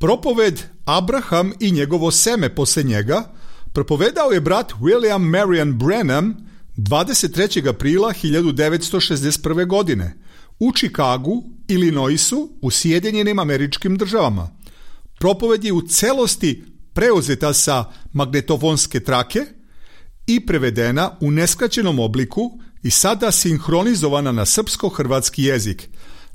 Propoved Abraham i njegovo seme posle njega propovedao je brat William Marion Branham 23. aprila 1961. godine u Chicagu, Illinoisu, u Sjedinjenim Američkim Državama. Propoved je u celosti preuzeta sa magnetofonske trake i prevedena u neskraćenom obliku i sada sinhronizovana na srpsko-hrvatski jezik.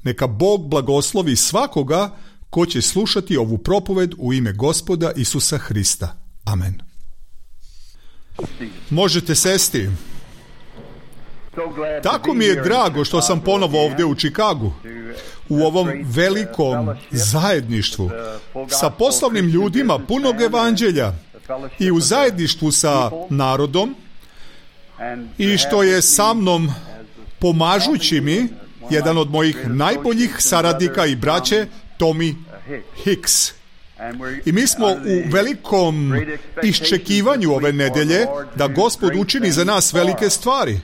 Neka Bog blagoslovi svakoga ko će slušati ovu propoved u ime Gospoda Isusa Hrista. Amen. Možete sesti. Tako mi je drago što sam ponovo ovdje u Chicagu, u ovom velikom zajedništvu, sa poslovnim ljudima punog evanđelja i u zajedništvu sa narodom, i što je sa mnom pomažući mi jedan od mojih najboljih saradnika i braće, Tommy Hicks. I mi smo u velikom iščekivanju ove nedelje da Gospod učini za nas velike stvari.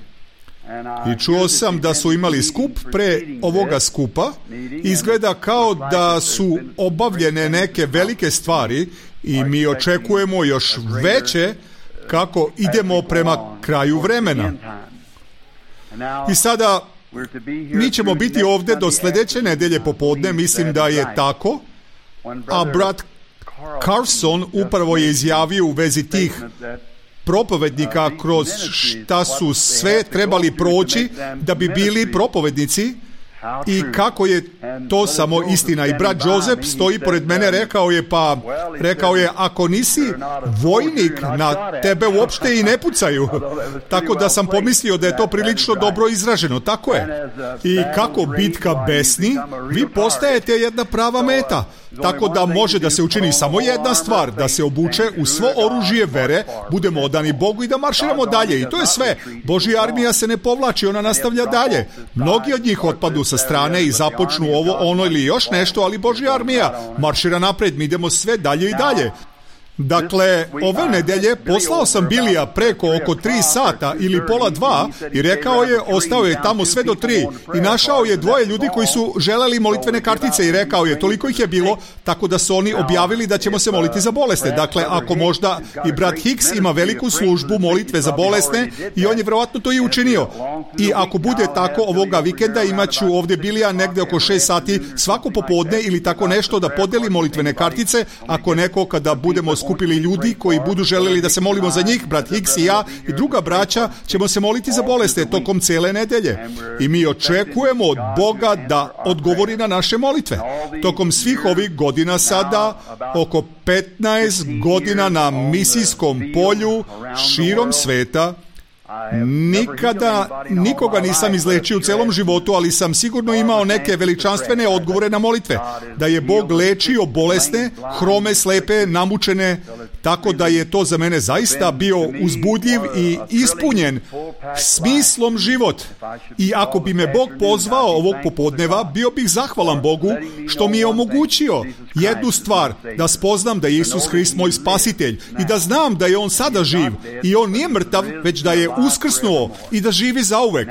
I čuo sam da su imali skup pre ovoga skupa. Izgleda kao da su obavljene neke velike stvari i mi očekujemo još veće kako idemo prema kraju vremena. I sada mi ćemo biti ovdje do sljedeće nedelje popodne, mislim da je tako, a brat Carson upravo je izjavio u vezi tih propovednika kroz šta su sve trebali proći da bi bili propovednici i kako je to samo istina. I brat Joseph stoji pored mene, rekao je ako nisi vojnik, na tebe uopšte i ne pucaju. Tako da sam pomislio da je to prilično dobro izraženo. Tako je. I kako bitka besni, vi postajete jedna prava meta. Tako da može da se učini samo jedna stvar, da se obuče u svo oružje vere, budemo odani Bogu i da marširamo dalje. I to je sve. Božja armija se ne povlači, ona nastavlja dalje. Mnogi od njih otpadu sa strane i započnu ovo, ono ili još nešto, ali Božja armija maršira napred, mi idemo sve dalje i dalje. Dakle, ove nedelje poslao sam Bilija preko oko 3 sata ili pola 2 i rekao je, ostao je tamo sve do 3 i našao je 2 ljudi koji su želeli molitvene kartice i rekao je, toliko ih je bilo, tako da su oni objavili da ćemo se moliti za bolesne. Dakle, ako možda i brat Hicks ima veliku službu molitve za bolesne i on je vjerovatno to i učinio. I ako bude tako ovoga vikenda imaću ovdje Bilija negdje oko 6 sati svako popodne ili tako nešto da podeli molitvene kartice, ako neko kada budemo skupili ljudi koji budu željeli da se molimo za njih, brat Hicks i ja i druga braća ćemo se moliti za bolesne tokom cijele nedelje. I mi očekujemo od Boga da odgovori na naše molitve. Tokom svih ovih godina sada, oko 15 godina na misijskom polju širom sveta, nikada nikoga nisam izlečio u celom životu, ali sam sigurno imao neke veličanstvene odgovore na molitve. Da je Bog lečio bolesne, hrome, slepe, namučene, tako da je to za mene zaista bio uzbudljiv i ispunjen smislom život. I ako bi me Bog pozvao ovog popodneva, bio bih zahvalan Bogu što mi je omogućio jednu stvar, da spoznam da je Isus Hrist moj spasitelj i da znam da je On sada živ i On nije mrtav, već da je uskrsnuo i da živi zauvek.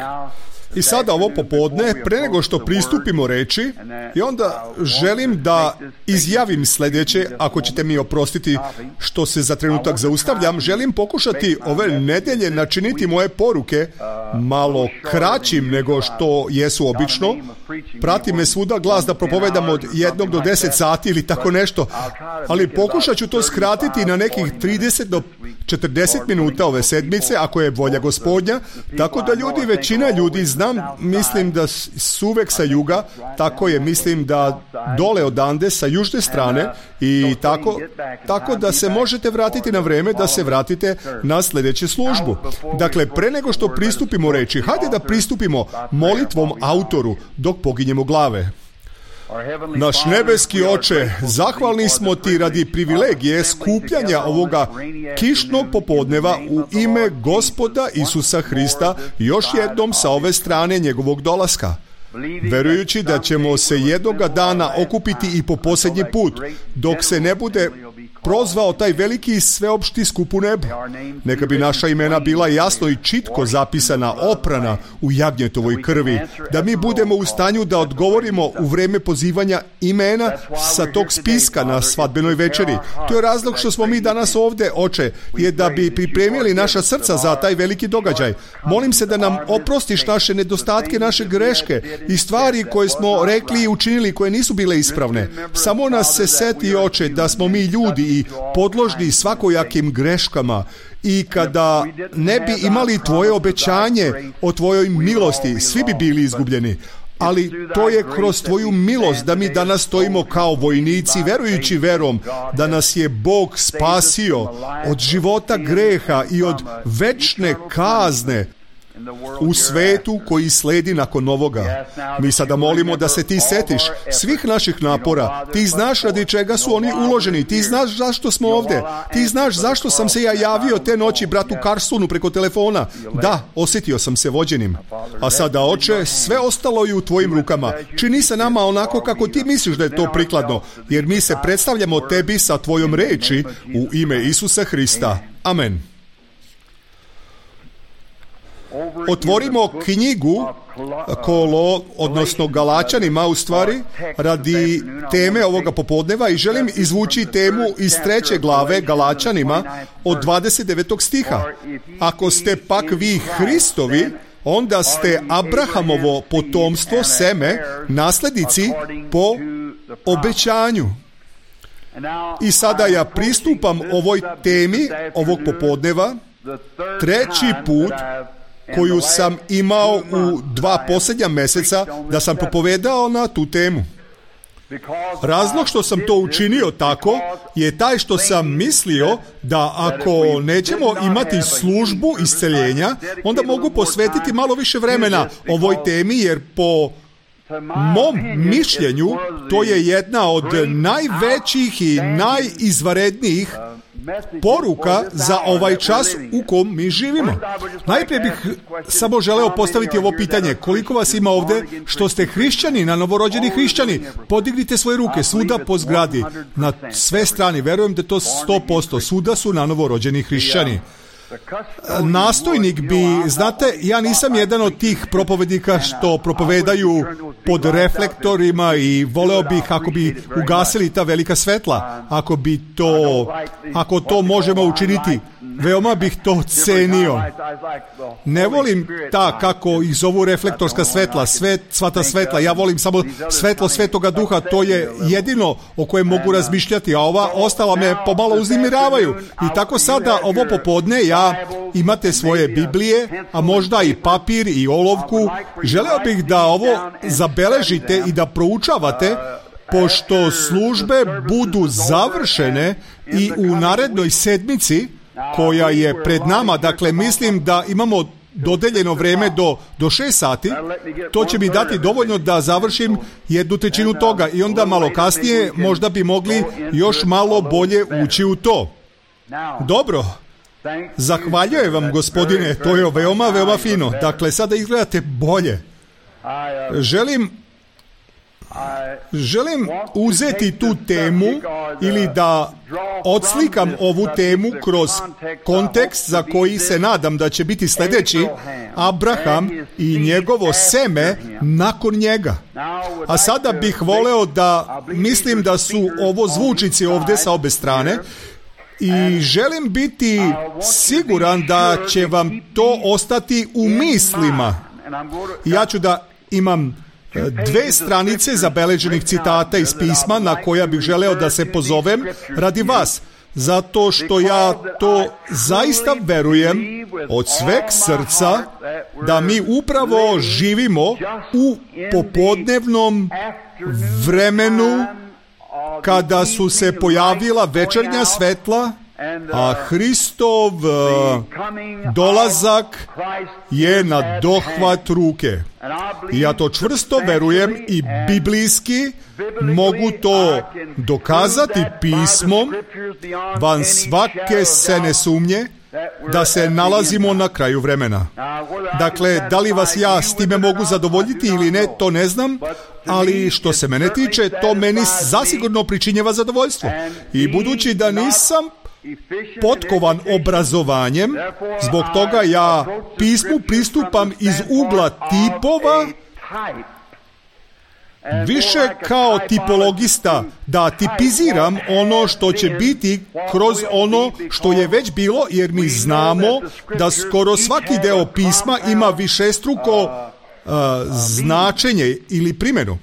I sada ovo popodne, pre nego što pristupimo reči, i onda želim da izjavim sljedeće, ako ćete mi oprostiti što se za trenutak zaustavljam, želim pokušati ove nedelje načiniti moje poruke malo kraćim nego što jesu obično. Prati me svuda glas da propovedam od 1 do 10 sati ili tako nešto, ali pokušat ću to skratiti na nekih 30 do 40 minuta ove sedmice, ako je volja Gospodnja, tako da većina ljudi mislim da su uvek sa juga, tako je, mislim da dole odande sa južne strane i tako da se možete vratiti na vreme da se vratite na sljedeću službu. Dakle, pre nego što pristupimo reči, hajde da pristupimo molitvom autoru dok poginjemo glave. Naš nebeski Oče, zahvalni smo Ti radi privilegije skupljanja ovoga kišnog popodneva u ime Gospoda Isusa Hrista još jednom sa ove strane njegovog dolaska. Verujući da ćemo se jednoga dana okupiti i po posljednji put, dok se ne bude prozvao taj veliki sveopšti skup u nebu. Neka bi naša imena bila jasno i čitko zapisana, oprana u jagnjetovoj krvi, da mi budemo u stanju da odgovorimo u vreme pozivanja imena sa tog spiska na svadbenoj večeri. To je razlog što smo mi danas ovde, Oče, je da bi pripremili naša srca za taj veliki događaj. Molim se da nam oprostiš naše nedostatke, naše greške i stvari koje smo rekli i učinili koje nisu bile ispravne. Samo nas se seti, Oče, da smo mi ljudi i podložni svakojakim greškama i kada ne bi imali tvoje obećanje o tvojoj milosti, svi bi bili izgubljeni. Ali to je kroz tvoju milost da mi danas stojimo kao vojnici, verujući verom da nas je Bog spasio od života greha i od večne kazne u svetu koji sledi nakon ovoga. Mi sada molimo da se ti setiš svih naših napora. Ti znaš radi čega su oni uloženi. Ti znaš zašto smo ovde. Ti znaš zašto sam se ja javio te noći bratu Carstonu preko telefona. Da, osjetio sam se vođenim. A sada, Oče, sve ostalo je u tvojim rukama. Čini se nama onako kako ti misliš da je to prikladno, jer mi se predstavljamo tebi sa tvojom reči u ime Isusa Hrista. Amen. Otvorimo knjigu odnosno Galačanima, u stvari, radi teme ovoga popodneva i želim izvući temu iz 3. glave Galačanima od 29. stiha. Ako ste pak vi Hristovi, onda ste Abrahamovo potomstvo, seme, naslednici po obećanju. I sada ja pristupam ovoj temi ovog popodneva treći put koju sam imao u 2 posljednja meseca da sam propovedao na tu temu. Razlog što sam to učinio tako je taj što sam mislio da ako nećemo imati službu isceljenja, onda mogu posvetiti malo više vremena ovoj temi, jer po mom mišljenju to je jedna od najvećih i najizvanrednijih poruka za ovaj čas u kom mi živimo. Najprije bih samo želeo postaviti ovo pitanje. Koliko vas ima ovde što ste hrišćani, na novorođeni hrišćani? Podignite svoje ruke svuda po zgradi. Na sve strane. Verujem da to 100%. Svuda su na novorođeni hrišćani. Nastojnik bi, znate, ja nisam jedan od tih propovednika što propovedaju pod reflektorima i voleo bih ako bi ugasili ta velika svetla. Ako to možemo učiniti, veoma bih to cenio. Ne volim ta, kako ih zovu, reflektorska svetla, sva ta svetla. Ja volim samo svetlo Svetoga Duha, to je jedino o kojem mogu razmišljati, a ova ostala me pomalo uznemiravaju. I tako sada, ovo popodne, imate svoje Biblije, a možda i papir i olovku. Želeo bih da ovo zabeležite i da proučavate, pošto službe budu završene i u narednoj sedmici koja je pred nama. Dakle, mislim da imamo dodeljeno vreme do 6 sati. To će mi dati dovoljno da završim 1/3 toga i onda malo kasnije možda bi mogli još malo bolje ući u to. Dobro. Zahvaljujem vam, gospodine, to je veoma, veoma fino. Dakle, sada izgledate bolje. Želim uzeti tu temu ili da odslikam ovu temu kroz kontekst za koji se nadam da će biti sljedeći: Abraham i njegovo seme nakon njega. A sada bih voleo da, mislim da su ovo zvučnici ovdje sa obe strane, i želim biti siguran da će vam to ostati u mislima. Ja ću da imam 2 stranice zabeleženih citata iz pisma na koja bih želeo da se pozovem radi vas, zato što ja to zaista verujem od sveg srca da mi upravo živimo u popodnevnom vremenu kada su se pojavila večernja svetla, a Hristov dolazak je na dohvat ruke. I ja to čvrsto verujem i biblijski mogu to dokazati pismom van svake sene sumnje, da se nalazimo na kraju vremena. Dakle, da li vas ja s time mogu zadovoljiti ili ne, to ne znam, ali što se mene tiče, to meni zasigurno pričinjeva zadovoljstvo. I budući da nisam potkovan obrazovanjem, zbog toga ja pismu pristupam iz ugla tipova, više kao tipologista, da tipiziram ono što će biti kroz ono što je već bilo, jer mi znamo da skoro svaki deo pisma ima višestruko značenje ili primjenu.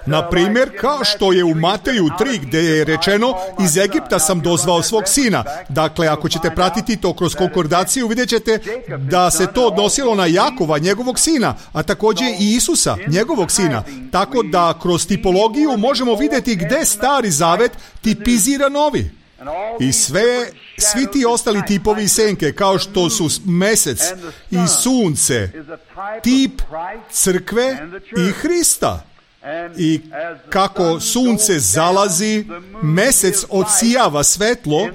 Na primjer, kao što je u Mateju 3 gdje je rečeno iz Egipta sam dozvao svog sina. Dakle, ako ćete pratiti to kroz konkordaciju, vidjet ćete da se to odnosilo na Jakova, njegovog sina, a također i Isusa, njegovog sina. Tako da kroz tipologiju možemo vidjeti gdje Stari Zavet tipizira Novi. I svi ti ostali tipovi i senke, kao što su mesec i sunce, tip crkve i Hrista. I kako sunce zalazi, mesec odsijava svetlo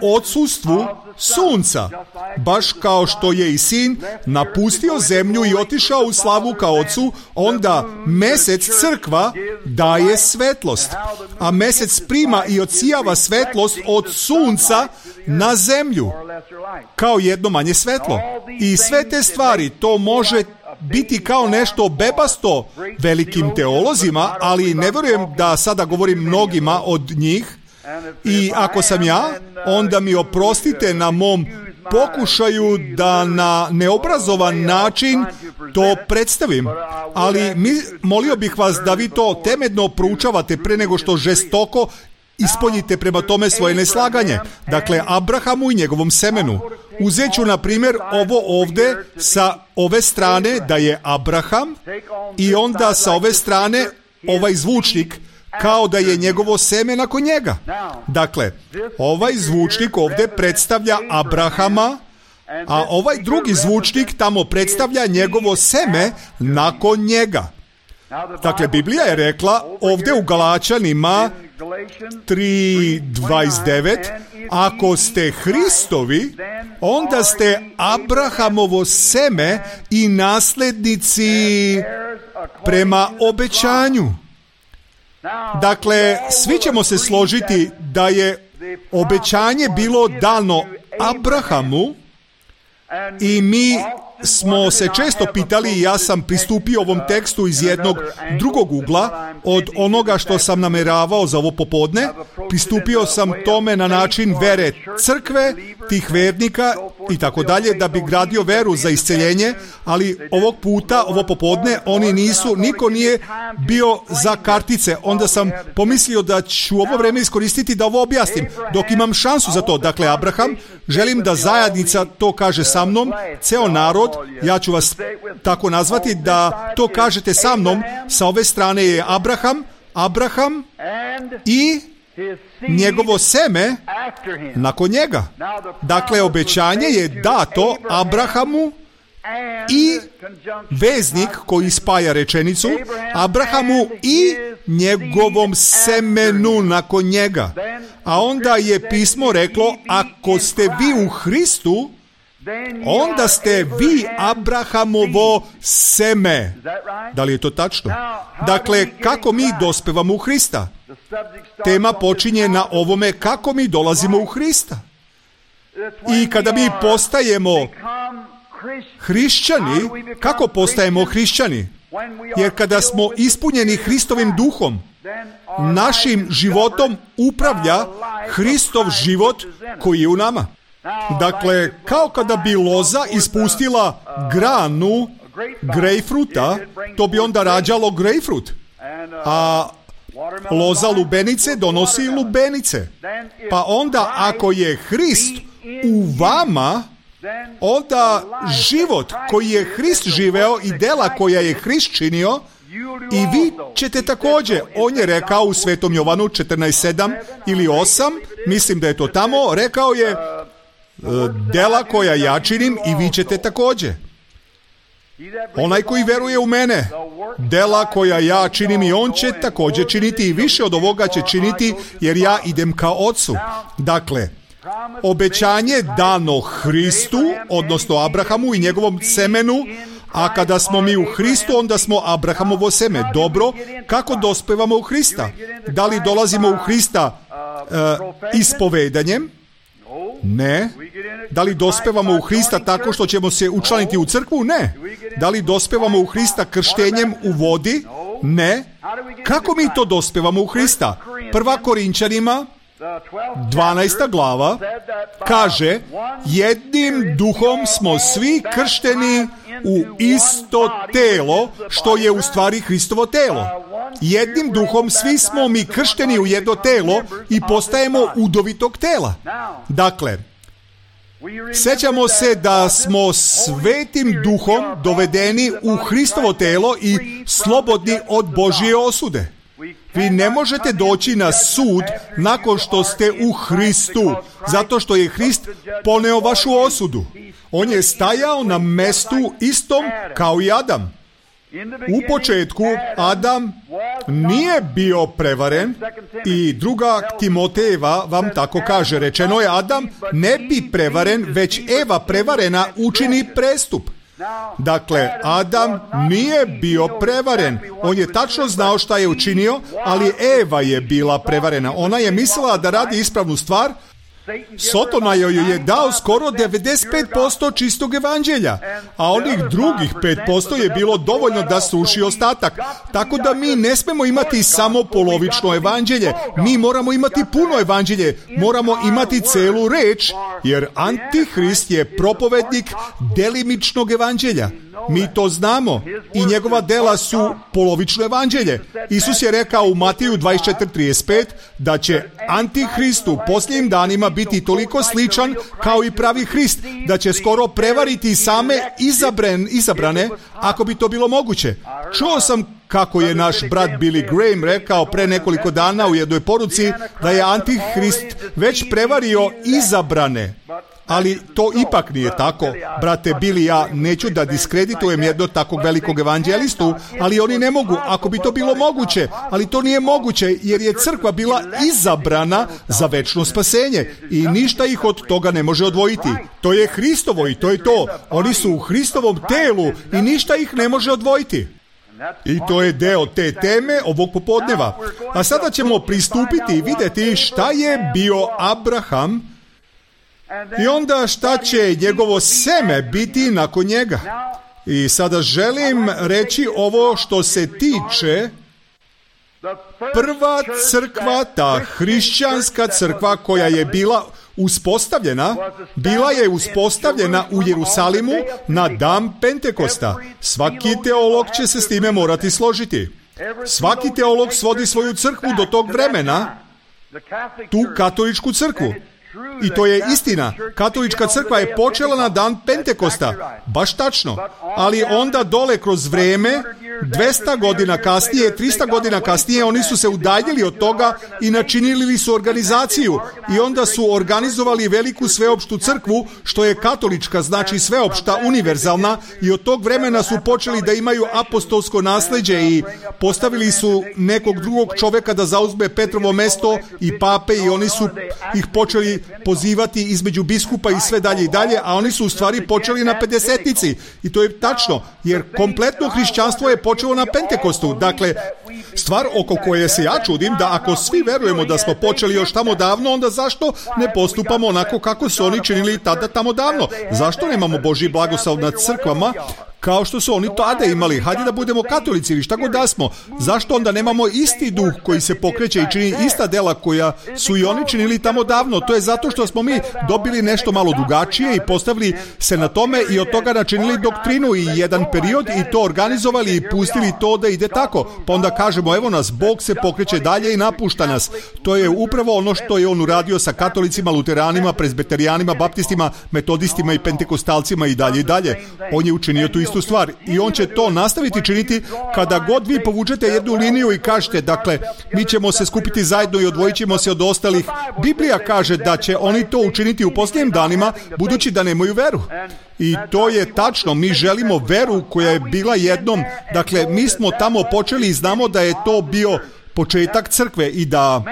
u odsustvu sunca, baš kao što je i sin napustio zemlju i otišao u slavu ka ocu, onda mesec crkva daje svetlost, a mesec prima i odsijava svetlost od sunca na zemlju kao jedno manje svetlo. I sve te stvari, to može biti kao nešto bebasto velikim teolozima, ali ne vjerujem da sada govorim mnogima od njih. I ako sam ja, onda mi oprostite na mom pokušaju da na neobrazovan način to predstavim. Ali molio bih vas da vi to temeljno proučavate pre nego što žestoko ispoljite prema tome svoje neslaganje. Dakle, Abrahamu i njegovom semenu. Uzet ću, na primjer, ovo ovdje sa ove strane da je Abraham i onda sa ove strane ovaj zvučnik kao da je njegovo seme nakon njega. Dakle, ovaj zvučnik ovdje predstavlja Abrahama, a ovaj drugi zvučnik tamo predstavlja njegovo seme nakon njega. Dakle, Biblija je rekla ovdje u Galačanima 3:29, ako ste Hristovi, onda ste Abrahamovo seme i nasljednici prema obećanju. Dakle, svi ćemo se složiti da je obećanje bilo dano Abrahamu i mi smo se često pitali, i ja sam pristupio ovom tekstu iz jednog drugog ugla od onoga što sam nameravao za ovo popodne. Pristupio sam tome na način vere crkve, tih vernika i tako dalje, da bi gradio veru za isceljenje, ali ovog puta, ovo popodne, niko nije bio za kartice. Onda sam pomislio da ću ovo vreme iskoristiti da ovo objasnim, dok imam šansu za to. Dakle, Abraham, želim da zajednica to kaže sa mnom, ceo narod, ja ću vas tako nazvati, da to kažete sa mnom. Sa ove strane je Abraham i njegovo seme nakon njega. Dakle, obećanje je dato Abrahamu i veznik koji spaja rečenicu, Abrahamu i njegovom semenu nakon njega. A onda je pismo reklo, ako ste vi u Hristu, onda ste vi Abrahamovo seme. Da li je to tačno? Dakle, kako mi dospevamo u Hrista? Tema počinje na ovome kako mi dolazimo u Hrista. I kada mi postajemo hrišćani, kako postajemo hrišćani? Jer kada smo ispunjeni Hristovim duhom, našim životom upravlja Hristov život koji je u nama. Dakle, kao kada bi loza ispustila granu grejpfruta, to bi onda rađalo grejpfrut. A loza lubenice donosi lubenice. Pa onda, ako je Hrist u vama, onda život koji je Hrist živeo i dela koja je Hrist činio, i vi ćete također. On je rekao u Svetom Jovanu 14:7 ili 8, mislim da je to tamo, rekao je, dela koja ja činim i vi ćete također. Onaj koji veruje u mene, dela koja ja činim i on će također činiti, i više od ovoga će činiti, jer ja idem ka Ocu. Dakle, obećanje dano Hristu, odnosno Abrahamu i njegovom semenu, a kada smo mi u Hristu, onda smo Abrahamovo seme. Dobro, kako dospevamo u Hrista? Da li dolazimo u Hrista ispovedanjem? Ne. Da li dospevamo u Hrista tako što ćemo se učlaniti u crkvu? Ne. Da li dospevamo u Hrista krštenjem u vodi? Ne. Kako mi to dospevamo u Hrista? 1. Korinčanima 12. glava kaže: jednim duhom smo svi kršteni u isto telo, što je u stvari Hristovo telo. Jednim duhom svi smo mi kršteni u jedno telo i postajemo udovitog tela. Dakle, sjećamo se da smo svetim duhom dovedeni u Hristovo telo i slobodni od Božje osude. Vi ne možete doći na sud nakon što ste u Hristu, zato što je Hrist poneo vašu osudu. On je stajao na mestu istom kao i Adam. U početku Adam nije bio prevaren i 2. Timotejeva vam tako kaže. Rečeno je: Adam ne bi prevaren, već Eva prevarena učini prestup. Dakle, Adam nije bio prevaren. On je tačno znao šta je učinio, ali Eva je bila prevarena. Ona je mislila da radi ispravnu stvar. Sotona joj je dao skoro 95% čistog evanđelja, a onih drugih 5% je bilo dovoljno da sruši ostatak. Tako da mi ne smemo imati samo polovično evanđelje, mi moramo imati puno evanđelje, moramo imati celu reč, jer Antihrist je propovednik delimičnog evanđelja. Mi to znamo i njegova dela su polovično evanđelje. Isus je rekao u Matiju 24:35 da će Antihrist u posljednjim danima biti toliko sličan kao i pravi Hrist, da će skoro prevariti same izabrane, ako bi to bilo moguće. Čuo sam kako je naš brat Billy Graham rekao pre nekoliko dana u jednoj poruci da je Antihrist već prevario izabrane. Ali to ipak nije tako. Brate Billy, ja neću da diskreditujem jednog takvog velikog evanđelistu, ali oni ne mogu, ako bi to bilo moguće. Ali to nije moguće, jer je crkva bila izabrana za večno spasenje i ništa ih od toga ne može odvojiti. To je Hristovo i to je to. Oni su u Hristovom telu i ništa ih ne može odvojiti. I to je deo te teme ovog popodneva. A sada ćemo pristupiti i vidjeti šta je bio Abraham i onda šta će njegovo seme biti nakon njega. I sada želim reći ovo što se tiče prva crkva, ta hrišćanska crkva koja je bila uspostavljena u Jerusalimu na dan Pentekosta. Svaki teolog će se s time morati složiti. Svaki teolog svodi svoju crkvu do tog vremena, tu katoličku crkvu. I to je istina. Katolička crkva je počela na dan Pentekosta. Baš tačno. Ali onda dole kroz vrijeme, 200 godina kasnije, 300 godina kasnije, oni su se udaljili od toga i načinili su organizaciju. I onda su organizovali veliku sveopštu crkvu, što je katolička, znači sveopšta, univerzalna. I od tog vremena su počeli da imaju apostolsko nasljeđe i postavili su nekog drugog čovjeka da zauzme Petrovo mesto i pape, i oni su ih počeli pozivati između biskupa i sve dalje i dalje, a oni su u stvari počeli na Pedesetnici. I to je tačno, jer kompletno hrišćanstvo je počelo na Pentekostu. Dakle, stvar oko koje se ja čudim, da ako svi verujemo da smo počeli još tamo davno, onda zašto ne postupamo onako kako su oni činili tada tamo davno? Zašto nemamo Božji blagoslov nad crkvama kao što su oni tada imali? Hajde da budemo katolici ili šta god da smo. Zašto onda nemamo isti duh koji se pokreće i čini ista dela koja su i oni činili tamo davno? To je zato što smo mi dobili nešto malo drugačije i postavili se na tome i od toga načinili doktrinu i jedan period i to organizovali i pustili to da ide tako. Pa onda kažemo, evo nas, Bog se pokreće dalje i napušta nas. To je upravo ono što je on uradio sa katolicima, luteranima, prezbeterijanima, baptistima, metodistima i pentekostalcima i dalje i dalje. On je učinio tu istu stvar i on će to nastaviti činiti kada god vi povučete jednu liniju i kažete, dakle, mi ćemo se skupiti zajedno i odvojit ćemo se od ostalih. Biblija kaže da će oni to učiniti u posljednjim danima, budući da nemaju veru. I to je tačno, mi želimo veru koja je bila jednom, dakle, mi smo tamo počeli i znamo da je to bio početak crkve i da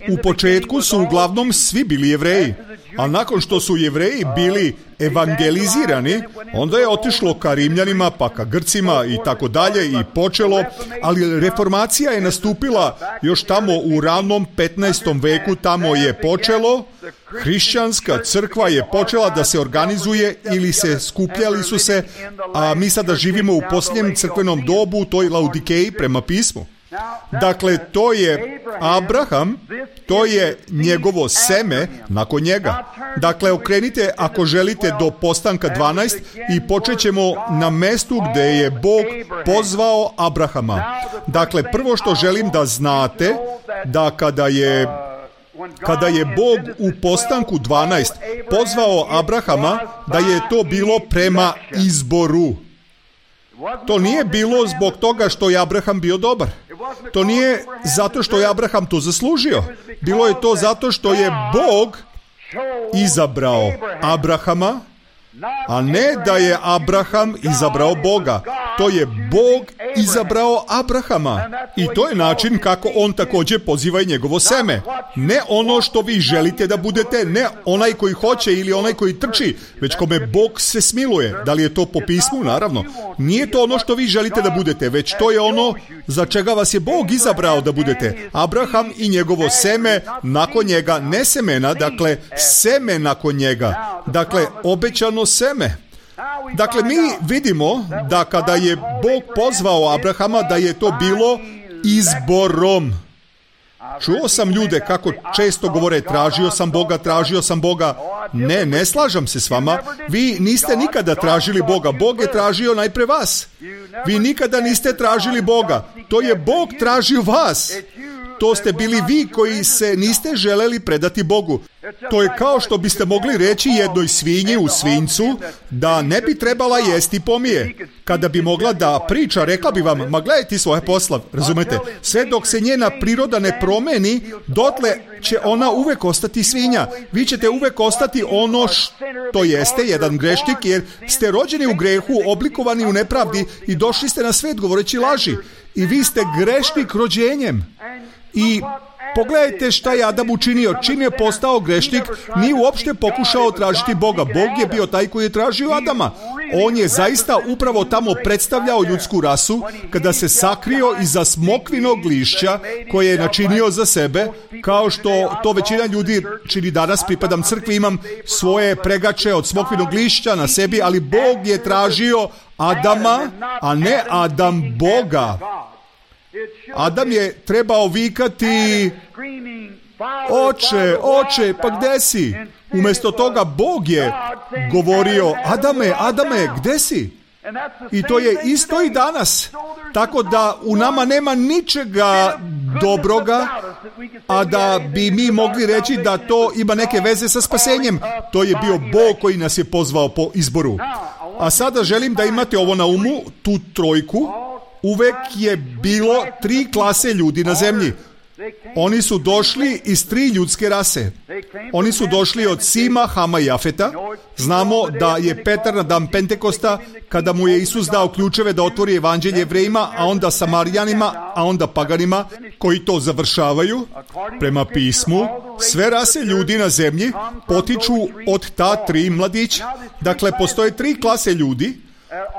u početku su uglavnom svi bili Jevreji. A nakon što su Jevreji bili evangelizirani, onda je otišlo ka Rimljanima, pa ka Grcima i tako dalje i počelo, ali reformacija je nastupila još tamo u ranom 15. veku, tamo je počelo, hrišćanska crkva je počela da se organizuje ili se skupljali su se, a mi sada živimo u posljednjem crkvenom dobu, u toj Laodikeji prema pismu. Dakle, to je Abraham, to je njegovo seme nakon njega. Dakle, okrenite ako želite do Postanka 12 i počet ćemo na mestu gdje je Bog pozvao Abrahama. Dakle, prvo što želim da znate, da kada je Bog u Postanku 12 pozvao Abrahama, da je to bilo prema izboru. To nije bilo zbog toga što je Abraham bio dobar. To nije zato što je Abraham to zaslužio. Bilo je to zato što je Bog izabrao Abrahama, a ne da je Abraham izabrao Boga. To je Bog izabrao Abrahama. I to je način kako on također poziva i njegovo seme. Ne ono što vi želite da budete, ne onaj koji hoće ili onaj koji trči, već kome Bog se smiluje. Da li je to po pismu? Naravno. Nije to ono što vi želite da budete, već to je ono za čega vas je Bog izabrao da budete. Abraham i njegovo seme nakon njega, ne semena, dakle seme nakon njega. Dakle, obećano seme. Dakle, mi vidimo da kada je Bog pozvao Abrahama, da je to bilo izborom. Čuo sam ljude kako često govore, tražio sam Boga. Ne slažem se s vama. Vi niste nikada tražili Boga. Bog je tražio najpre vas. Vi nikada niste tražili Boga. To je Bog tražio vas. To ste bili vi koji se niste želeli predati Bogu. To je kao što biste mogli reći jednoj svinji u svinjcu da ne bi trebala jesti pomije. Kada bi mogla da priča, rekla bi vam, ma gledaj ti svoje posla, razumete? Sve dok se njena priroda ne promeni, dotle će ona uvek ostati svinja. Vi ćete uvek ostati ono što jeste, jedan grešnik, jer ste rođeni u grehu, oblikovani u nepravdi i došli ste na svet govoreći laži. I vi ste grešnik rođenjem. I pogledajte šta je Adam učinio. Čim je postao grešnik, nije uopšte pokušao tražiti Boga. Bog je bio taj koji je tražio Adama. On je zaista upravo tamo predstavljao ljudsku rasu kada se sakrio iza smokvinog lišća koje je načinio za sebe, kao što to većina ljudi čini danas. Pripadam crkvi, imam svoje pregače od smokvinog lišća na sebi, ali Bog je tražio Adama, a ne Adam Boga. Adam je trebao vikati, oče, pa gde si? Umjesto toga Bog je govorio, Adame, gde si? I to je isto i danas. Tako da u nama nema ničega dobroga, a da bi mi mogli reći da to ima neke veze sa spasenjem. To je bio Bog koji nas je pozvao po izboru. A sada želim da imate ovo na umu, tu trojku. Uvek je bilo 3 klase ljudi na zemlji. Oni su došli iz 3 ljudske rase. Oni su došli od Sima, Hama i Jafeta. Znamo da je Petar na dan Pentekosta, kada mu je Isus dao ključeve da otvori evanđelje Jevrejima, a onda Samarijanima, a onda paganima, koji to završavaju. Prema pismu, sve rase ljudi na zemlji potiču od ta 3 mladića. Dakle, postoje 3 klase ljudi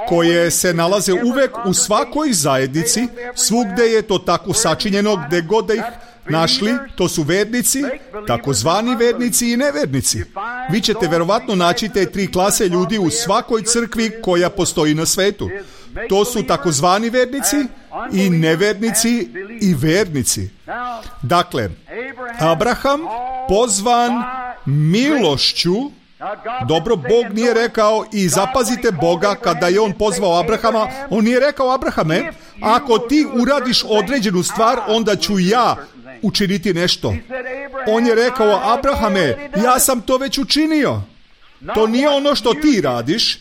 koje se nalaze uvek u svakoj zajednici, svugde je to tako sačinjeno, gde god da ih našli, to su vernici, takozvani vernici i nevernici. Vi ćete verovatno naći te 3 klase ljudi u svakoj crkvi koja postoji na svetu. To su takozvani vernici i nevernici i vernici. Dakle, Abraham pozvan milošću. Dobro, Bog nije rekao, i zapazite Boga, kada je on pozvao Abrahama, on nije rekao, Abrahame, ako ti uradiš određenu stvar, onda ću ja učiniti nešto. On je rekao, Abrahame, ja sam to već učinio. To nije ono što ti radiš,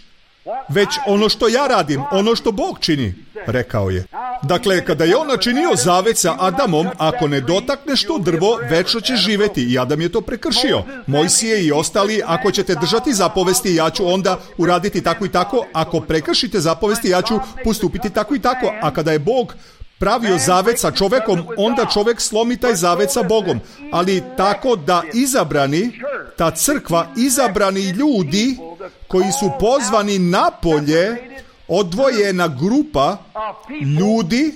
već ono što ja radim, ono što Bog čini, rekao je. Dakle, kada je on načinio zavet sa Adamom, ako ne dotakneš to drvo, večno ćeš živeti, i Adam je to prekršio. Mojsije i ostali, ako ćete držati zapovesti, ja ću onda uraditi tako i tako, ako prekršite zapovesti, ja ću postupiti tako i tako. A kada je Bog pravio zavet sa čovekom, onda čovek slomi taj zavet sa Bogom. Ali tako da izabrani ta crkva, izabrani ljudi koji su pozvani napolje, odvojena grupa ljudi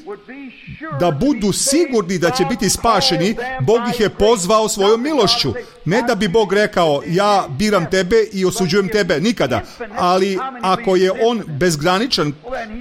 da budu sigurni da će biti spašeni. Bog ih je pozvao svojom milošću. Ne da bi Bog rekao ja biram tebe i osuđujem tebe, nikada. Ali ako je on bezgraničan,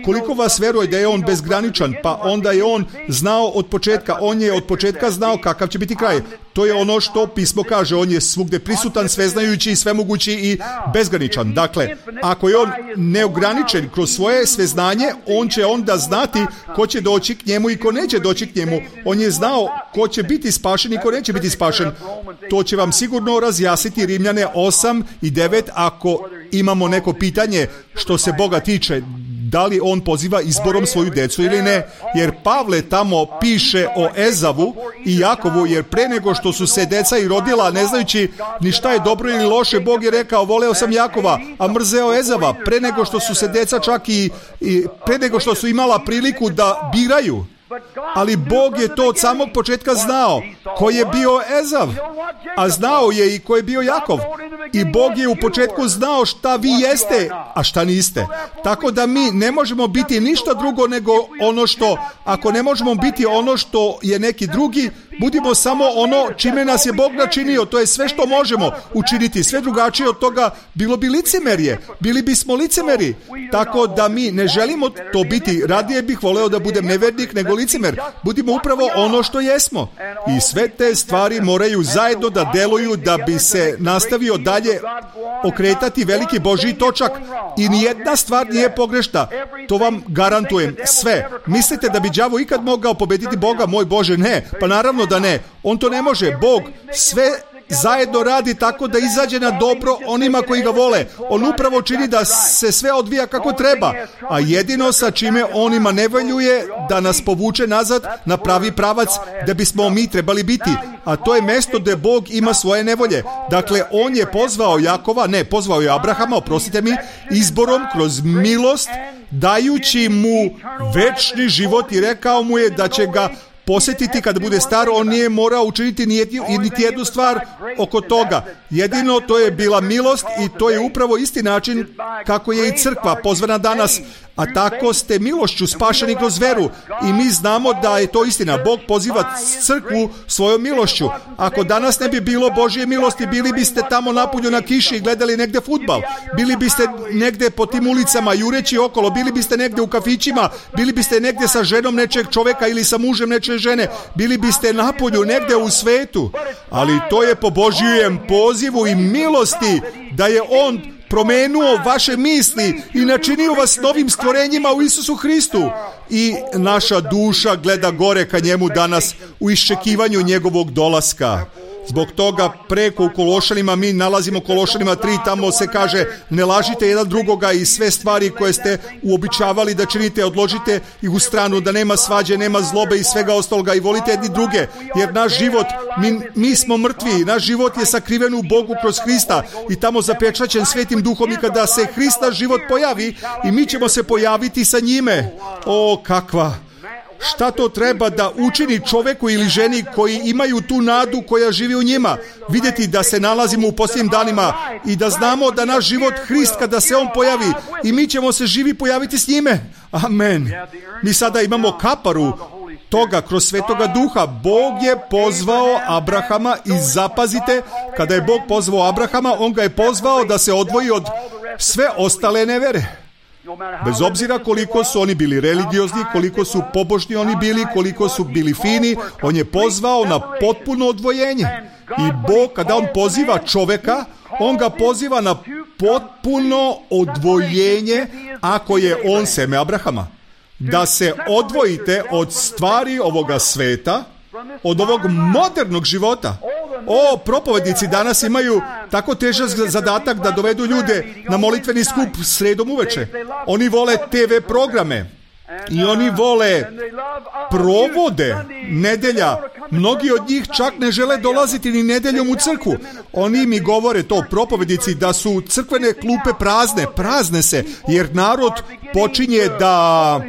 koliko vas veruje da je on bezgraničan, pa onda je on znao od početka, on je od početka znao kakav će biti kraj. To je ono što pismo kaže, on je svugde prisutan, sveznajući, svemogući i bezgraničan. Dakle, ako je on neograničen kroz svoje sveznanje, on će onda znati ko će doći k njemu i ko neće doći k njemu. On je znao ko će biti spašen i ko neće biti spašen. To će vam sigurno razjasniti Rimljane 8 i 9 ako imamo neko pitanje što se Boga tiče. Da li on poziva izborom svoju decu ili ne? Jer Pavle tamo piše o Ezavu i Jakovu, jer pre nego što su se deca i rodila, ne znajući ni šta je dobro ili loše, Bog je rekao voleo sam Jakova, a mrzeo Ezava. Pre nego što su se deca čak i pre nego što su imala priliku da biraju. Ali Bog je to od samog početka znao ko je bio Ezav, a znao je i ko je bio Jakov. I Bog je u početku znao šta vi jeste, a šta niste. Tako da mi ne možemo biti ništa drugo nego ono što, ako ne možemo biti ono što je neki drugi, budimo samo ono čime nas je Bog načinio. To je sve što možemo učiniti. Sve drugačije od toga bilo bi licemerje. Bili bismo licemeri. Tako da mi ne želimo to biti. Radije bih voleo da budem nevernik nego licemer. Budimo upravo ono što jesmo. I sve te stvari moraju zajedno da deluju da bi se nastavio dalje okretati veliki Božji točak. I nijedna stvar nije pogrešna. To vam garantujem. Sve. Mislite da bi đavo ikad mogao pobediti Boga? Moj Bože, ne. Pa naravno da ne. On to ne može. Bog sve zajedno radi tako da izađe na dobro onima koji ga vole. On upravo čini da se sve odvija kako treba. A jedino sa čime on ima nevoljuje da nas povuče nazad na pravi pravac da bismo mi trebali biti. A to je mesto gde Bog ima svoje nevolje. Dakle, on je pozvao Jakova, pozvao je Abrahama, oprostite mi, izborom kroz milost, dajući mu večni život i rekao mu je da će ga posjetiti kada bude star. On nije morao učiniti niti jednu stvar oko toga. Jedino to je bila milost i to je upravo isti način kako je i crkva pozvana danas. A tako ste milošću spašeni kroz veru. I mi znamo da je to istina. Bog poziva crkvu svojom milošću. Ako danas ne bi bilo Božje milosti, bili biste tamo napolju na kiši i gledali negde fudbal. Bili biste negde po tim ulicama jureći okolo. Bili biste negde u kafićima. Bili biste negde sa ženom nečeg čoveka ili sa mužem nečeg žene. Bili biste napolju negde u svetu. Ali to je po Božjem pozivu i milosti da je on promenuo vaše misli i načinio vas novim stvorenjima u Isusu Hristu. I naša duša gleda gore ka njemu danas u iščekivanju njegovog dolaska. Zbog toga preko u Kološanima, mi nalazimo Kološanima 3, tamo se kaže ne lažite jedan drugoga i sve stvari koje ste uobičavali da činite, odložite ih u stranu, da nema svađe, nema zlobe i svega ostaloga i volite jedni druge, jer naš život, mi smo mrtvi, naš život je sakriven u Bogu kroz Hrista i tamo zapečaćen Svetim Duhom i kada se Hrista život pojavi i mi ćemo se pojaviti sa njime. O, kakva! Šta to treba da učini čoveku ili ženi koji imaju tu nadu koja živi u njima? Vidjeti da se nalazimo u posljednjim danima i da znamo da naš život Hrist kada se on pojavi i mi ćemo se živi pojaviti s njime. Amen. Mi sada imamo kaparu toga kroz Svetoga Duha. Bog je pozvao Abrahama i zapazite, kada je Bog pozvao Abrahama, on ga je pozvao da se odvoji od sve ostale nevere. Bez obzira koliko su oni bili religiozni, koliko su pobožni oni bili, koliko su bili fini, on je pozvao na potpuno odvojenje. I Bog, kada on poziva čoveka, on ga poziva na potpuno odvojenje ako je on seme Abrahama. Da se odvojite od stvari ovoga sveta, od ovog modernog života. Propovednici danas imaju tako težak zadatak da dovedu ljude na molitveni skup sredom uveče. Oni vole TV programe i oni vole provode nedelja. Mnogi od njih čak ne žele dolaziti ni nedeljom u crkvu. Oni mi govore to, propovednici, da su crkvene klupe prazne se, jer narod počinje da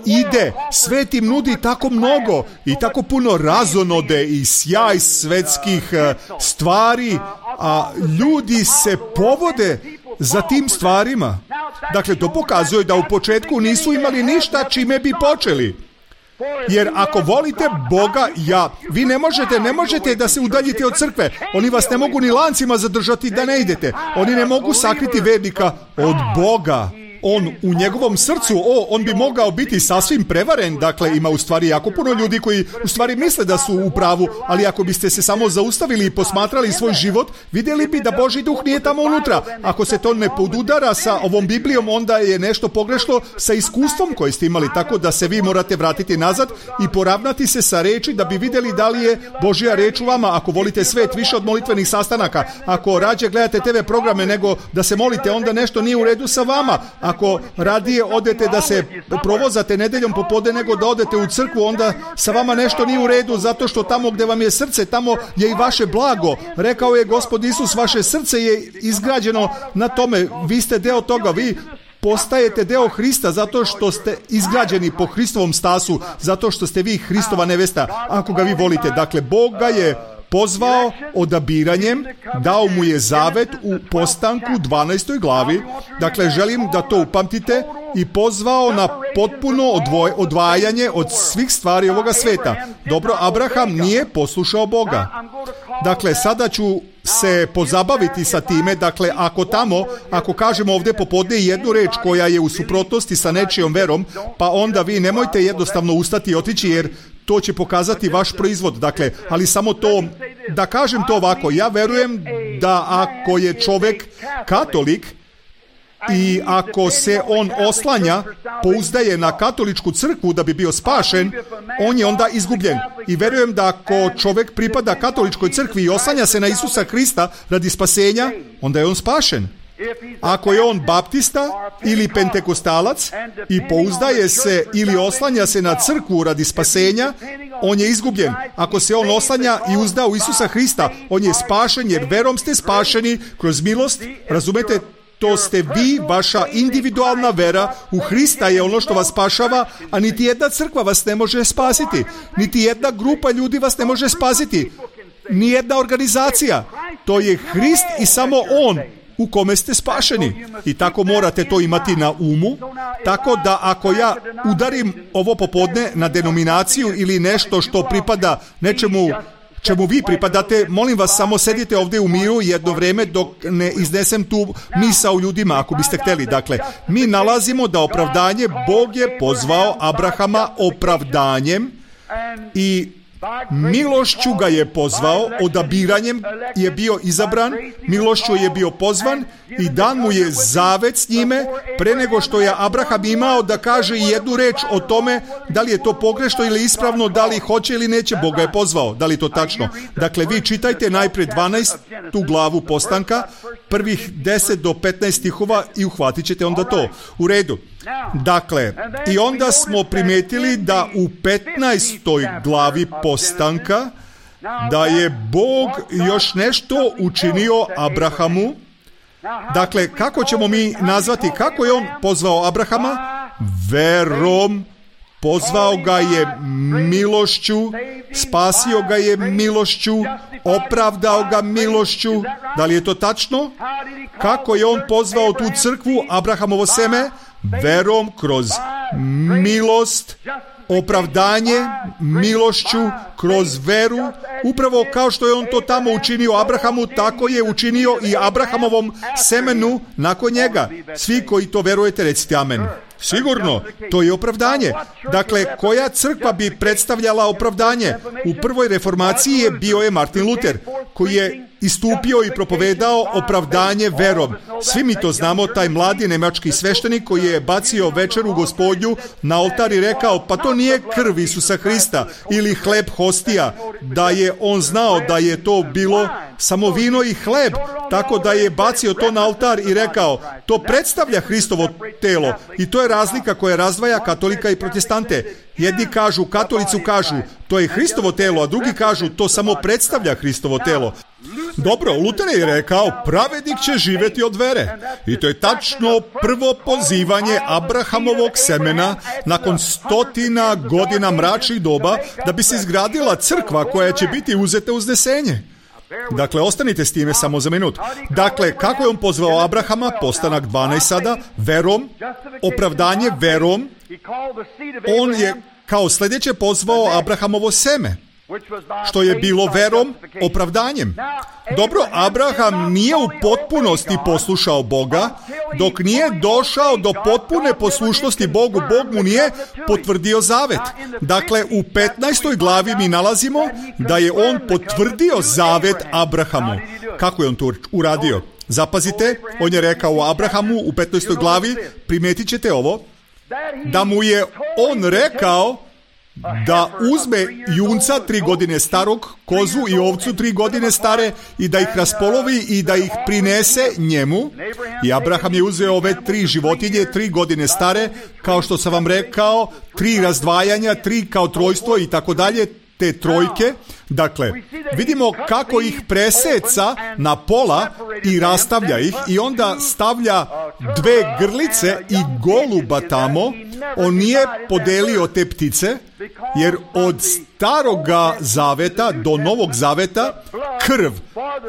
ide, svet im nudi tako mnogo i tako puno razonode i sjaj svetskih stvari a ljudi se povode za tim stvarima. Dakle, to pokazuje da u početku nisu imali ništa čime bi počeli. Jer ako volite Boga, vi ne možete da se udaljite od crkve. Oni vas ne mogu ni lancima zadržati da ne idete. Oni ne mogu sakriti vernika od Boga. On u njegovom srcu, on bi mogao biti sasvim prevaren. Dakle, ima u stvari jako puno ljudi koji u stvari misle da su u pravu, ali ako biste se samo zaustavili i posmatrali svoj život, vidjeli bi da Božji duh nije tamo unutra. Ako se to ne podudara sa ovom Biblijom, onda je nešto pogrešno sa iskustvom koje ste imali, tako da se vi morate vratiti nazad i poravnati se sa reči da bi vidjeli da li je Božja reč u vama. Ako volite svet više od molitvenih sastanaka, ako rađe gledate TV programe nego da se molite, onda nešto nije u redu sa vama. Ako radije odete da se provozate nedeljom popodne nego da odete u crkvu, onda sa vama nešto nije u redu, zato što tamo gdje vam je srce, tamo je i vaše blago. Rekao je Gospod Isus, vaše srce je izgrađeno na tome, vi ste deo toga, vi postajete deo Hrista zato što ste izgrađeni po Hristovom stasu, zato što ste vi Hristova nevesta, ako ga vi volite. Dakle, Bog ga je pozvao odabiranjem, dao mu je zavet u Postanku 12. glavi. Dakle, želim da to upamtite, i pozvao na potpuno odvajanje od svih stvari ovoga sveta. Dobro, Abraham nije poslušao Boga. Dakle, sada ću se pozabaviti sa time. Dakle, ako kažemo ovdje popodne jednu reč koja je u suprotnosti sa nečijom verom, pa onda vi nemojte jednostavno ustati i otići, jer to će pokazati vaš proizvod. Dakle, ali samo to, da kažem to ovako, ja verujem da ako je čovjek katolik i ako se on oslanja, pouzdaje na katoličku crkvu da bi bio spašen, on je onda izgubljen. I verujem da ako čovjek pripada katoličkoj crkvi i oslanja se na Isusa Krista radi spasenja, onda je on spašen. Ako je on baptista ili pentekostalac i pouzdaje se ili oslanja se na crkvu radi spasenja, on je izgubljen. Ako se on oslanja i uzda u Isusa Hrista, on je spašen, jer verom ste spašeni kroz milost. Razumete? To ste vi, vaša individualna vera u Hrista je ono što vas spašava, a niti jedna crkva vas ne može spasiti. Niti jedna grupa ljudi vas ne može spasiti. Nijedna organizacija. To je Hrist i samo On u kome ste spašeni. I tako morate to imati na umu. Tako da ako ja udarim ovo popodne na denominaciju ili nešto što pripada nečemu čemu vi pripadate, molim vas, samo sedite ovdje u miru jedno vrijeme dok ne iznesem tu misao ljudima, ako biste htjeli. Dakle, mi nalazimo da opravdanje, Bog je pozvao Abrahama opravdanjem i milošću ga je pozvao, odabiranjem je bio izabran, milošću je bio pozvan i dan mu je zavet s njime pre nego što je Abraham imao da kaže jednu reč o tome da li je to pogrešno ili ispravno, da li hoće ili neće. Bog ga je pozvao. Da li je to tačno? Dakle, vi čitajte najprije 12. glavu Postanka, prvih 10 do 15 stihova i uhvatit ćete onda to. U redu. Dakle, i onda smo primijetili da u 15. glavi Postanka da je Bog još nešto učinio Abrahamu. Dakle, kako ćemo mi nazvati, kako je on pozvao Abrahama? Verom. Pozvao ga je milošću, spasio ga je milošću, opravdao ga milošću. Da li je to tačno? Kako je on pozvao tu crkvu, Abrahamovo seme? Verom, kroz milost, opravdanje milošću, kroz veru. Upravo kao što je on to tamo učinio Abrahamu, tako je učinio i Abrahamovom semenu nakon njega. Svi koji to verujete, recite amen. Sigurno, to je opravdanje. Dakle, koja crkva bi predstavljala opravdanje? U prvoj reformaciji bio je Martin Luther, koji je istupio i propovedao opravdanje verom. Svi mi to znamo, taj mladi nemački sveštenik koji je bacio večeru Gospodnju na oltar i rekao, pa to nije krv Isusa Hrista ili hleb hostija, da je on znao da je to bilo samo vino i hleb, tako da je bacio to na oltar i rekao, to predstavlja Hristovo telo. I to je razlika koja razdvaja katolika i protestante. Jedni kažu, katolici kažu, to je Hristovo telo, a drugi kažu, to samo predstavlja Hristovo telo. Dobro, Luter je rekao, pravednik će živjeti od vere. I to je tačno prvo pozivanje Abrahamovog semena nakon 100 godina mračnih doba da bi se izgradila crkva koja će biti uzeta uznesenje. Dakle, ostanite s time samo za minut. Dakle, kako je on pozvao Abrahama, postanak 12 sada, verom, opravdanje verom, on je kao sljedeće pozvao Abrahamovo seme, što je bilo verom, opravdanjem. Dobro, Abraham nije u potpunosti poslušao Boga, dok nije došao do potpune poslušnosti Bogu, Bog mu nije potvrdio zavet. Dakle, u 15. glavi mi nalazimo da je on potvrdio zavet Abrahamu. Kako je on to uradio? Zapazite, on je rekao Abrahamu u 15. glavi, primetit ćete ovo, da mu je on rekao da uzme junca 3 godine starog, kozu i ovcu 3 godine stare i da ih raspolovi i da ih prinese njemu. I Abraham je uzeo ove 3 životinje 3 godine stare, kao što sam vam rekao, 3 razdvajanja, 3 kao trojstvo i tako dalje, te trojke. Dakle, vidimo kako ih preseca na pola i rastavlja ih i onda stavlja 2 grlice i goluba tamo. On nije podelio te ptice, jer od staroga zaveta do novog zaveta krv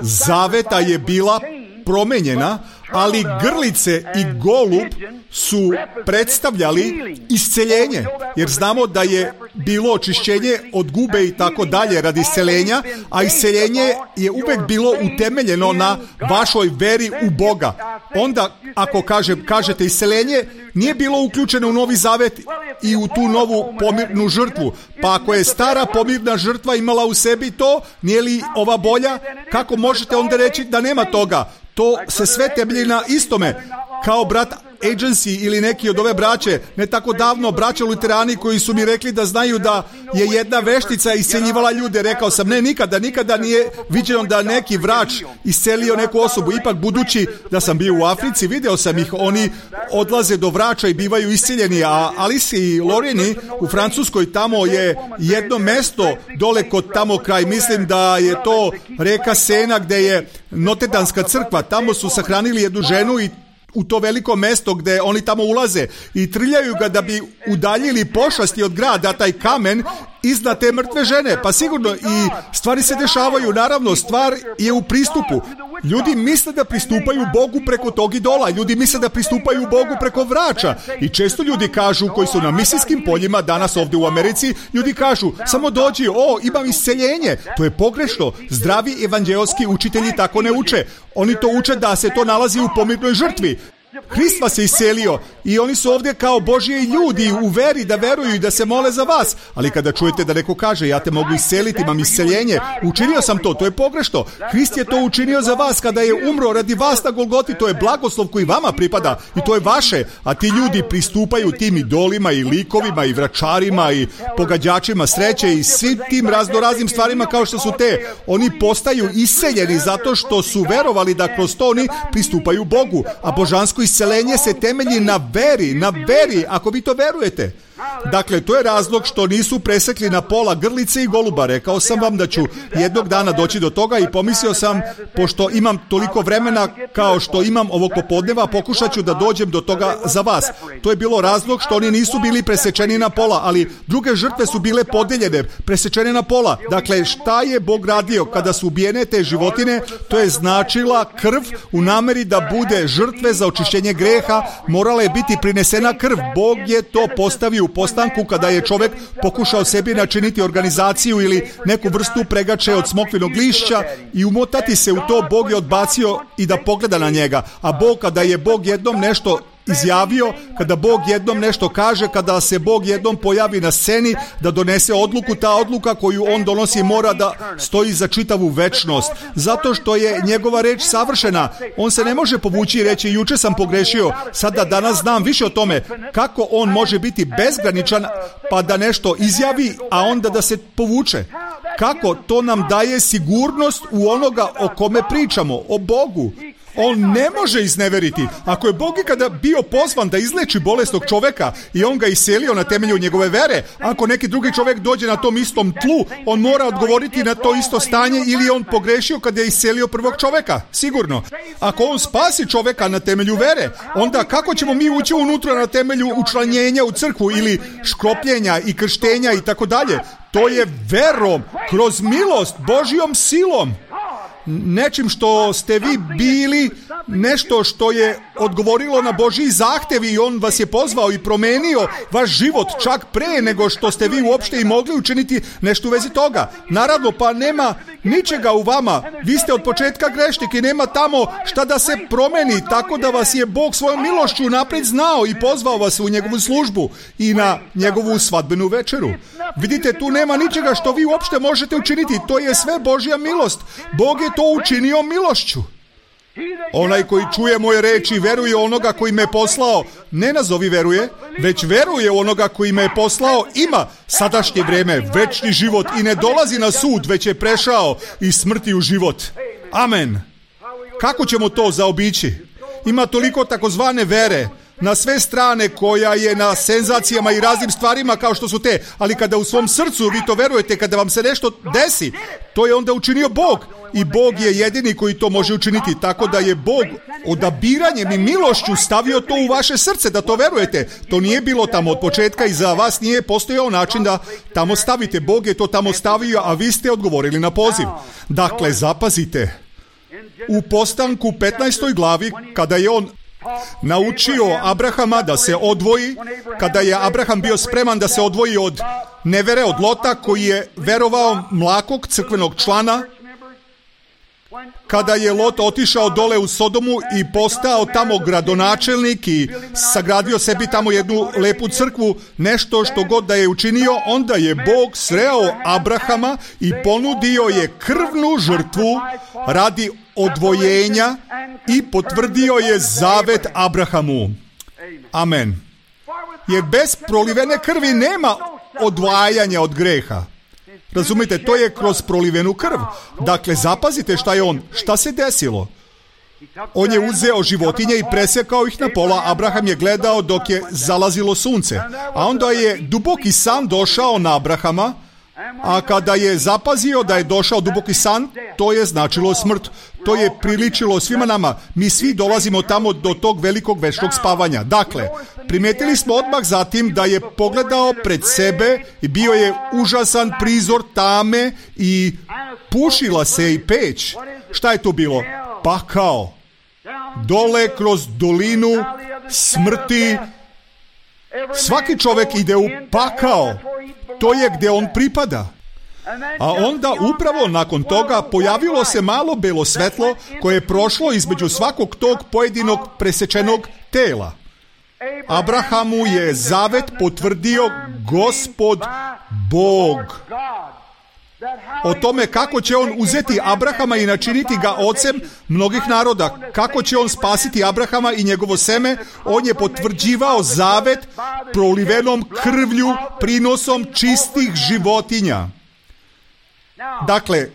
zaveta je bila promenjena, ali grlice i golub su predstavljali isceljenje, jer znamo da je bilo očišćenje od gube i tako dalje radi isceljenja, a isceljenje je uvek bilo utemeljeno na vašoj veri u Boga. Onda, ako kažete isceljenje, nije bilo uključeno u Novi Zavet i u tu novu pomirnu žrtvu. Pa ako je stara pomirna žrtva imala u sebi to, nije li ova bolja? Kako možete onda reći da nema toga? To se sve temelji na istome. Kao brat Agency ili neki od ove braće, ne tako davno, braća luterani koji su mi rekli da znaju da je jedna veštica isceljivala ljude. Rekao sam, ne, nikada nije viđeno da neki vrač iscelio neku osobu. Ipak, budući da sam bio u Africi, video sam ih, oni odlaze do vrača i bivaju isceljeni, a Alice i Lorini u Francuskoj, tamo je jedno mesto dole kod tamo kraj, mislim da je to reka Sena gde je Notedanska crkva, tamo su sahranili jednu ženu i u to veliko mesto gde oni tamo ulaze i trljaju ga da bi udaljili pošasti od grada, taj kamen iznad te mrtve žene. Pa sigurno i stvari se dešavaju, naravno, stvar je u pristupu. Ljudi misle da pristupaju Bogu preko tog idola, ljudi misle da pristupaju Bogu preko vrača i često ljudi kažu, koji su na misijskim poljima danas ovdje u Americi, ljudi kažu, samo dođi, imam isceljenje. To je pogrešno, zdravi evanđeoski učitelji tako ne uče. Oni to uče da se to nalazi u pomirnoj žrtvi. Hrist vas je iscelio i oni su ovdje kao Božji ljudi u veri da veruju i da se mole za vas. Ali kada čujete da neko kaže, ja te mogu isceliti, imam isceljenje, učinio sam to je pogrešno. Hrist je to učinio za vas kada je umro radi vas na Golgoti, to je blagoslov koji vama pripada i to je vaše, a ti ljudi pristupaju tim idolima i likovima i vračarima i pogađačima sreće i svim tim raznoraznim stvarima kao što su te. Oni postaju isceljeni zato što su verovali da kroz to oni pristupaju Bogu, a božansko isceljenje se temelji na veri, ako vi to verujete. Dakle, to je razlog što nisu presekli na pola grlice i goluba. Rekao sam vam da ću jednog dana doći do toga i pomislio sam, pošto imam toliko vremena kao što imam ovog popodneva, pokušat ću da dođem do toga za vas. To je bilo razlog što oni nisu bili presečeni na pola, ali druge žrtve su bile podeljene, presečene na pola. Dakle, šta je Bog radio kada su ubijene te životine? To je značila krv u nameri da bude žrtve za očišćenje greha, morala je biti prinesena krv. Bog je to postavio u postanku kada je čovjek pokušao sebi načiniti organizaciju ili neku vrstu pregače od smokvinog lišća i umotati se u to. Bog je odbacio i da pogleda na njega. A Bog, kada je Bog jednom nešto izjavio, kada Bog jednom nešto kaže, kada se Bog jednom pojavi na sceni da donese odluku, ta odluka koju on donosi mora da stoji za čitavu večnost, zato što je njegova reč savršena. On se ne može povući i reći, juče sam pogrešio, sada danas znam više o tome. Kako on može biti bezgraničan pa da nešto izjavi, a onda da se povuče? Kako? To nam daje sigurnost u onoga o kome pričamo, o Bogu. On ne može izneveriti. Ako je Bog ikada bio pozvan da izleči bolesnog čoveka i on ga iscelio na temelju njegove vere, ako neki drugi čovjek dođe na tom istom tlu, on mora odgovoriti na to isto stanje ili je on pogrešio kada je iscelio prvog čoveka? Sigurno. Ako on spasi čoveka na temelju vere, onda kako ćemo mi ući unutra na temelju učlanjenja u crkvu ili škropljenja i krštenja i tako dalje? To je verom, kroz milost, Božjom silom. nečim što ste vi bili, nešto što je odgovorilo na Božji zahtev i on vas je pozvao i promenio vaš život čak pre nego što ste vi uopšte i mogli učiniti nešto u vezi toga. Naravno, pa nema ničega u vama. Vi ste od početka grešnik i nema tamo šta da se promeni, tako da vas je Bog svojom milošću napred znao i pozvao vas u njegovu službu i na njegovu svadbenu večeru. Vidite, tu nema ničega što vi uopšte možete učiniti. To je sve Božja milost. Bog je to učinio milošću. Onaj koji čuje moje reči i veruje onoga koji me poslao, ne nazovi veruje, već veruje onoga koji me je poslao, ima sadašnje vreme, večni život i ne dolazi na sud, već je prešao iz smrti u život. Amen. Kako ćemo to zaobići? Ima toliko takozvane vere na sve strane koja je na senzacijama i raznim stvarima kao što su te, ali kada u svom srcu vi to verujete, kada vam se nešto desi, to je onda učinio Bog i Bog je jedini koji to može učiniti, tako da je Bog odabiranjem i milošću stavio to u vaše srce da to verujete. To nije bilo tamo od početka i za vas nije postojao način da tamo stavite. Bog je to tamo stavio, a vi ste odgovorili na poziv. Dakle, zapazite, u Postanku 15. glavi, kada je on naučio Abrahama da se odvoji, kada je Abraham bio spreman da se odvoji od nevere, od Lota koji je verovao mlakog crkvenog člana, kada je Lot otišao dole u Sodomu i postao tamo gradonačelnik i sagradio sebi tamo jednu lepu crkvu, nešto što god da je učinio, onda je Bog sreo Abrahama i ponudio je krvnu žrtvu radi odvojenja i potvrdio je zavet Abrahamu. Amen. Jer bez prolivene krvi nema odvajanja od greha. Razumite, to je kroz prolivenu krv. Dakle, zapazite šta se desilo. On je uzeo životinje i presekao ih na pola. Abraham je gledao dok je zalazilo sunce. A onda je duboki san došao na Abrahama, a kada je zapazio da je došao duboki san, to je značilo smrt. To je priličilo svima nama. Mi svi dolazimo tamo do tog velikog večnog spavanja. Dakle, primetili smo odmah zatim da je pogledao pred sebe i bio je užasan prizor tame i pušila se i peć. Šta je to bilo? Pakao. Dole kroz dolinu smrti. Svaki čovjek ide u pakao. To je gdje on pripada. A onda upravo nakon toga pojavilo se malo belo svetlo koje je prošlo između svakog tog pojedinog presečenog tela. Abrahamu je zavet potvrdio Gospod Bog. O tome kako će on uzeti Abrahama i načiniti ga ocem mnogih naroda, kako će on spasiti Abrahama i njegovo seme, on je potvrđivao zavet prolivenom krvlju, prinosom čistih životinja. Dakle,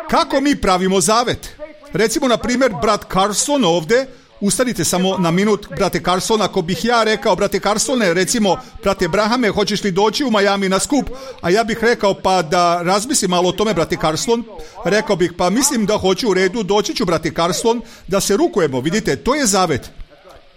kako mi pravimo zavet? Recimo, na primjer, brat Carson ovdje, ustanite samo na minut, brate Carson, ako bih ja rekao, brate Carsone, recimo, brate Brahame, hoćeš li doći u Miami na skup? A ja bih rekao, pa da razmislim malo o tome, brate Carson. Rekao bih, pa mislim da hoću, u redu, doći ću, brate Carson, da se rukujemo. Vidite, to je zavet.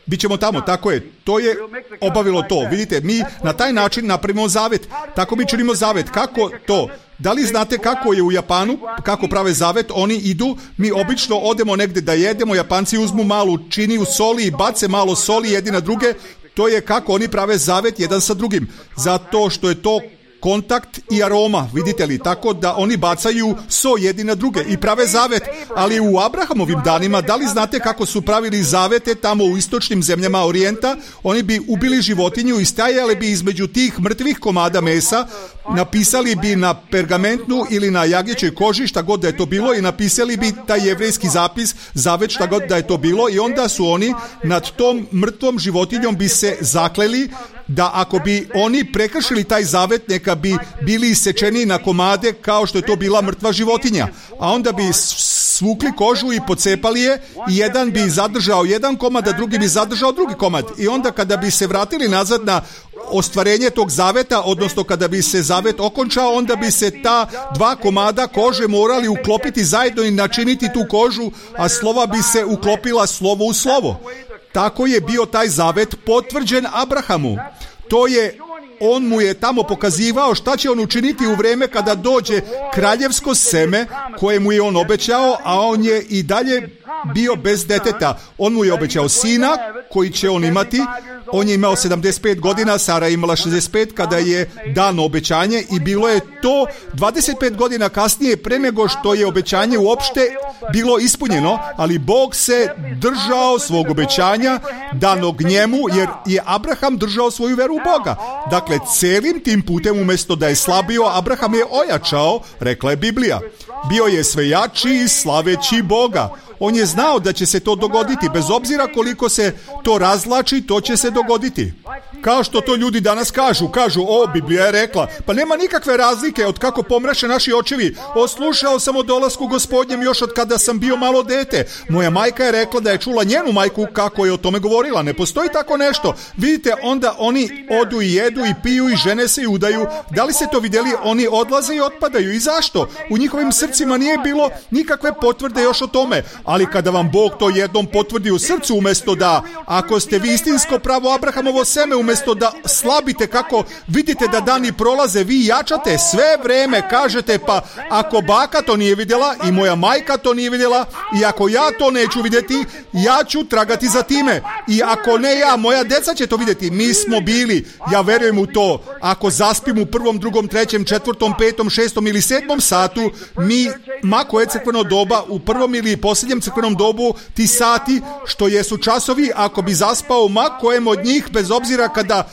Bićemo tamo, tako je. To je obavilo to. Vidite, mi na taj način napravimo zavet. Tako mi činimo zavet. Kako to? Da li znate kako je u Japanu, kako prave zavet? Oni idu, mi obično odemo negdje da jedemo, Japanci uzmu malu činiju soli i bace malo soli jedni na druge. To je kako oni prave zavet jedan sa drugim. Zato što je to kontakt i aroma, vidite li, tako da oni bacaju so jedni na druge i prave zavet. Ali u Abrahamovim danima, da li znate kako su pravili zavete tamo u istočnim zemljama Orijenta? Oni bi ubili životinju i stajali bi između tih mrtvih komada mesa, napisali bi na pergamentnu ili na jagnjećoj koži, šta god da je to bilo, i napisali bi taj jevrejski zapis, zavet, šta god da je to bilo, i onda su oni nad tom mrtvom životinjom bi se zakleli da ako bi oni prekršili taj zavet, neka bi bili isečeni na komade kao što je to bila mrtva životinja. A onda bi svukli kožu i pocepali je i jedan bi zadržao jedan komad, a drugi bi zadržao drugi komad. I onda kada bi se vratili nazad na ostvarenje tog zaveta, odnosno kada bi se zavet okončao, onda bi se ta dva komada kože morali uklopiti zajedno i načiniti tu kožu, a slova bi se uklopila slovo u slovo. Tako je bio taj zavet potvrđen Abrahamu. To je on mu je tamo pokazivao šta će on učiniti u vrijeme kada dođe kraljevsko seme koje mu je on obećao, a on je i dalje bio bez deteta. On mu je obećao sina koji će on imati. On je imao 75 godina, Sara je imala 65 kada je dano obećanje i bilo je to 25 godina kasnije pre nego što je obećanje uopšte bilo ispunjeno, ali Bog se držao svog obećanja danog njemu, jer je Abraham držao svoju veru u Boga. Dakle, celim tim putem umjesto da je slabio, Abraham je ojačao, rekla je Biblija. Bio je sve jači i slaveći Boga. On je znao da će se to dogoditi, bez obzira koliko se to razvlači, to će se dogoditi. Kao što to ljudi danas kažu, Biblija je rekla, pa nema nikakve razlike od kako pomraše naši očevi. Slušao sam o dolasku Gospodnjem još od kada sam bio malo dete. Moja majka je rekla da je čula njenu majku kako je o tome govorila. Ne postoji tako nešto. Vidite, onda oni odu i jedu i piju i žene se i udaju. Da li ste to vidjeli? Oni odlaze i otpadaju. I zašto? U njihovim srcima nije bilo nikakve potvrde još o tome. Ali kada vam Bog to jednom potvrdi u srcu, umjesto da, ako ste vi istinsko pravo Abrahamovo seme, umjesto da slabite kako vidite da dani prolaze, vi jačate sve vreme, kažete pa ako baka to nije vidjela i moja majka to nije vidjela i ako ja to neću vidjeti, ja ću tragati za time i ako ne ja, moja deca će to vidjeti. Mi smo bili, ja verujem u to, ako zaspim u 1., 2., 3., 4., 5., 6. ili 7. satu, mi, mako je crkveno doba, u prvom ili posljednjem crkvenom dobu, ti sati što jesu časovi, ako bi zaspao ma kojem od njih, bez obzira kada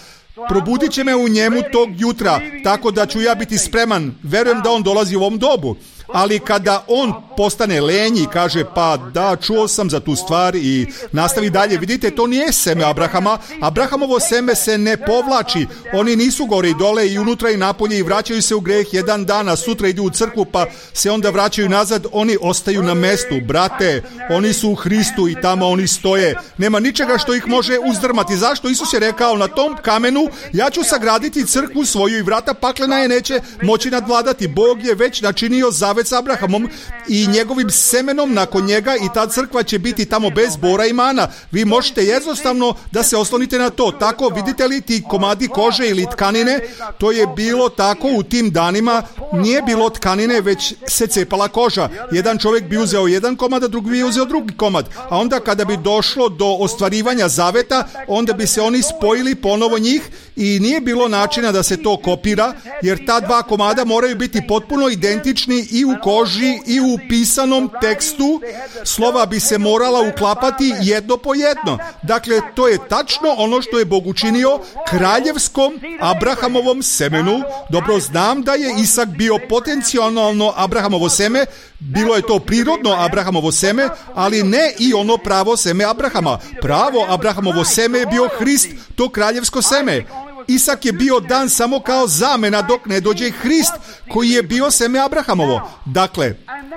probudit će me u njemu tog jutra, tako da ću ja biti spreman. Verujem da on dolazi u ovom dobu. Ali kada on postane lenji i kaže pa da, čuo sam za tu stvar i nastavi dalje, vidite, to nije seme Abrahama. Abrahamovo seme se ne povlači. Oni nisu gore i dole i unutra i napolje i vraćaju se u greh jedan dan, a sutra idu u crkvu pa se onda vraćaju nazad. Oni ostaju na mestu, brate, oni su u Hristu i tamo oni stoje. Nema ničega što ih može uzdrmati. Zašto? Isus je rekao, na tom kamenu ja ću sagraditi crkvu svoju i vrata paklena je neće moći nadvladati. Bog je već načinio zavet s Abrahamom i njegovim semenom nakon njega i ta crkva će biti tamo bez bora i mana. Vi možete jednostavno da se oslonite na to. Tako, vidite li ti komadi kože ili tkanine, to je bilo tako u tim danima, nije bilo tkanine, već se cepala koža. Jedan čovjek bi uzeo jedan komad, a drugi bi uzeo drugi komad. A onda kada bi došlo do ostvarivanja zaveta, onda bi se oni spojili ponovo njih i nije bilo načina da se to kopira, jer ta dva komada moraju biti potpuno identični i u koži i u pisanom tekstu. Slova bi se morala uklapati jedno po jedno. Dakle, to je tačno ono što je Bog učinio kraljevskom Abrahamovom semenu. Dobro znam da je Isak bio potencijalno Abrahamovo seme, bilo je to prirodno Abrahamovo seme, ali ne i ono pravo seme Abrahama. Pravo Abrahamovo seme je bio Hrist, to kraljevsko seme. Isak je bio dan samo kao zamena dok ne dođe Hrist koji je bio seme Abrahamovo. Dakle,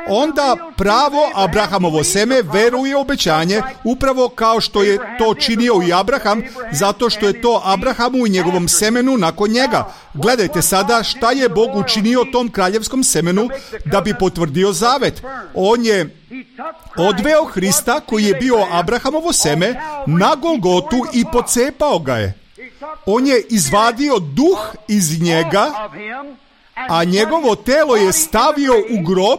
onda pravo Abrahamovo seme veruje obećanje upravo kao što je to činio i Abraham, zato što je to Abrahamu i njegovom semenu nakon njega. Gledajte sada šta je Bog učinio tom kraljevskom semenu da bi potvrdio zavet. On je odveo Hrista koji je bio Abrahamovo seme na Golgotu i pocepao ga je. On je izvadio duh iz njega, a njegovo telo je stavio u grob,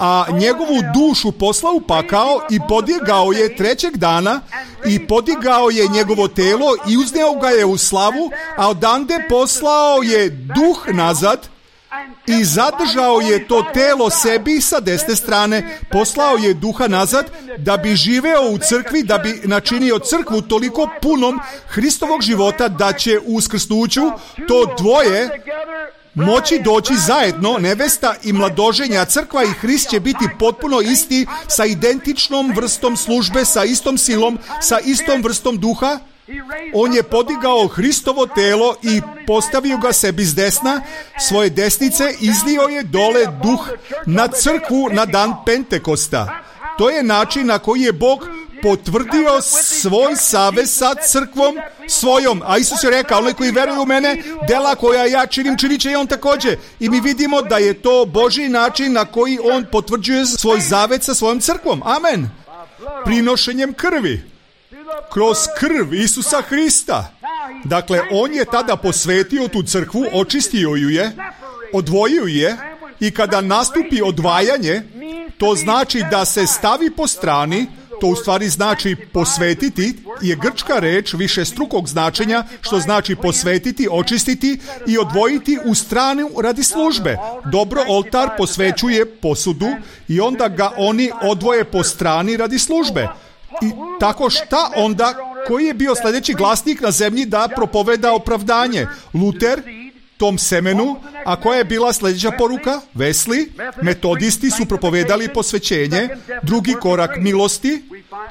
a njegovu dušu poslao u pakao i podigao je 3. dana i podigao je njegovo telo i uzneo ga je u slavu, a odande poslao je duh nazad i zadržao je to telo sebi sa desne strane. Poslao je duha nazad da bi živeo u crkvi, da bi načinio crkvu toliko punom Hristovog života da će u uskrsnuću to dvoje moći doći zajedno, nevesta i mladoženja. Crkva i Hrist će biti potpuno isti, sa identičnom vrstom službe, sa istom silom, sa istom vrstom duha. On je podigao Hristovo telo i postavio ga sebi s desna svoje desnice, izlio je dole duh na crkvu na dan Pentekosta. To je način na koji je Bog potvrdio svoj savez sa crkvom svojom. A Isus je rekao, onaj koji veruje u mene, dela koja ja činim, činit će i on također. I mi vidimo da je to Božji način na koji on potvrđuje svoj zavet sa svojom crkvom. Amen. Prinošenjem krvi. Kroz krv Isusa Hrista. Dakle, on je tada posvetio tu crkvu, očistio ju je, odvojio je i kada nastupi odvajanje, to znači da se stavi po strani, to u stvari znači posvetiti, je grčka reč višestrukog značenja, što znači posvetiti, očistiti i odvojiti u stranu radi službe. Dobro, oltar posvećuje posudu i onda ga oni odvoje po strani radi službe. I tako šta onda, koji je bio sljedeći glasnik na zemlji da propoveda opravdanje? Luter, tom semenu, a koja je bila sljedeća poruka? Wesley, metodisti su propovedali posvećenje, drugi korak milosti,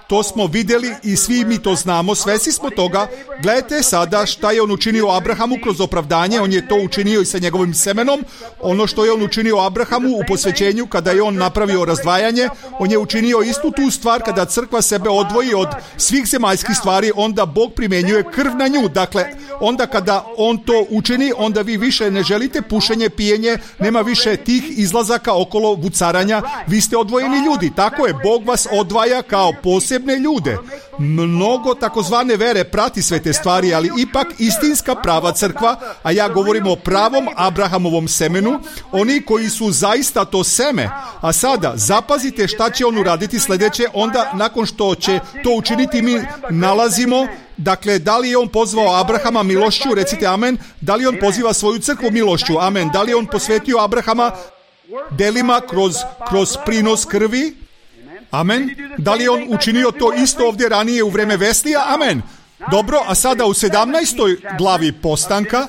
to smo vidjeli i svi mi to znamo, svesni smo toga. Gledajte sada šta je on učinio Abrahamu kroz opravdanje, on je to učinio i sa njegovim semenom, ono što je on učinio Abrahamu u posvećenju kada je on napravio razdvajanje, on je učinio istu tu stvar kada crkva sebe odvoji od svih zemaljskih stvari, onda Bog primjenjuje krv na nju. Dakle, onda kada on to učini, onda vi više ne želite pušenje, pijenje, nema više tih izlazaka okolo vucaranja, vi ste odvojeni ljudi. Tako je, Bog vas odvaja kao posebne ljude. Mnogo takozvane vere prati sve te stvari, ali ipak istinska prava crkva, a ja govorim o pravom Abrahamovom semenu, oni koji su zaista to seme. A sada, zapazite šta će on uraditi sljedeće, onda nakon što će to učiniti mi nalazimo, dakle, da li je on pozvao Abrahama milošću, recite amen, da li on poziva svoju crkvu milošću, amen, da li je on posvetio Abrahama delima kroz prinos krvi, amen, da li je on učinio to isto ovdje ranije u vreme Veslija, amen. Dobro, a sada u 17. glavi postanka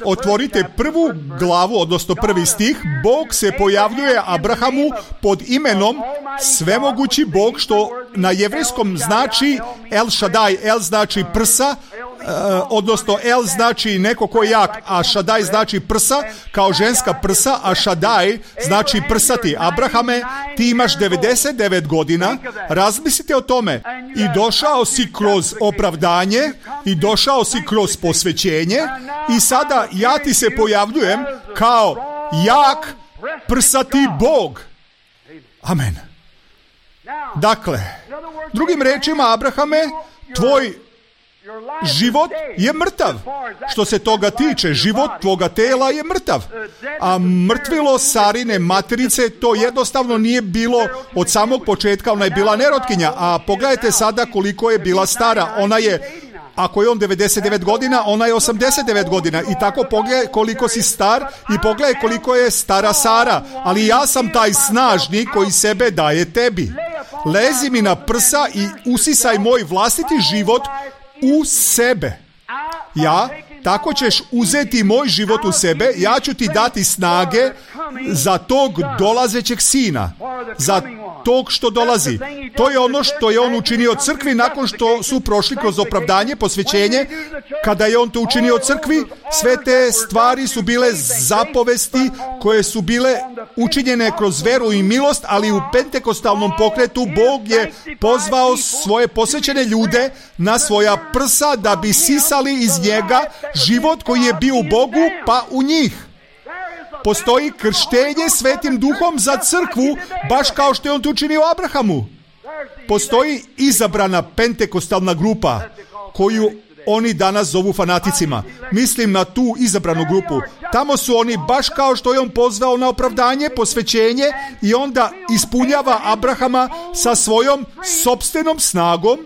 otvorite prvu glavu, odnosno prvi stih. Bog se pojavljuje Abrahamu pod imenom svemogući Bog, što na jevrejskom znači El Shaddai. El znači prsa, odnosno El znači neko ko je jak, a Shaddai znači prsa, kao ženska prsa, a Shaddai znači prsati. Abrahame, ti imaš 99 godina, razmislite o tome, i došao si kroz opravdanje, i došao si kroz posvećenje, i sada ja ti se pojavljujem kao jak prsati Bog. Amen. Dakle, drugim rečima, Abrahame, tvoj život je mrtav. Što se toga tiče, život tvoga tela je mrtav. A mrtvilo Sarine materice, to jednostavno nije bilo od samog početka, ona je bila nerotkinja. A pogledajte sada koliko je bila stara. Ona je, ako je on 99 godina, ona je 89 godina. I tako pogledaj koliko si star i pogledaj koliko je stara Sara. Ali ja sam taj snažni koji sebe daje tebi. Lezi mi na prsa i usisaj moj vlastiti život u sebe. Ja, tako ćeš uzeti moj život u sebe, ja ću ti dati snage za tog dolazećeg sina, za tog što dolazi. To je ono što je on učinio crkvi nakon što su prošli kroz opravdanje, posvećenje. Kada je on to učinio crkvi, sve te stvari su bile zapovesti koje su bile učinjene kroz veru i milost, ali u pentekostalnom pokretu Bog je pozvao svoje posvećene ljude na svoja prsa da bi sisali iz njega život koji je bio u Bogu pa u njih. Postoji krštenje Svetim Duhom za crkvu, baš kao što je on to učinio Abrahamu. Postoji izabrana pentekostalna grupa koju oni danas zovu fanaticima. Mislim na tu izabranu grupu. Tamo su oni baš kao što je on pozvao na opravdanje, posvećenje, i onda ispunjava Abrahama sa svojom sopstvenom snagom.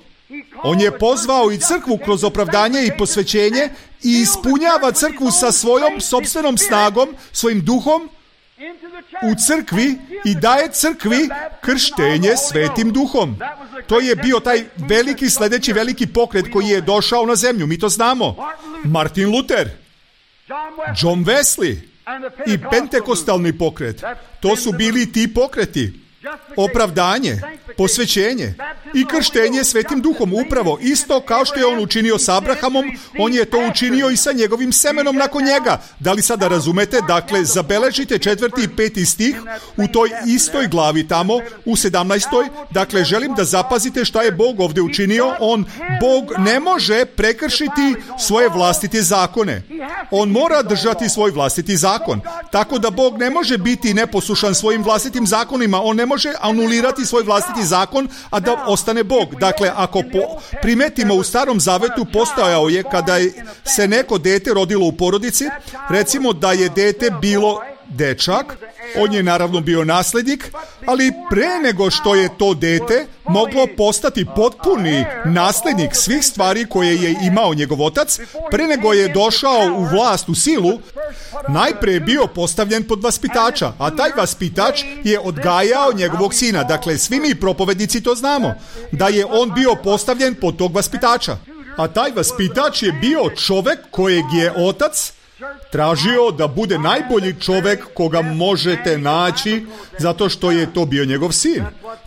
On je pozvao i crkvu kroz opravdanje i posvećenje i ispunjava crkvu sa svojom sopstvenom snagom, svojim duhom u crkvi i daje crkvi krštenje Svetim Duhom. To je bio taj veliki, sljedeći veliki pokret koji je došao na zemlju. Mi to znamo. Martin Luther, John Wesley i pentekostalni pokret. To su bili ti pokreti. Opravdanje, posvećenje i krštenje Svetim Duhom, upravo isto kao što je on učinio s Abrahamom, on je to učinio i sa njegovim semenom nakon njega. Da li sada razumete? Dakle, zabeležite 4. i 5. stih u toj istoj glavi tamo, u 17. Dakle, želim da zapazite šta je Bog ovdje učinio. Bog ne može prekršiti svoje vlastite zakone. On mora držati svoj vlastiti zakon. Tako da Bog ne može biti neposlušan svojim vlastitim zakonima. On ne može anulirati svoj vlastiti zakon, a da postane Bog. Dakle, ako primetimo u Starom Zavetu, postojao je kada se neko dete rodilo u porodici, recimo da je dete bilo dečak, on je naravno bio naslednik, ali pre nego što je to dete moglo postati potpuni naslednik svih stvari koje je imao njegov otac, pre nego je došao u vlast, u silu, najpre je bio postavljen pod vaspitača, a taj vaspitač je odgajao njegovog sina. Dakle, svi mi propovednici to znamo, da je on bio postavljen pod tog vaspitača. A taj vaspitač je bio čovek kojeg je otac tražio da bude najbolji čovek koga možete naći, zato što je to bio njegov sin.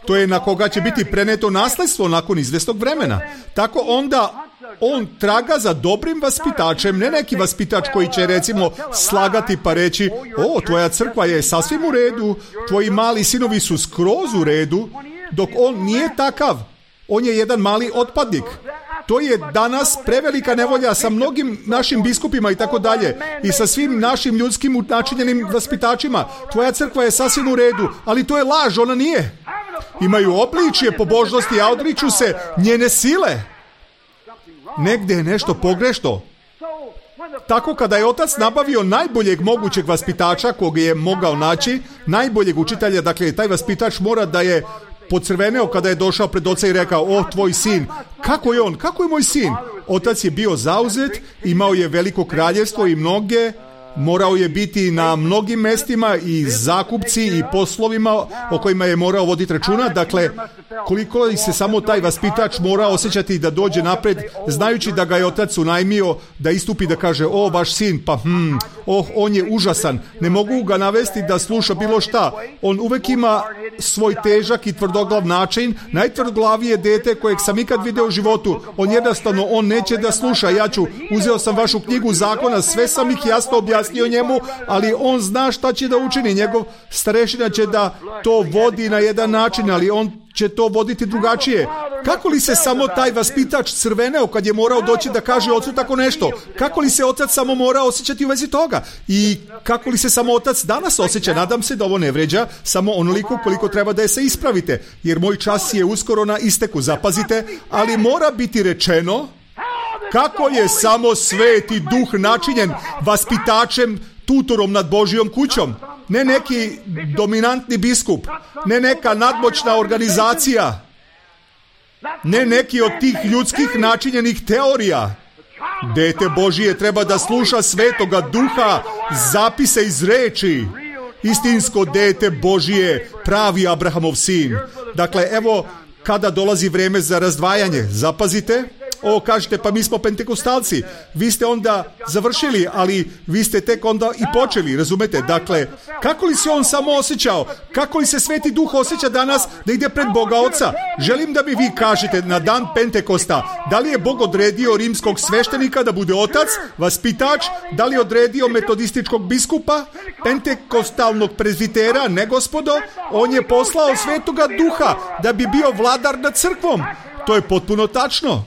To je na koga će biti preneto nasledstvo nakon izvesnog vremena. Tako onda on traga za dobrim vaspitačem, ne neki vaspitač koji će recimo slagati pa reći: o, tvoja crkva je sasvim u redu, tvoji mali sinovi su skroz u redu, dok on nije takav. On je jedan mali otpadnik. To je danas prevelika nevolja sa mnogim našim biskupima i tako dalje i sa svim našim ljudskim načinjenim vaspitačima. Tvoja crkva je sasvim u redu, ali to je laž, ona nije. Imaju obličje pobožnosti, a odriču se njene sile. Negde je nešto pogrešno. Tako kada je otac nabavio najboljeg mogućeg vaspitača kog je mogao naći, najboljeg učitelja, dakle taj vaspitač mora da je pocrveneo kada je došao pred oca i rekao: o, tvoj sin. Kako je on? Kako je moj sin? Otac je bio zauzet, imao je veliko kraljevstvo i mnoge, morao je biti na mnogim mestima i zakupci i poslovima o kojima je morao voditi računa. Dakle, koliko se samo taj vaspitač mora osjećati da dođe napred, znajući da ga je otac unajmio da istupi da kaže: o, vaš sin, pa on je užasan, ne mogu ga navesti da sluša bilo šta. On uvek ima svoj težak i tvrdoglav način, najtvrdoglavije dete kojeg sam ikad video u životu. On neće da sluša. Uzeo sam vašu knjigu zakona, sve sam ih jasno objasnio njemu, ali on zna šta će da učini. Njegov starešina će da to vodi na jedan način, ali on će to voditi drugačije. Kako li se samo taj vaspitač crveneo kad je morao doći da kaže ocu tako nešto? Kako li se otac samo mora osjećati u vezi toga? I kako li se samo otac danas osjeća? Nadam se da ovo ne vređa samo onoliko koliko treba da je se ispravite, jer moj čas je uskoro na isteku, zapazite, ali mora biti rečeno kako je samo Sveti Duh načinjen vaspitačem, tutorom nad Božjom kućom. Ne neki dominantni biskup, ne neka nadmoćna organizacija, ne neki od tih ljudskih načinjenih teorija. Dete Božije treba da sluša Svetoga Duha, zapise iz reči. Istinsko dete Božije, pravi Abrahamov sin. Dakle, evo kada dolazi vreme za razdvajanje, zapazite. O, kažete, pa mi smo pentekostalci. Vi ste onda završili, ali vi ste tek onda i počeli, razumete? Dakle, kako li se on samo osjećao? Kako li se Sveti Duh osjeća danas da ide pred Boga Oca? Želim da mi vi kažete na dan Pentekosta, da li je Bog odredio rimskog sveštenika da bude otac, vaspitač, da li je odredio metodističkog biskupa, pentekostalnog prezbitera? Ne, gospodo, on je poslao Svetoga Duha da bi bio vladar nad crkvom. To je potpuno tačno.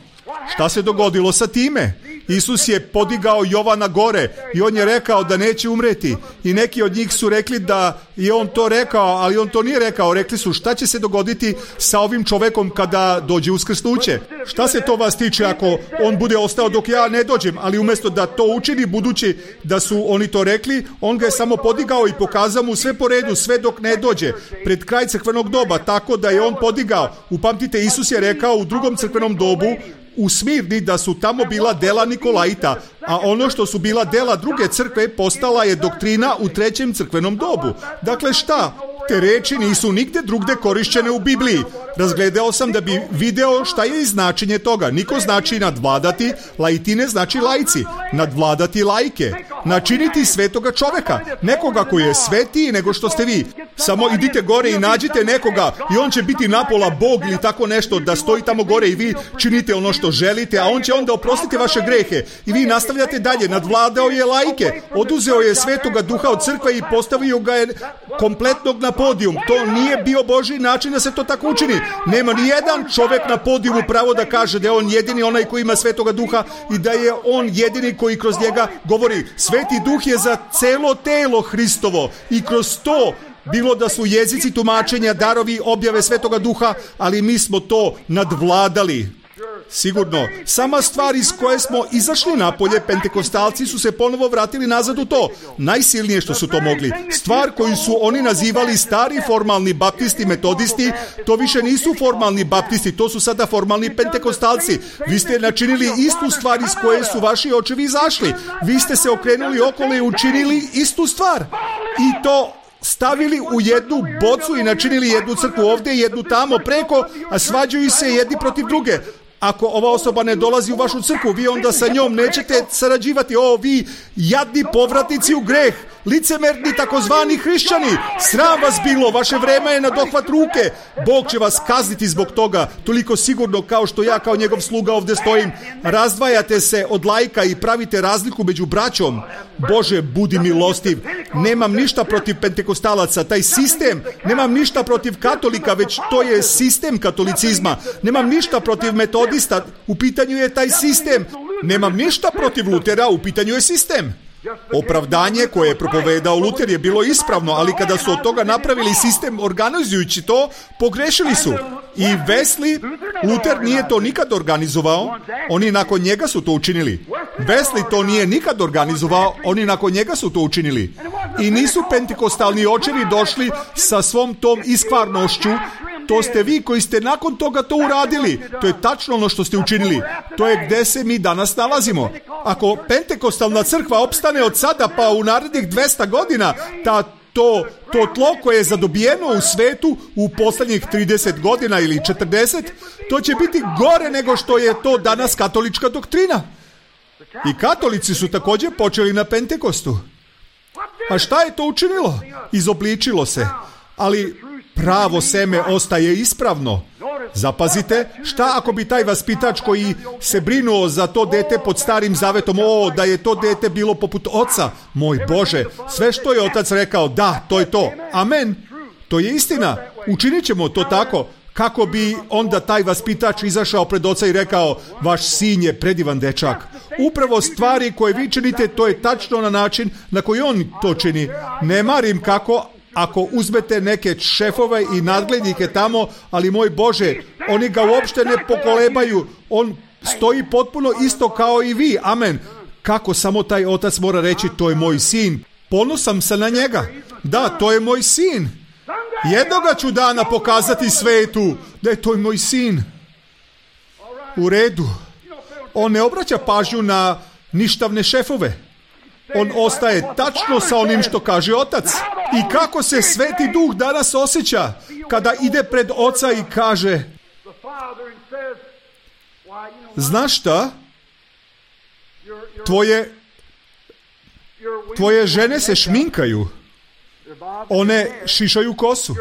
Šta se dogodilo sa time? Isus je podigao Jovana gore i on je rekao da neće umreti. I neki od njih su rekli da je on to rekao, ali on to nije rekao. Rekli su: šta će se dogoditi sa ovim čovekom kada dođe uskrsnuće? Šta se to vas tiče ako on bude ostao dok ja ne dođem? Ali umjesto da to učini, budući da su oni to rekli, on ga je samo podigao i pokazao mu sve po redu, sve dok ne dođe pred kraj crkvenog doba, tako da je on podigao. Upamtite, Isus je rekao u drugom crkvenom dobu u Smirni da su tamo bila dela Nikolaita, a ono što su bila dela druge crkve postala je doktrina u trećem crkvenom dobu. Dakle, šta? Te reči nisu nigde drugde korišćene u Bibliji. Razgledao sam da bi video šta je značenje toga. Niko znači nadvladati, laitine znači laici. Nadvladati laike. Načiniti svetoga čoveka. Nekoga koji je svetiji nego što ste vi. Samo idite gore i nađite nekoga i on će biti napola Bog ili tako nešto, da stoji tamo gore i vi činite ono što želite, a on će onda oprostiti vaše grehe. I vi nastavljate dalje. Nadvladao je laike. Oduzeo je Svetoga Duha od crkve i postavio ga je kompletnog na podijum. To nije bio Božji način da se to tako učini. Nema ni jedan čovjek na podijumu pravo da kaže da je on jedini onaj koji ima Svetoga Duha i da je on jedini koji kroz njega govori. Sveti Duh je za celo telo Hristovo i kroz to bilo da su jezici, tumačenja, darovi, objave Svetoga Duha, ali mi smo to nadvladali. Sigurno, sama stvar iz koje smo izašli napolje, pentekostalci su se ponovo vratili nazad u to. Najsilnije što su to mogli. Stvar koju su oni nazivali stari formalni baptisti, metodisti, to više nisu formalni baptisti, to su sada formalni pentekostalci. Vi ste načinili istu stvar iz koje su vaši očevi izašli. Vi ste se okrenuli okolo i učinili istu stvar. I to stavili u jednu bocu i načinili jednu crkvu ovdje i jednu tamo preko, a svađaju se jedni protiv druge. Ako ova osoba ne dolazi u vašu crkvu, vi onda sa njom nećete sarađivati. O, vi jadni povratnici u greh, licemerni takozvani hrišćani, sram vas bilo, vaše vreme je na dohvat ruke. Bog će vas kazniti zbog toga, toliko sigurno kao što ja kao njegov sluga ovdje stojim. Razdvajate se od laika i pravite razliku među braćom. Bože, budi milostiv. Nemam ništa protiv pentekostalaca, taj sistem. Nemam ništa protiv katolika, već to je sistem katolicizma. Nemam ništa protiv metodista, u pitanju je taj sistem. Nemam ništa protiv Lutera, u pitanju je sistem. Opravdanje koje je propovedao Luter je bilo ispravno, ali kada su od toga napravili sistem organizujući to, pogrešili su. I Wesley, Luter nije to nikad organizovao, oni nakon njega su to učinili. Wesley to nije nikad organizovao, oni nakon njega su to učinili. I nisu pentekostalni očevi došli sa svom tom iskvarnošću. To ste vi koji ste nakon toga to uradili. To je tačno ono što ste učinili. To je gde se mi danas nalazimo. Ako pentekostalna crkva opstane od sada pa u narednih 200 godina, to tlo koje je zadobijeno u svetu u poslednjih 30 godina ili 40, to će biti gore nego što je to danas katolička doktrina. I katolici su također počeli na Pentekostu. A šta je to učinilo? Izobličilo se. Ali pravo seme ostaje ispravno. Zapazite, šta ako bi taj vaspitač koji se brinuo za to dete pod starim zavetom, da je to dete bilo poput oca, moj Bože, sve što je otac rekao, da, to je to, amen, to je istina, učinit ćemo to tako. Kako bi onda taj vaspitač izašao pred oca i rekao, vaš sin je predivan dečak. Upravo stvari koje vi činite, to je tačno na način na koji on to čini. Ne marim kako, ako uzmete neke šefove i nadglednike tamo, ali moj Bože, oni ga uopšte ne pokolebaju, on stoji potpuno isto kao i vi, amen. Kako samo taj otac mora reći, to je moj sin, ponosan sam na njega, da, to je moj sin. Jednoga ću dana pokazati svetu da je to moj sin. U redu. On ne obraća pažnju na ništavne šefove. On ostaje tačno sa onim što kaže otac. I kako se Sveti Duh danas osjeća kada ide pred oca i kaže, znaš šta? Tvoje žene se šminkaju. One šišaju kosu.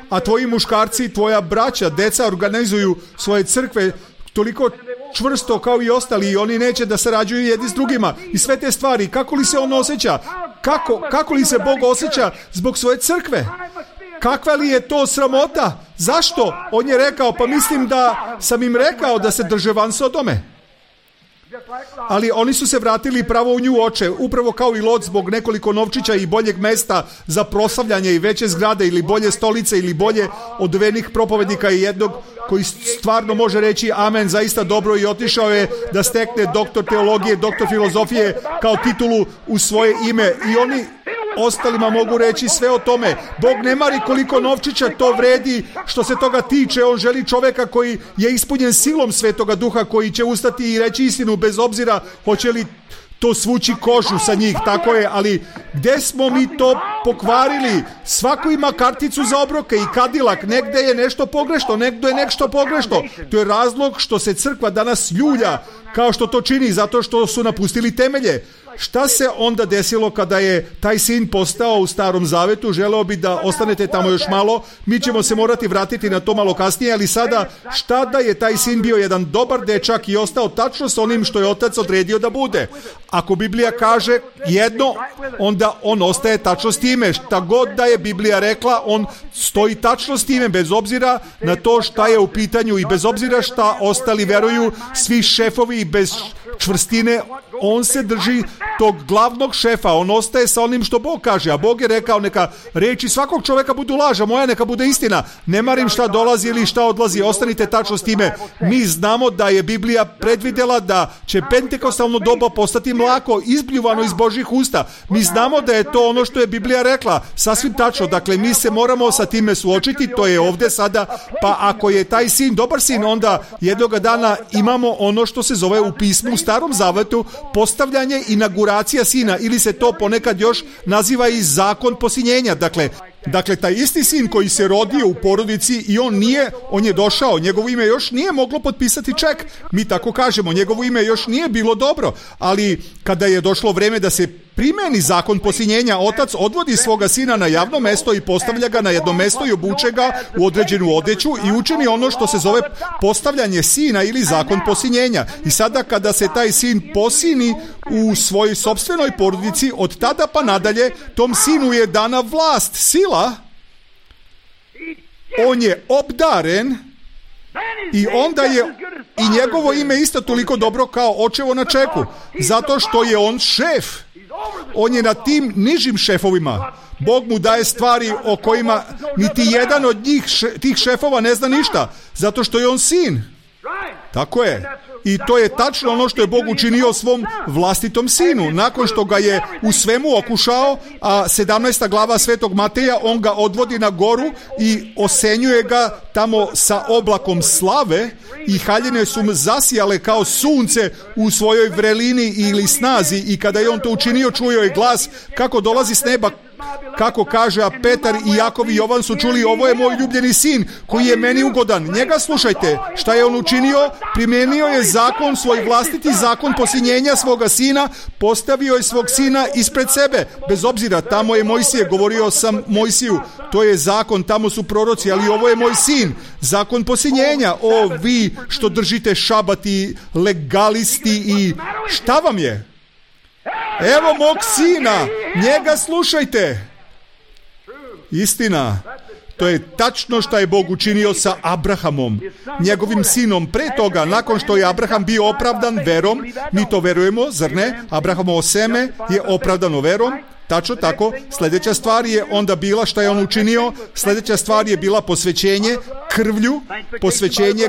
A tvoji muškarci, tvoja braća, deca organizuju svoje crkve toliko čvrsto kao i ostali i oni neće da sarađuju jedni s drugima. I sve te stvari, kako li se on osjeća? Kako li se Bog osjeća zbog svoje crkve? Kakva li je to sramota? Zašto? On je rekao, pa mislim da sam im rekao da se drže van Sodome. Ali oni su se vratili pravo u nju oče, upravo kao i Lot zbog nekoliko novčića i boljeg mesta za proslavljanje i veće zgrade ili bolje stolice ili bolje odevenih propovednika i jednog koji stvarno može reći amen, zaista dobro, i otišao je da stekne doktor teologije, doktor filozofije kao titulu u svoje ime i oni ostalima mogu reći sve o tome. Bog ne mari koliko novčića to vredi što se toga tiče. On želi čoveka koji je ispunjen silom Svetoga Duha, koji će ustati i reći istinu bez obzira hoće li to svući kožu sa njih, tako je, ali gde smo mi to pokvarili? Svako ima karticu za obroke i kadilak, negde je nešto pogrešno, negde je nešto pogrešno. To je razlog što se crkva danas ljulja kao što to čini, zato što su napustili temelje. Šta se onda desilo kada je taj sin postao u Starom Zavetu? Želeo bi da ostanete tamo još malo, mi ćemo se morati vratiti na to malo kasnije, ali sada šta da je taj sin bio jedan dobar dečak i ostao tačno s onim što je otac odredio da bude. Ako Biblija kaže jedno, onda on ostaje tačno s time. Šta god da je Biblija rekla, on stoji tačno s time, bez obzira na to šta je u pitanju i bez obzira šta ostali veruju, svi šefovi i bez čvrstine, on se drži tog glavnog šefa, on ostaje sa onim što Bog kaže, a Bog je rekao neka reči svakog čovjeka budu laža, moja neka bude istina, ne marim šta dolazi ili šta odlazi, ostanite tačno s time. Mi znamo da je Biblija predvidjela da će pentekostalno doba postati mlako, izbljuvano iz Božjih usta. Mi znamo da je to ono što je Biblija rekla, sasvim tačno, dakle mi se moramo sa time suočiti, to je ovdje sada, pa ako je taj sin dobar sin, onda jednoga dana imamo ono što se zove u pismu u Starom Zavetu postavljanje inauguracija sina, ili se to ponekad još naziva i zakon posinjenja. Dakle, taj isti sin koji se rodio u porodici i on je došao, njegovo ime još nije moglo potpisati ček, mi tako kažemo, njegovo ime još nije bilo dobro, ali kada je došlo vreme da se primeni zakon posinjenja, otac odvodi svoga sina na javno mesto i postavlja ga na jedno mesto i obuče ga u određenu odeću i učini ono što se zove postavljanje sina ili zakon posinjenja. I sada kada se taj sin posini u svojoj sopstvenoj porodici, od tada pa nadalje tom sinu je dana vlast, sila, on je obdaren i onda je i njegovo ime isto toliko dobro kao očevo na čeku, zato što je on šef. On je na tim nižim šefovima. Bog mu daje stvari o kojima niti jedan od njih, tih šefova ne zna ništa, zato što je on sin. Tako je. I to je tačno ono što je Bog učinio svom vlastitom sinu. Nakon što ga je u svemu okušao, a 17. glava Svetog Mateja, on ga odvodi na goru i osenjuje ga tamo sa oblakom slave i haljine su mu zasijale kao sunce u svojoj vrelini ili snazi, i kada je on to učinio, čuo je glas kako dolazi s neba, kako kaže, a Petar i Jakov i Jovan su čuli, ovo je moj ljubljeni sin koji je meni ugodan, njega slušajte. Šta je on učinio? Primijenio je zakon, svoj vlastiti zakon posinjenja svoga sina, postavio je svog sina ispred sebe, bez obzira, tamo je Mojsije, govorio sam Mojsiju, to je zakon, tamo su proroci, ali ovo je moj sin, zakon posinjenja. O vi što držite šabat i legalisti i šta vam je? Evo mog sina, njega slušajte. Istina, to je tačno što je Bog učinio sa Abrahamom, njegovim sinom. Pre toga, nakon što je Abraham bio opravdan verom, mi to verujemo, zar ne? Abrahamovo seme je opravdano verom. Tačno tako. Sljedeća stvar je onda bila šta je on učinio. Sljedeća stvar je bila posvećenje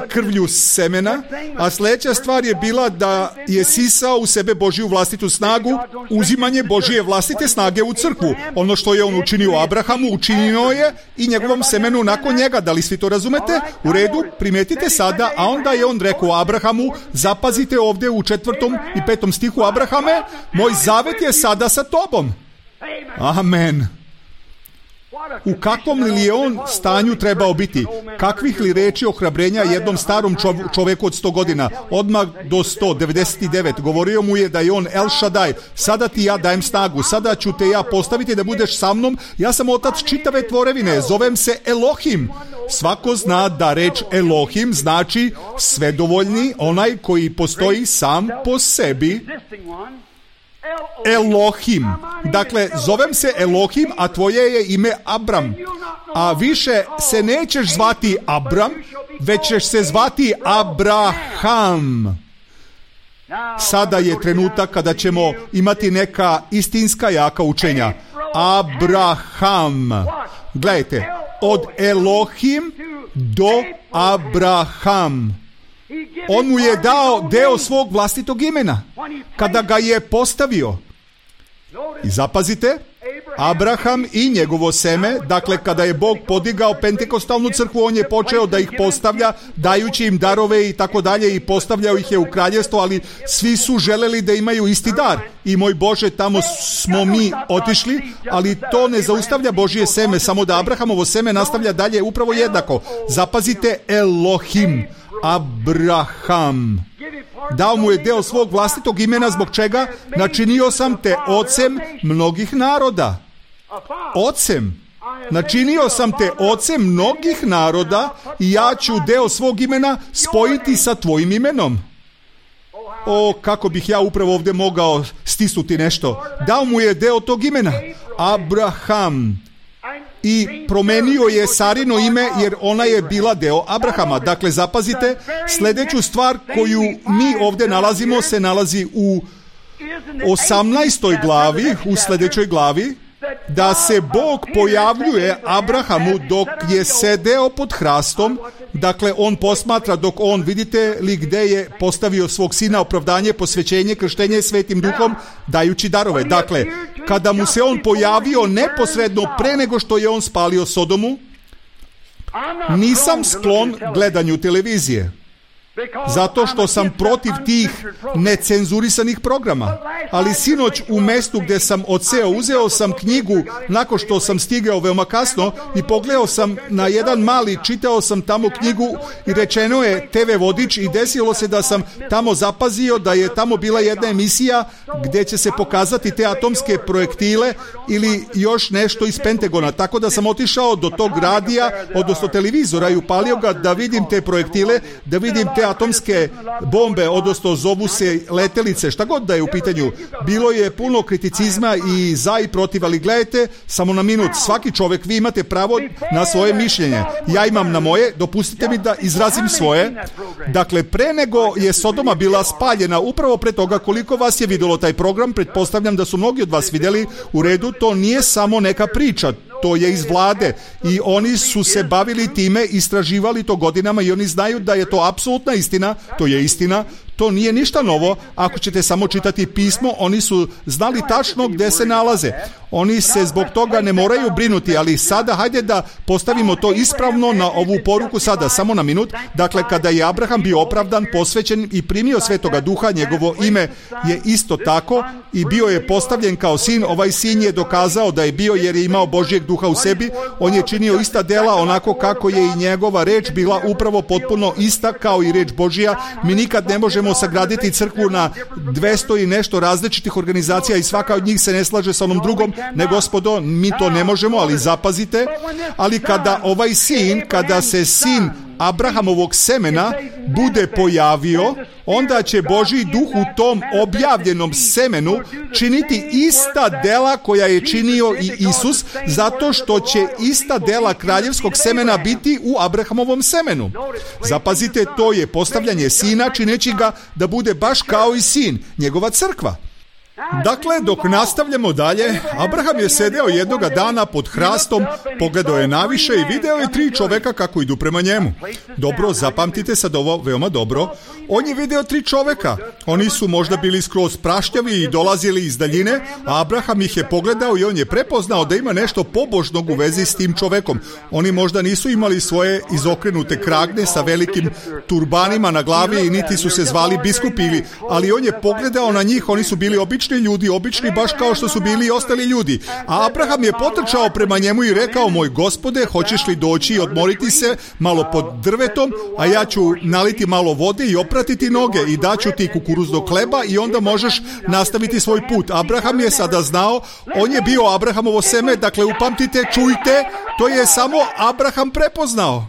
krvlju semena, a sljedeća stvar je bila da je sisao u sebe Božju vlastitu snagu, uzimanje Božje vlastite snage u crkvu. Ono što je on učinio Abrahamu, učinio je i njegovom semenu nakon njega. Da li svi to razumete? U redu, primetite sada, a onda je on rekao Abrahamu, zapazite ovdje u 4. i 5. stihu, Abrahame, moj zavet je sada sa tobom. Amen. U kakvom li je on stanju trebao biti? Kakvih li reči ohrabrenja jednom starom čovjeku od 100 godina? Odmah do 199. Govorio mu je da je on El Shaddai. Sada ti ja dajem snagu. Sada ću te ja postaviti da budeš sa mnom. Ja sam otac čitave tvorevine. Zovem se Elohim. Svako zna da reč Elohim znači svedovoljni, onaj koji postoji sam po sebi. Elohim. Dakle, zovem se Elohim, a tvoje je ime Abram. A više se nećeš zvati Abram, već ćeš se zvati Abraham. Sada je trenutak kada ćemo imati neka istinska jaka učenja. Abraham. Gledajte, od Elohim do Abraham. On mu je dao deo svog vlastitog imena kada ga je postavio. I zapazite, Abraham i njegovo seme, dakle kada je Bog podigao pentekostalnu crkvu, on je počeo da ih postavlja, dajući im darove i tako dalje, i postavljao ih je u kraljevstvo, ali svi su želeli da imaju isti dar. I moj Bože, tamo smo mi otišli, ali to ne zaustavlja Božje seme, samo da Abrahamovo seme nastavlja dalje upravo jednako. Zapazite, Elohim, Abraham. Dao mu je deo svog vlastitog imena, zbog čega? Načinio sam te ocem mnogih naroda. Ocem. Načinio sam te ocem mnogih naroda i ja ću deo svog imena spojiti sa tvojim imenom. O, kako bih ja upravo ovdje mogao stisnuti nešto. Dao mu je deo tog imena. Abraham. I promenio je Sarino ime jer ona je bila deo Abrahama. Dakle, zapazite, sljedeću stvar koju mi ovdje nalazimo se nalazi u 18. glavi, u sljedećoj glavi, da se Bog pojavljuje Abrahamu dok je sedeo pod hrastom. Dakle, on posmatra dok on, vidite li gdje je postavio svog sina, opravdanje, posvećenje, krštenje Svetim Duhom, dajući darove. Dakle, kada mu se on pojavio neposredno pre nego što je on spalio Sodomu, nisam sklon gledanju televizije, zato što sam protiv tih necenzurisanih programa. Ali sinoć u mestu gdje sam odseo, uzeo sam knjigu nakon što sam stigao veoma kasno i pogledao sam na jedan mali, čitao sam tamo knjigu i rečeno je TV vodič i desilo se da sam tamo zapazio da je tamo bila jedna emisija gdje će se pokazati te atomske projektile ili još nešto iz Pentagona. Tako da sam otišao do tog radija, odnosno televizora i upalio ga da vidim te projektile, da vidim te atomske bombe, odnosno zovu se letelice, šta god da je u pitanju. Bilo je puno kriticizma i za i protiv, ali gledajte, samo na minut, svaki čovjek, vi imate pravo na svoje mišljenje. Ja imam na moje, dopustite mi da izrazim svoje. Dakle, pre nego je Sodoma bila spaljena, upravo pre toga, koliko vas je vidjelo taj program, pretpostavljam da su mnogi od vas vidjeli, u redu, to nije samo neka priča, to je iz vlade i oni su se bavili time, istraživali to godinama i oni znaju da je to apsolutna istina, to je istina, to nije ništa novo. Ako ćete samo čitati pismo, oni su znali tačno gdje se nalaze. Oni se zbog toga ne moraju brinuti, ali sada hajde da postavimo to ispravno na ovu poruku sada, samo na minut. Dakle, kada je Abraham bio opravdan, posvećen i primio Svetoga Duha, njegovo ime je isto tako i bio je postavljen kao sin. Ovaj sin je dokazao da je bio jer je imao Božjeg Duha u sebi. On je činio ista dela onako kako je i njegova reč bila upravo potpuno ista kao i reč Božja. Mi nikad ne možemo sagraditi crkvu na 200 i nešto različitih organizacija i svaka od njih se ne slaže sa onom drugom. Ne, gospodo, mi to ne možemo, ali zapazite. Ali kada ovaj sin, kada se sin Abrahamovog semena bude pojavio, onda će Božji Duh u tom objavljenom semenu činiti ista dela koja je činio i Isus, zato što će ista dela kraljevskog semena biti u Abrahamovom semenu. Zapazite, to je postavljanje sina, čineći ga da bude baš kao i sin, njegova crkva. Dakle, dok nastavljamo dalje, Abraham je sedeo jednoga dana pod hrastom, pogledao je naviše i video je 3 čoveka kako idu prema njemu. Dobro, zapamtite sad ovo veoma dobro. On je video 3 čoveka. Oni su možda bili skroz praštjavi i dolazili iz daljine, a Abraham ih je pogledao i on je prepoznao da ima nešto pobožnog u vezi s tim čovekom. Oni možda nisu imali svoje izokrenute kragne sa velikim turbanima na glavi i niti su se zvali biskupi, ali on je pogledao na njih, oni su bili obični ljudi, obični baš kao što su bili i ostali ljudi. A Abraham je potrčao prema njemu i rekao: moj gospode, hoćeš li doći i odmoriti se malo pod drvetom, a ja ću naliti malo vode i opratiti noge i daću ti kukuruznog hleba i onda možeš nastaviti svoj put. Abraham je sada znao, on je bio Abrahamovo seme, dakle upamtite, čujte, to je samo Abraham prepoznao.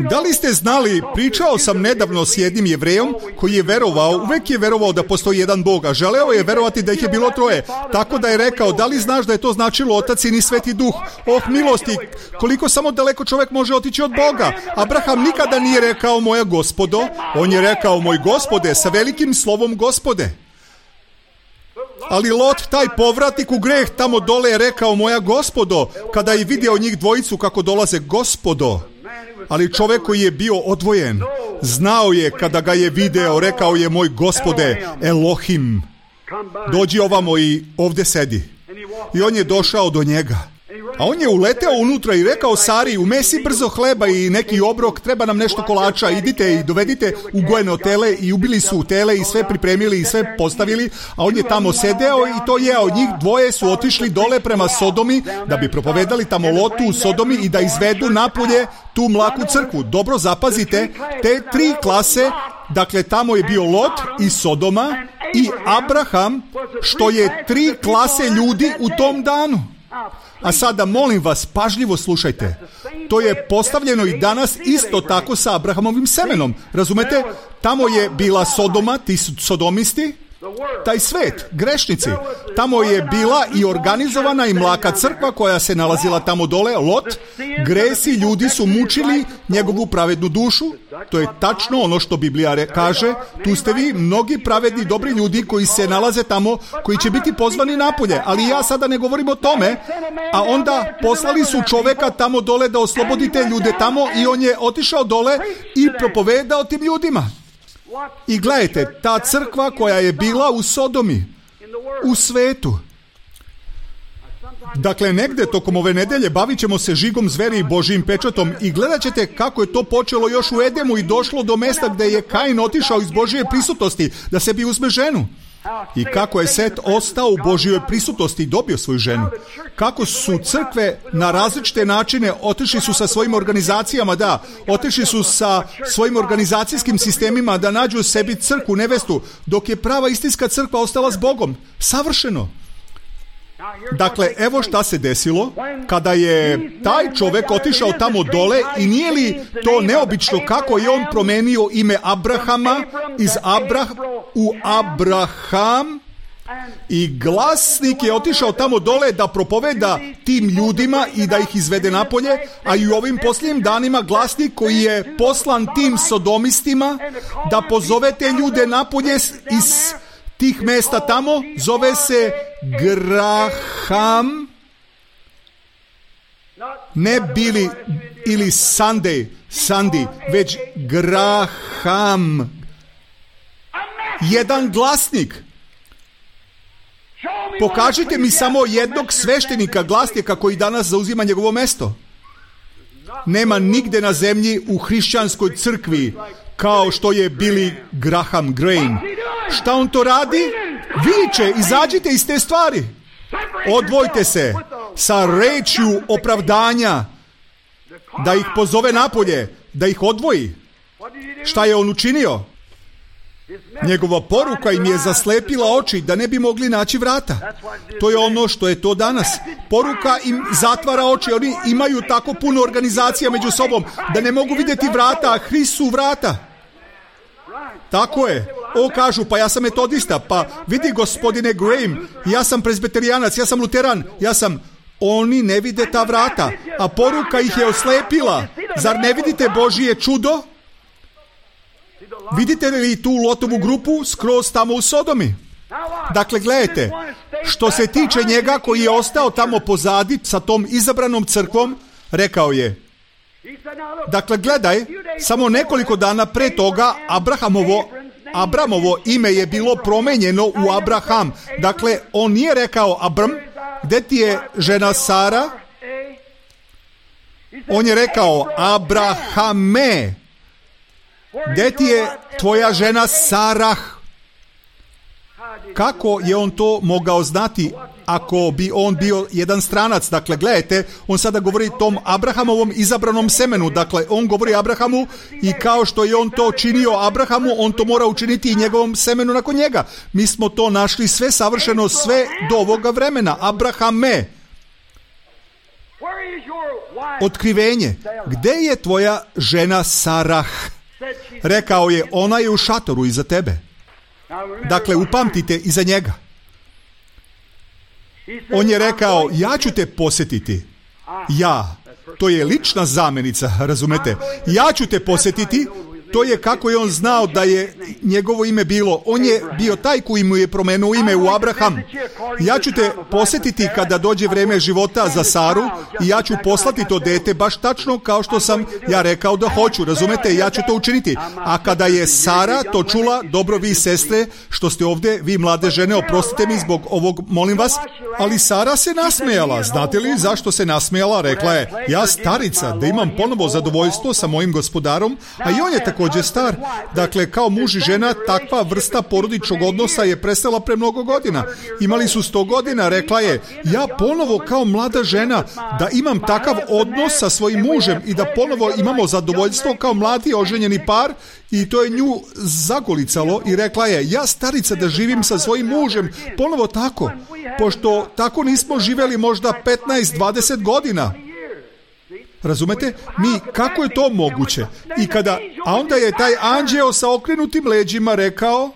Da li ste znali, pričao sam nedavno s jednim Jevrejom koji je verovao, uvek je verovao da postoji jedan Bog, a želeo je verovati da ih je bilo 3. Tako da je rekao: da li znaš da je to značilo Otac, Sin i Sveti Duh? Oh, milosti, koliko samo daleko čovjek može otići od Boga. Abraham nikada nije rekao moja gospodo, on je rekao moj gospode sa velikim slovom gospode. Ali Lot, taj povratnik u greh tamo dole, je rekao moja gospodo, kada je vidio njih dvojicu kako dolaze, gospodo. Ali čovjek koji je bio odvojen, znao je kada ga je video, rekao je moj gospode, Elohim, dođi ovamo i ovdje sedi. I on je došao do njega. A on je uleteo unutra i rekao Sari: umesi brzo hleba i neki obrok, treba nam nešto kolača, idite i dovedite ugojeno tele. I ubili su tele i sve pripremili i sve postavili, a on je tamo sedeo i to jeo. Njih 2 su otišli dole prema Sodomi da bi propovedali tamo Lotu u Sodomi i da izvedu napolje tu mlaku crkvu. Dobro zapazite, te 3 klase, dakle tamo je bio Lot i Sodoma i Abraham, što je 3 klase ljudi u tom danu. A sada molim vas, pažljivo slušajte. To je postavljeno i danas isto tako sa Abrahamovim semenom. Razumete? Tamo je bila Sodoma, ti su sodomisti, taj svet, grešnici. Tamo je bila i organizovana i mlaka crkva koja se nalazila tamo dole, Lot. Gresi ljudi su mučili njegovu pravednu dušu. To je tačno ono što Biblija kaže. Tu ste vi, mnogi pravedni, dobri ljudi koji se nalaze tamo, koji će biti pozvani napolje. Ali ja sada ne govorim o tome. A onda poslali su čoveka tamo dole da oslobodi te ljude tamo i on je otišao dole i propovedao tim ljudima. I gledajte, ta crkva koja je bila u Sodomi, u svetu. Dakle, negde tokom ove nedelje bavit ćemo se žigom zveri i Božijim pečatom i gledat ćete kako je to počelo još u Edemu i došlo do mesta gde je Kain otišao iz Božije prisutnosti da sebi uzme ženu. I kako je Set ostao u Božjoj prisutnosti i dobio svoju ženu. Kako su crkve na različite načine otišli su sa svojim organizacijama, otišli su sa svojim organizacijskim sistemima da nađu sebi crkvu, nevestu, dok je prava istinska crkva ostala s Bogom. Savršeno. Dakle, evo šta se desilo kada je taj čovek otišao tamo dole i nije li to neobično kako je on promenio ime Abrahama iz u Abraham i glasnik je otišao tamo dole da propoveda tim ljudima i da ih izvede napolje, a i u ovim posljednjim danima glasnik koji je poslan tim sodomistima da pozove te ljude napolje iz tih mesta tamo, zove se Graham, ne Billy ili Sandy, već Graham. Jedan glasnik. Pokažite mi samo jednog sveštenika glasnika koji danas zauzima njegovo mesto. Nema nigde na zemlji u hrišćanskoj crkvi kao što je Billy Graham Graham. Šta on to radi? Viče, izađite iz te stvari. Odvojte se sa rečju opravdanja, da ih pozove napolje, da ih odvoji. Šta je on učinio? Njegova poruka im je zaslepila oči da ne bi mogli naći vrata. To je ono što je to danas. Poruka im zatvara oči. Oni imaju tako puno organizacija među sobom da ne mogu vidjeti vrata, a Hrist su vrata. Tako je. Kažu, pa ja sam metodista, pa vidi gospodine Graham, ja sam prezbeterijanac, ja sam luteran, Oni ne vide ta vrata, a poruka ih je oslepila. Zar ne vidite Božije čudo? Vidite li tu Lotovu grupu skroz tamo u Sodomi? Dakle, gledajte, što se tiče njega koji je ostao tamo pozadi sa tom izabranom crkvom, rekao je, dakle, gledaj, samo nekoliko dana pre toga Abramovo ime je bilo promenjeno u Abraham. Dakle, on nije rekao Abram, gde ti je žena Sara? On je rekao Abrahame, gde ti je tvoja žena Sarah? Kako je on to mogao znati ako bi on bio jedan stranac? Dakle, gledajte, on sada govori tom Abrahamovom izabranom semenu. Dakle, on govori Abrahamu i kao što je on to činio Abrahamu, on to mora učiniti i njegovom semenu nakon njega. Mi smo to našli sve savršeno, sve do ovoga vremena. Abrahame. Otkrivenje. Gde je tvoja žena Sarah? Rekao je, ona je u šatoru iza tebe. Dakle, upamtite iza njega. On je rekao, ja ću te posjetiti. To je lična zamenica, razumete? Ja ću te posjetiti. To je kako je on znao da je njegovo ime bilo. On je bio taj koji mu je promenuo ime u Abraham. Ja ću te posjetiti kada dođe vreme života za Saru i ja ću poslati to dete baš tačno kao što sam ja rekao da hoću. Razumete? Ja ću to učiniti. A kada je Sara to čula, dobro vi sestre što ste ovdje, vi mlade žene, oprostite mi zbog ovog, molim vas, ali Sara se nasmejala. Znate li zašto se nasmejala? Rekla je, ja starica, da imam ponovo zadovoljstvo sa mojim gospodarom, a i on je također star. Dakle, kao muž i žena, takva vrsta porodičnog odnosa je prestala pre mnogo godina. Imali su 100 godina, rekla je, ja ponovo kao mlada žena da imam takav odnos sa svojim mužem i da ponovo imamo zadovoljstvo kao mladi oženjeni par, i to je nju zagolicalo i rekla je, ja starica da živim sa svojim mužem ponovo tako, pošto tako nismo živeli možda 15-20 godina. Razumete? Kako je to moguće? A onda je taj anđeo sa okrenutim leđima rekao,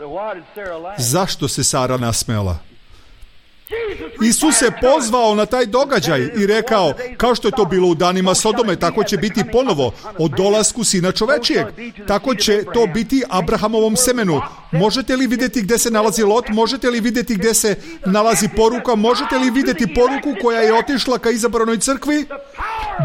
Zašto se Sara nasmejala? Isus se pozvao na taj događaj i rekao, kao što je to bilo u danima Sodome, tako će biti ponovo o dolasku Sina čovečijeg. Tako će to biti Abrahamovom semenu. Možete li vidjeti gdje se nalazi Lot? Možete li vidjeti gdje se nalazi poruka? Možete li vidjeti poruku koja je otišla ka izabranoj crkvi?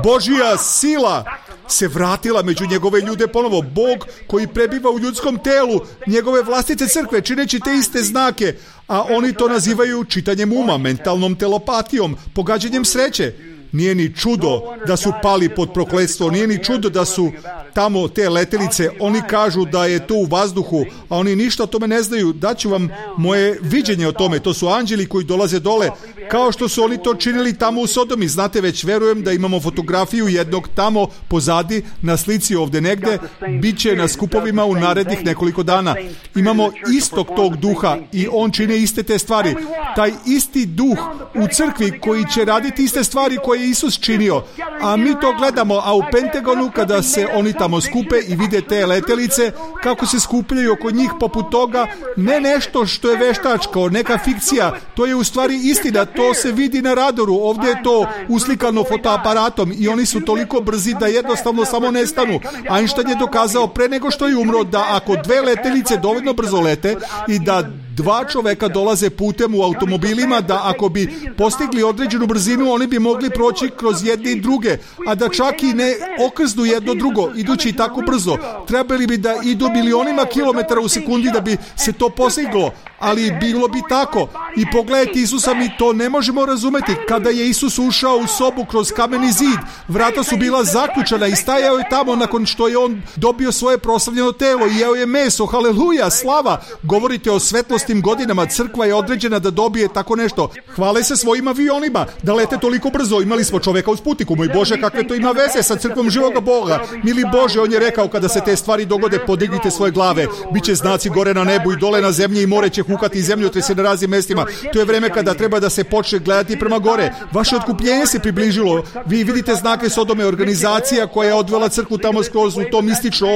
Božja sila se vratila među njegove ljude ponovo. Bog koji prebiva u ljudskom telu, njegove vlastite crkve, čineći te iste znake, a oni to nazivaju čitanjem uma, mentalnom telepatijom, pogađanjem sreće. Nije ni čudo da su pali pod prokletstvo, nije ni čudo da su tamo te letelice, oni kažu da je to u vazduhu, a oni ništa o tome ne znaju. Daću vam moje viđenje o tome, to su anđeli koji dolaze dole, kao što su oni to činili tamo u Sodomi. Znate, već verujem da imamo fotografiju jednog tamo pozadi na slici ovdje negdje, bit će na skupovima u narednih nekoliko dana. Imamo istog tog duha i on čine iste te stvari. Taj isti duh u crkvi koji će raditi iste stvari koje je Isus činio, a mi to gledamo, a u Pentagonu kada se oni tamo skupe i vide te letelice kako se skupljaju oko njih poput toga, ne nešto što je veštačko, neka fikcija, to je u stvari istina, to se vidi na radaru, ovdje je to uslikano fotoaparatom i oni su toliko brzi da jednostavno samo nestanu. Einstein je dokazao pre nego što je umro da ako dve letelice dovoljno brzo lete i da dva čoveka dolaze putem u automobilima, da ako bi postigli određenu brzinu, oni bi mogli proći kroz jedne i druge, a da čak i ne okrznu jedno drugo, idući tako brzo. Trebali bi da idu milionima kilometara u sekundi da bi se to postiglo, ali bilo bi tako. I pogledajte Isusa, mi to ne možemo razumeti. Kada je Isus ušao u sobu kroz kameni zid, vrata su bila zaključana i stajao je tamo nakon što je on dobio svoje proslavljeno telo i jeo je meso. Haleluja, slava! Govorite o svetlostim godinama, crkva je određena da dobije tako nešto. Hvale se svojim avionima, da lete toliko brzo. Imali smo čoveka u Sputniku, moj Bože, kakve to ima veze sa crkvom živoga Boga. Mili Bože, on je rekao, kada se te stvari dogode, podignite svoje glave. Biće znaci gore na nebu i dole na zemlji i more će hukati zemljotrese na raznim mestima. To je vreme kada treba da se počne gledati prema gore. Vaše otkupljenje se približilo. Vi vidite znake Sodome, organizacija koja je odvela crkvu tamo skroz u to mistično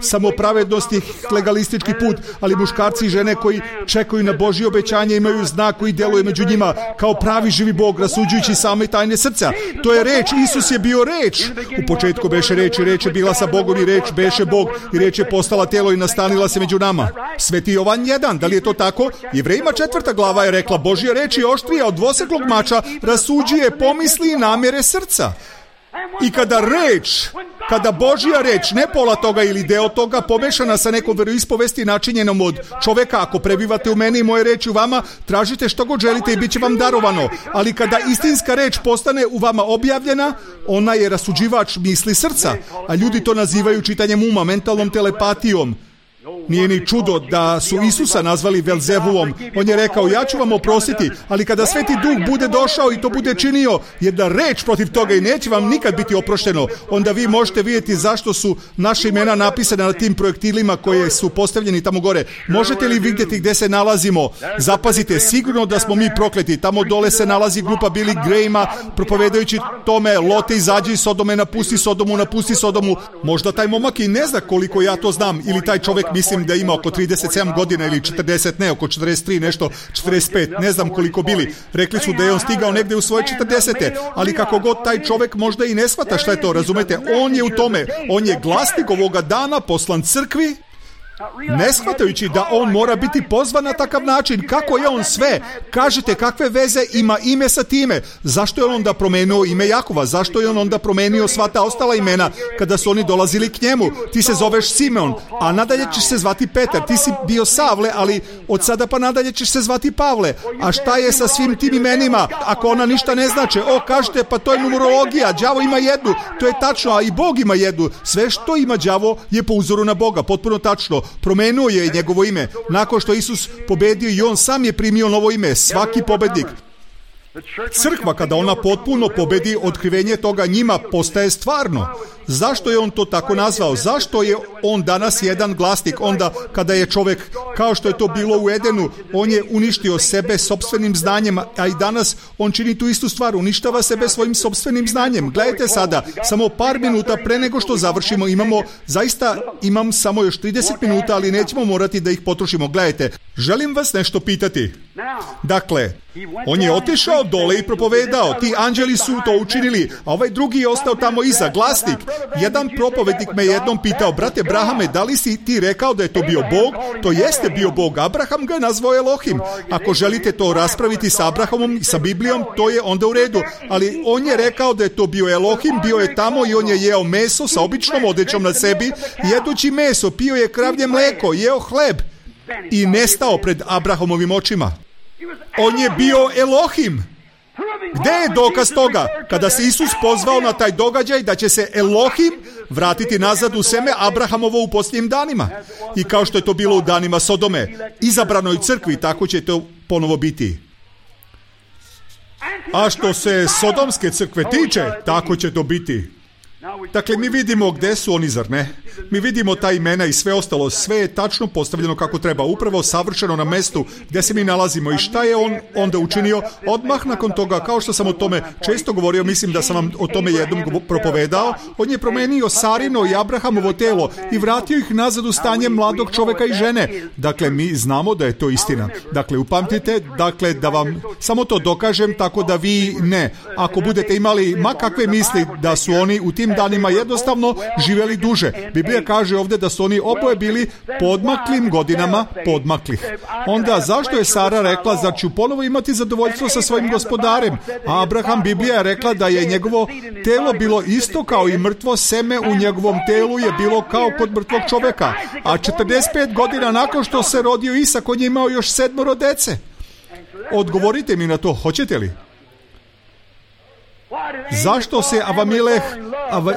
samopravednosti, legalistički put, ali muškarci i žene koji čekaju na Božje obećanje imaju znak koji djeluje među njima kao pravi živi Bog, rasuđujući same tajne srca. To je reč, Isus je bio reč. U početku beše reč i reč je bila sa Bogom i reč beše Bog i reč je postala telo i nastanila se među nama. Sveti Jovan 1, da li je to tako? Jevrejima 4. glava je rekla, Božja reč je oštrija od dvoseklog mača, rasuđuje pomisli i namjere srca. I kada Božja reč, ne pola toga ili deo toga, pomešana sa nekom veroispovesti načinjenom od čoveka, ako prebivate u meni i moje reči u vama, tražite što god želite i bit će vam darovano. Ali kada istinska reč postane u vama objavljena, ona je rasuđivač misli srca, a ljudi to nazivaju čitanjem uma, mentalnom telepatijom. Nije ni čudo da su Isusa nazvali Velzebulom. On je rekao, ja ću vam oprostiti, ali kada Sveti Duh bude došao i to bude činio, jedna reč protiv toga i neće vam nikad biti oprošteno, onda vi možete vidjeti zašto su naše imena napisane na tim projektilima koje su postavljeni tamo gore. Možete li vidjeti gdje se nalazimo? Zapazite, sigurno da smo mi prokleti. Tamo dole se nalazi grupa Billy Grahama, propovedajući tome, Lote izađi iz Sodome, napusti Sodomu. Možda taj momak i ne zna koliko ja to znam, ili taj čovjek, mislim da ima oko 37 godina ili 40, ne, oko 43, nešto, 45, ne znam koliko bili. Rekli su da je on stigao negdje u svoje 40. Ali kako god taj čovjek možda i ne shvata šta je to, razumete, on je u tome, on je glasnik ovoga dana, poslan crkvi, ne shvatajući da on mora biti pozvan na takav način. Kako je on sve? Kažete, kakve veze ima ime sa time? Zašto je on onda promenio ime Jakova? Zašto je on onda promenio sva ta ostala imena kada su oni dolazili k njemu? Ti se zoveš Simeon, a nadalje ćeš se zvati Petar. Ti si bio Savle, ali od sada pa nadalje ćeš se zvati Pavle. A šta je sa svim tim imenima ako ona ništa ne znače? Kažete, pa to je numerologija, đavo ima jednu. To je tačno, a i Bog ima jednu. Sve što ima đavo je po uzoru na Boga, potpuno tačno. Promenuo je njegovo ime. Nakon što Isus pobedio i on sam je primio novo ime. Svaki pobednik. Crkva, kada ona potpuno pobedi, otkrivenje toga njima postaje stvarno. Zašto je on to tako nazvao? Zašto je on danas jedan glasnik onda kada je čovjek kao što je to bilo u Edenu. On je uništio sebe sopstvenim znanjem, a i danas on čini tu istu stvar, uništava sebe svojim sopstvenim znanjem. Gledajte sada, samo par minuta pre nego što završimo, imam samo još 30 minuta, ali nećemo morati da ih potrošimo. Gledajte, želim vas nešto pitati. Dakle, on je otišao dole i propovedao, ti anđeli su to učinili, a ovaj drugi je ostao tamo iza, glasnik. Jedan propovednik me jednom pitao, brate Brahame, da li si ti rekao da je to bio Bog? To jeste bio Bog, Abraham ga je nazvao Elohim. Ako želite to raspraviti sa Abrahamom i sa Biblijom, to je onda u redu, ali on je rekao da je to bio Elohim, bio je tamo i on je jeo meso sa običnom odećom na sebi, jedući meso, pio je kravlje mleko, jeo hleb i nestao pred Abrahamovim očima. On je bio Elohim. Gde je dokaz toga? Kada se Isus pozvao na taj događaj da će se Elohim vratiti nazad u seme Abrahamovo u posljednjim danima. I kao što je to bilo u danima Sodome, izabranoj crkvi, tako će to ponovo biti. A što se Sodomske crkve tiče, tako će to biti. Dakle, mi vidimo gde su oni, zar ne? Mi vidimo ta imena i sve ostalo, sve je tačno postavljeno kako treba, upravo savršeno na mestu gdje se mi nalazimo. I šta je on onda učinio? Odmah nakon toga, kao što sam o tome često govorio, mislim da sam vam o tome jednom propovedao, on je promenio Sarino i Abrahamovo telo i vratio ih nazad u stanje mladog čoveka i žene. Dakle, mi znamo da je to istina. Dakle, upamtite, dakle, da vam samo to dokažem, tako da vi ne. Ako budete imali ma kakve misli da su oni u tim danima jednostavno živjeli duže. Biblija kaže ovdje da su oni oboje bili podmaklim godinama podmaklih. Onda zašto je Sara rekla da ću ponovo imati zadovoljstvo sa svojim gospodarem? A Abraham, Biblija je rekla da je njegovo telo bilo isto kao i mrtvo seme u njegovom telu je bilo kao kod mrtvog čoveka. A 45 godina nakon što se rodio Isak, on je imao još 7 dece. Odgovorite mi na to, hoćete li? Zašto se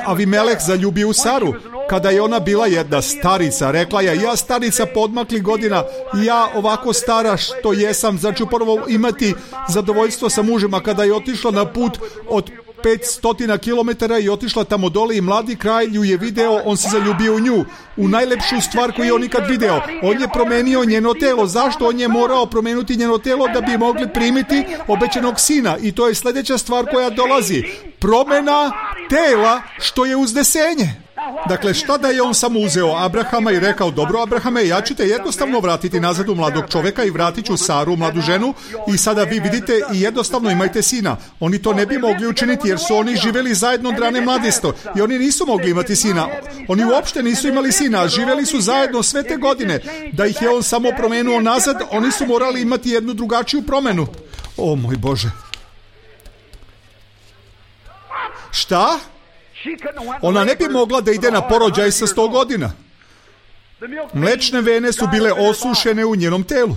Avimeleh zaljubio u Saru? Kada je ona bila jedna starica, rekla je, ja starica podmakli godina, ja ovako stara što jesam, znači ponovo imati zadovoljstvo sa mužem. A kada je otišla na put od 500 km i otišla tamo dole i mladi kralj ju je video, on se zaljubio u nju, u najlepšu stvar koju je on ikad video. On je promenio njeno telo. Zašto? On je morao promenuti njeno telo da bi mogli primiti obećanog sina. I to je sljedeća stvar koja dolazi. Promena tela što je uznesenje. Dakle, šta da je on samo uzeo Abrahama i rekao, dobro Abrahame, ja ću te jednostavno vratiti nazad u mladog čoveka i vratit ću Saru, mladu ženu, i sada vi vidite i jednostavno imajte sina. Oni to ne bi mogli učiniti jer su oni živjeli zajedno od rane mladosti i oni nisu mogli imati sina. Oni uopšte nisu imali sina, živjeli su zajedno sve te godine. Da ih je on samo promenuo nazad, oni su morali imati jednu drugačiju promenu. O moj Bože. Šta? Ona ne bi mogla da ide na porođaj sa 100 godina. Mlečne vene su bile osušene u njenom telu.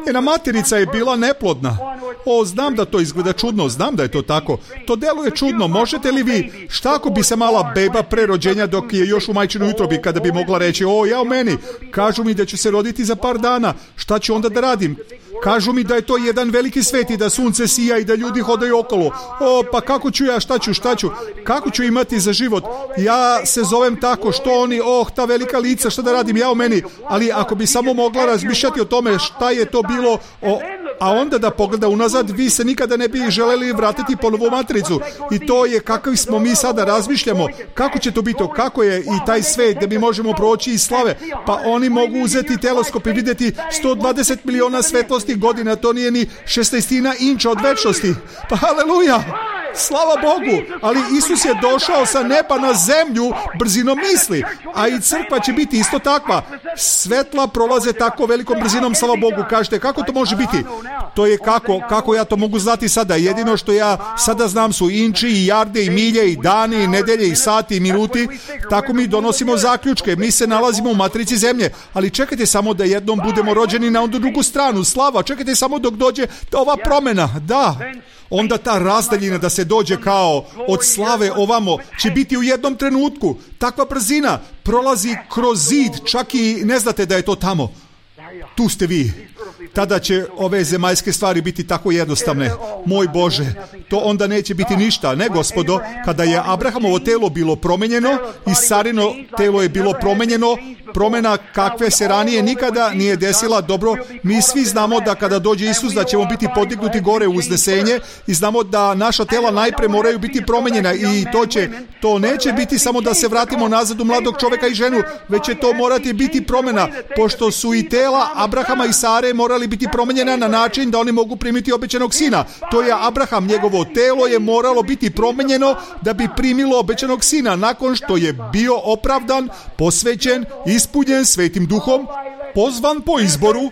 Njena materica je bila neplodna. O, znam da to izgleda čudno, znam da je to tako. To deluje čudno. Možete li vi, šta ako bi se mala beba pre rođenja dok je još u majčinoj utrobi, kada bi mogla reći, o, ja u meni, kažu mi da ću se roditi za par dana, šta ću onda da radim? Kažu mi da je to jedan veliki svet i da sunce sija i da ljudi hodaju okolo. O, pa kako ću ja, šta ću? Kako ću imati za život? Ja se zovem tako, što oni, ta velika lica, šta da radim, ja u meni. Ali ako bi samo mogla razmišljati o tome šta je to bilo, a onda da pogleda unazad, vi se nikada ne bi želeli vratiti ponovo u matricu. I to je kakvi smo mi sada razmišljamo. Kako će to biti? Kako je i taj svet gdje mi možemo proći iz slave? Pa oni mogu uzeti teleskop i vidjeti 120 miliona svetlosti godina, to nije ni 16 inča od večnosti. Pa haleluja! Slava Bogu! Ali Isus je došao sa neba na zemlju brzinom misli, a i crkva će biti isto takva. Svetla prolaze tako velikom brzinom, slava Bogu. Kažete, kako to može biti? To je kako ja to mogu znati sada? Jedino što ja sada znam su inči i jarde i milje i dani i nedelje i sati i minuti. Tako mi donosimo zaključke. Mi se nalazimo u matrici zemlje. Ali čekajte samo da jednom budemo rođeni na onu drugu stranu. Slava, čekajte samo dok dođe ova promjena. Da. Onda ta razdaljina da se dođe kao od slave ovamo će biti u jednom trenutku. Takva brzina prolazi kroz zid, čak i ne znate da je to tamo. Tu ste vi. Tada će ove zemaljske stvari biti tako jednostavne. Moj Bože, to onda neće biti ništa. Ne, gospodo, kada je Abrahamovo telo bilo promenjeno i Sarino telo je bilo promenjeno, promjena kakve se ranije nikada nije desila. Dobro, mi svi znamo da kada dođe Isus da ćemo biti podignuti gore u uznesenje i znamo da naša tela najpre moraju biti promenjena i to neće biti samo da se vratimo nazad u mladog čovjeka i ženu, već će to morati biti promjena, pošto su i tela Abrahama i Sare morali biti promenjena na način da oni mogu primiti obećanog sina. To je Abraham, njegovo telo je moralo biti promenjeno da bi primilo obećanog sina nakon što je bio opravdan, posvećen, ispunjen Svetim Duhom, pozvan po izboru.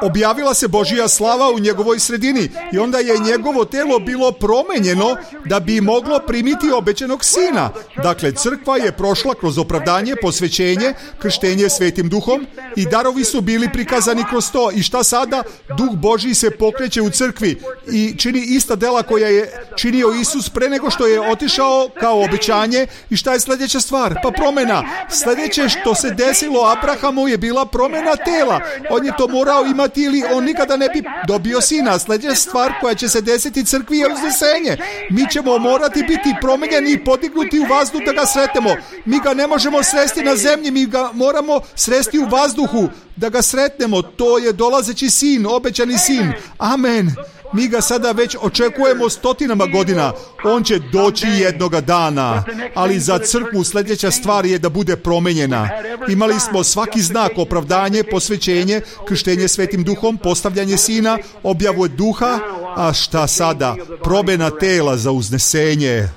Objavila se Božja slava u njegovoj sredini i onda je njegovo telo bilo promenjeno da bi moglo primiti obećanog sina. Dakle, crkva je prošla kroz opravdanje, posvećenje, krštenje Svetim Duhom i darovi su bili prikazani kroz to. I šta sada? Duh Božji se pokreće u crkvi i čini ista dela koja je činio Isus pre nego što je otišao kao obećanje. I šta je sljedeća stvar? Pa promjena. Sljedeće što se desilo Abrahamu je bila promjena tela. On je to morao imati ili on nikada ne bi dobio sina. Sljedeća stvar koja će se desiti crkvi je uznesenje. Mi ćemo morati biti promenjeni i podignuti u vazduh da ga sretnemo. Mi ga ne možemo sresti na zemlji, mi ga moramo sresti u vazduhu da ga sretnemo. To je dolazeći sin, obećani sin. Amen. Mi ga sada već očekujemo stotinama godina. On će doći jednoga dana. Ali za crkvu sljedeća stvar je da bude promenjena. Imali smo svaki znak, opravdanje, posvećenje, krštenje Svetim Duhom, postavljanje sina, objavu duha. A šta sada? Promjena tela za uznesenje.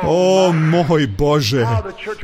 O moj Bože,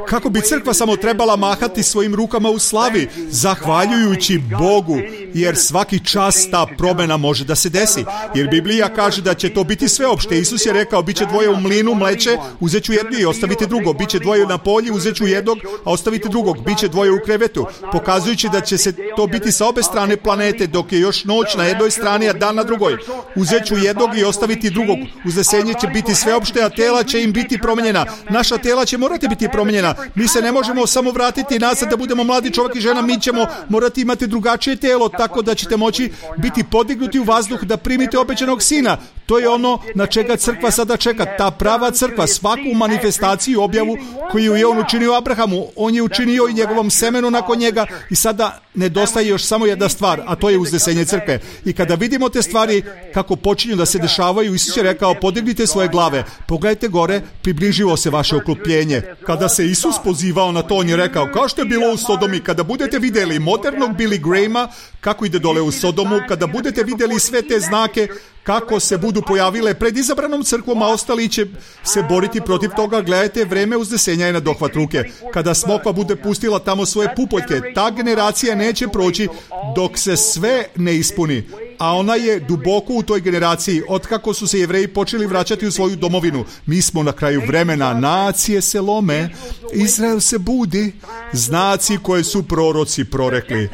kako bi crkva samo trebala mahati svojim rukama u slavi, zahvaljujući Bogu, jer svaki čas ta promjena može da se desi. Jer Biblija kaže da će to biti sveopšte. Isus je rekao, bit će dvoje u mlinu mleče, uzet ću jedno i ostavite drugo. Biće dvoje na polju, uzet ću jednog, a ostavite drugog. Biće dvoje u krevetu, pokazujući da će se to biti sa obe strane planete, dok je još noć na jednoj strani, a dan na drugoj. Uzet ću jednog i ostaviti drugog. Uznesenje će biti sveopšte, a tela će im biti promijenjena. Naša tela će morati biti promijenjena. Mi se ne možemo samo vratiti nazad da budemo mladi čovjek i žena. Mi ćemo morati imati drugačije telo, tako da ćete moći biti podignuti u vazduh da primite obećanog sina. To je ono na čega crkva sada čeka. Ta prava crkva, svaku manifestaciju, objavu koju je on učinio Abrahamu, on je učinio i njegovom semenu nakon njega i sada nedostaje još samo jedna stvar, a to je uznesenje crkve. I kada vidimo te stvari kako počinju da se dešavaju, Isus je rekao, podignite svoje glave, pogledajte gore, približilo se vaše okrupljenje. Kada se Isus pozivao na to, on je rekao, kao što je bilo u Sodomi, kada budete vidjeli modernog Billy Grahama, kako ide dole u Sodomu, kada budete vidjeli sve te znake, kako se budu pojavile pred izabranom crkvom, a ostali će se boriti protiv toga, gledajte, vreme uznesenja je na dohvat ruke. Kada smokva bude pustila tamo svoje pupoljke, ta generacija neće proći dok se sve ne ispuni. A ona je duboko u toj generaciji, otkako su se Jevreji počeli vraćati u svoju domovinu. Mi smo na kraju vremena, nacije se lome, Izrael se budi, znaci koje su proroci prorekli.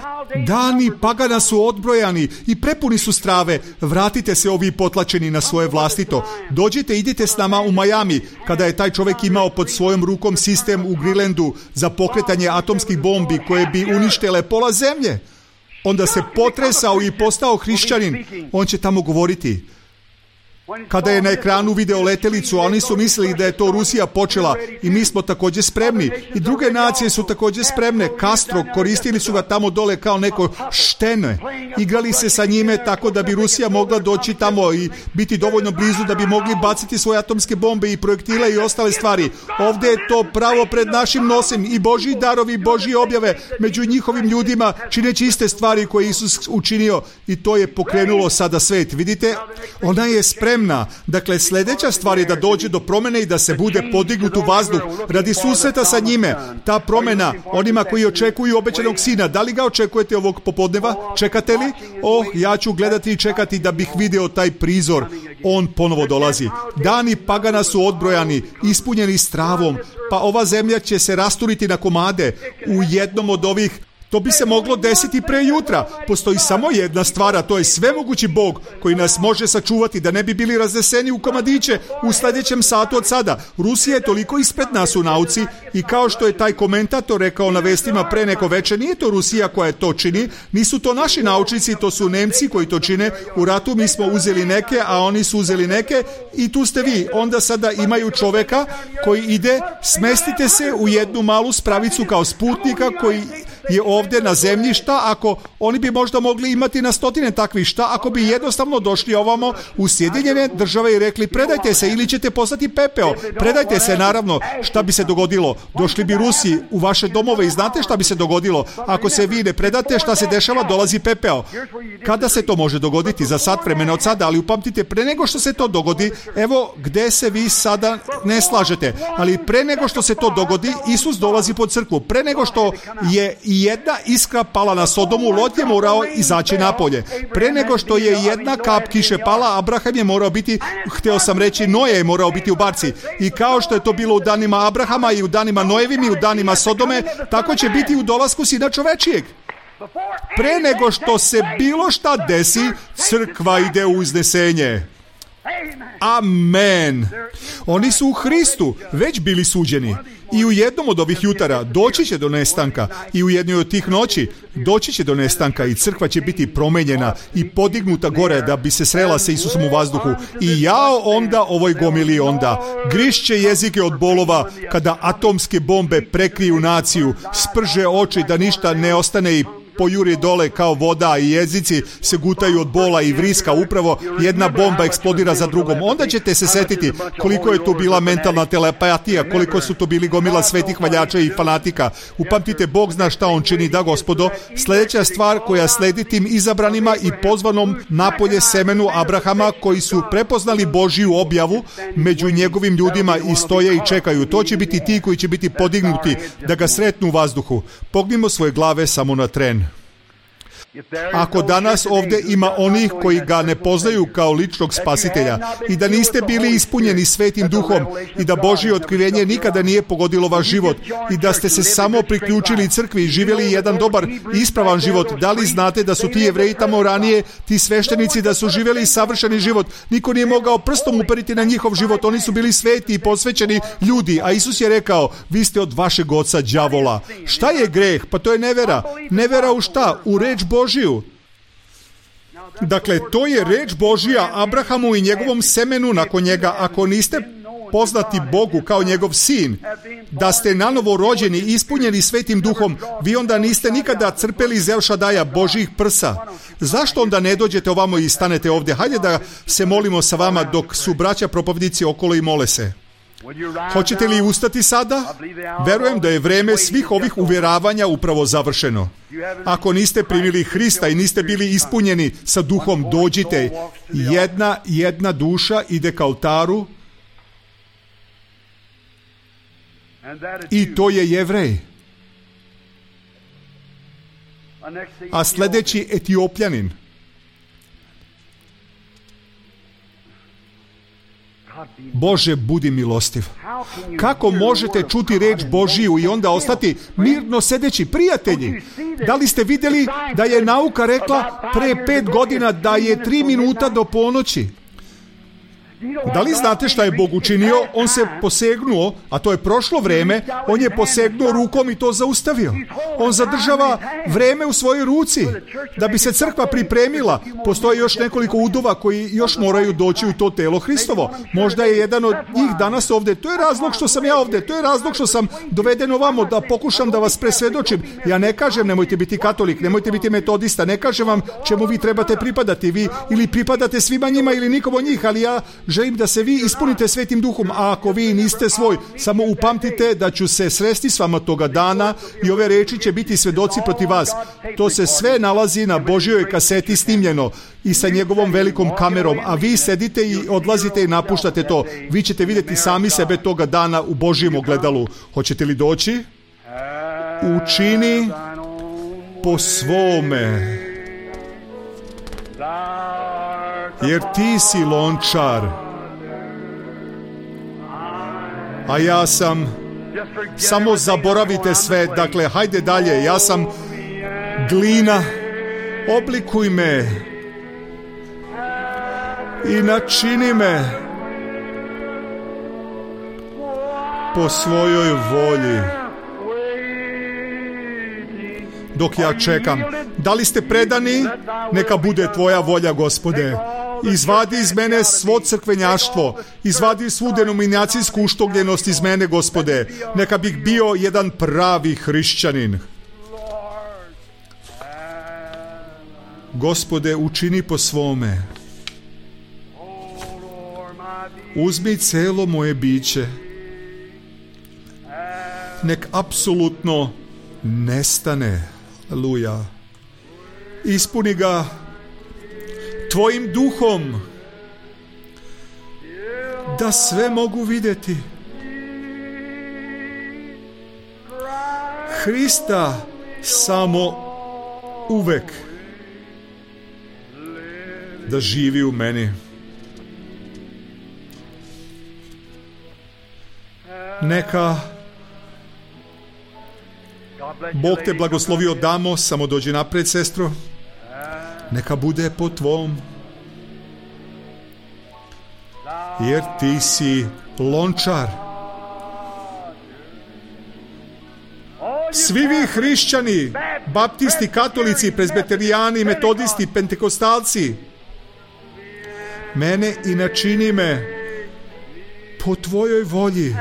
Dani pagana su odbrojani i prepuni su strave. Vratite se ovi potlačeni na svoje vlastito. Dođite, idite s nama u Miami, kada je taj čovjek imao pod svojom rukom sistem u Greenlandu za pokretanje atomskih bombi koje bi uništile pola zemlje. Onda se potresao i postao hrišćanin. On će tamo govoriti. Kada je na ekranu video letelicu, oni su mislili da je to Rusija počela i mi smo također spremni. I druge nacije su također spremne. Castro, koristili su ga tamo dole kao neko štene. Igrali se sa njime tako da bi Rusija mogla doći tamo i biti dovoljno blizu da bi mogli baciti svoje atomske bombe i projektile i ostale stvari. Ovdje je to pravo pred našim nosem i Božji darovi, Božje objave među njihovim ljudima, čineći iste stvari koje Isus učinio, i to je pokrenulo sada svet. Vidite, ona je spremna. Dakle, sljedeća stvar je da dođe do promjene i da se bude podignut u vazduh radi susreta sa njime. Ta promjena onima koji očekuju obećanog sina. Da li ga očekujete ovog popodneva? Čekate li? Ja ću gledati i čekati da bih vidio taj prizor. On ponovo dolazi. Dani pagana su odbrojani, ispunjeni stravom, pa ova zemlja će se rasturiti na komade. U jednom od ovih To bi se moglo desiti pre jutra. Postoji samo jedna stvar, a to je svemogući Bog koji nas može sačuvati da ne bi bili razneseni u komadiće u sljedećem satu od sada. Rusija je toliko ispred nas u nauci i kao što je taj komentator rekao na vestima pre neko veče, nije to Rusija koja to čini, nisu to naši naučnici, to su Nemci koji to čine. U ratu mi smo uzeli neke, a oni su uzeli neke i tu ste vi. Onda sada imaju čoveka koji ide, smestite se u jednu malu spravicu kao sputnika koji je ovdje na zemlji. Šta ako oni bi možda mogli imati na stotine takvih, šta ako bi jednostavno došli ovamo u Sjedinjene Države i rekli predajte se ili ćete postati pepeo, predajte se. Naravno, šta bi se dogodilo? Došli bi Rusi u vaše domove i znate šta bi se dogodilo? Ako se vi ne predate, šta se dešava? Dolazi pepeo. Kada se to može dogoditi? Za sat vremena od sada, ali upamtite, pre nego što se to dogodi, evo gde se vi sada ne slažete, ali pre nego što se to dogodi, Isus dolazi pod crkvu. Pre nego što je jedna iskra pala na Sodomu, Lot je morao izaći napolje. Pre nego što je jedna kap kiše pala, Abraham je morao biti, hteo sam reći, Noje je morao biti u barci. I kao što je to bilo u danima Abrahama i u danima Nojevim i u danima Sodome, tako će biti u dolasku Sina čovečijeg. Pre nego što se bilo šta desi, crkva ide u iznesenje. Amen. Oni su u Hristu već bili suđeni. I u jednom od ovih jutara doći će do nestanka. I u jednoj od tih noći doći će do nestanka i crkva će biti promenjena i podignuta gore da bi se srela sa Isusom u vazduhu. I jao onda ovoj gomili onda. Grišće jezike od bolova kada atomske bombe prekriju naciju, sprže oči da ništa ne ostane i pojuri dole kao voda i jezici se gutaju od bola i vriska, upravo jedna bomba eksplodira za drugom. Onda ćete se setiti koliko je tu bila mentalna telepatija, koliko su to bili gomila svetih valjača i fanatika. Upamtite, Bog zna šta on čini, da gospodo. Sljedeća stvar koja sledi tim izabranima i pozvanom napolje semenu Abrahama koji su prepoznali Božiju objavu među njegovim ljudima i stoje i čekaju. To će biti ti koji će biti podignuti da ga sretnu u vazduhu. Pognimo svoje glave samo na tren. Ako danas ovdje ima onih koji ga ne poznaju kao ličnog spasitelja i da niste bili ispunjeni Svetim Duhom i da Božje otkrivenje nikada nije pogodilo vaš život i da ste se samo priključili crkvi i živjeli jedan dobar i ispravan život, da li znate da su ti Jevreji tamo ranije, ti sveštenici, da su živjeli savršeni život? Niko nije mogao prstom uperiti na njihov život, oni su bili sveti i posvećeni ljudi, a Isus je rekao, vi ste od vašeg oca đavola. Šta je greh? Pa to je nevera. Nevera u šta? U reč Božiju. Dakle, to je reč Božija Abrahamu i njegovom semenu nakon njega. Ako niste poznati Bogu kao njegov sin, da ste nanovo rođeni i ispunjeni Svetim Duhom, vi onda niste nikada crpeli iz El Šadaja, Božjih prsa. Zašto onda ne dođete ovamo i stanete ovdje? Hajde da se molimo sa vama dok su braća propovnici okolo i mole se. Hoćete li ustati sada? Verujem da je vreme svih ovih uvjeravanja upravo završeno. Ako niste primili Hrista i niste bili ispunjeni sa Duhom, dođite. Jedna duša ide ka oltaru i to je Jevrej. A sljedeći Etiopljanin. Bože, budi milostiv. Kako možete čuti reč Božiju i onda ostati mirno sedeći? Prijatelji, da li ste vidjeli da je nauka rekla pre 5 godina da je 3 minuta do ponoći? Da li znate šta je Bog učinio? On se posegnuo, a to je prošlo vreme, on je posegnuo rukom i to zaustavio. On zadržava vreme u svojoj ruci da bi se crkva pripremila. Postoje još nekoliko udova koji još moraju doći u to telo Hristovo. Možda je jedan od njih danas ovdje. To je razlog što sam ja ovdje. To je razlog što sam doveden ovamo da pokušam da vas presvjedočim. Ja ne kažem nemojte biti katolik, nemojte biti metodista, ne kažem vam čemu vi trebate pripadati. Vi ili pripadate svima njima ili nikom od njih, ali ja želim da se vi ispunite Svetim Duhom, a ako vi niste svoj, samo upamtite da ću se sresti s vama toga dana i ove reči će biti svedoci protiv vas. To se sve nalazi na Božjoj kaseti snimljeno i sa njegovom velikom kamerom, a vi sedite i odlazite i napuštate to. Vi ćete vidjeti sami sebe toga dana u Božjem ogledalu. Hoćete li doći? Učini po svome, jer ti si lončar, a ja sam, samo zaboravite sve, dakle, hajde dalje, ja sam glina, oblikuj me i načini me po svojoj volji. Dok ja čekam, da li ste predani? Neka bude tvoja volja, Gospode. Izvadi iz mene svo crkvenjaštvo, izvadi svu denominacijsku uštogljenost iz mene, Gospode. Neka bih bio jedan pravi hrišćanin. Gospode, učini po svome. Uzmi celo moje biće. Nek apsolutno nestane. Aleluja. Ispuni ga tvojim duhom, da sve mogu vidjeti. Hrista samo uvek da živi u meni. Neka Bog te blagoslovio, damo, samo dođi napred, sestro. Neka bude po tvom. Jer ti si lončar. Svi vi hrišćani, baptisti, katolici, prezbeterijani, metodisti, pentekostalci, mene i načini me po tvojoj volji.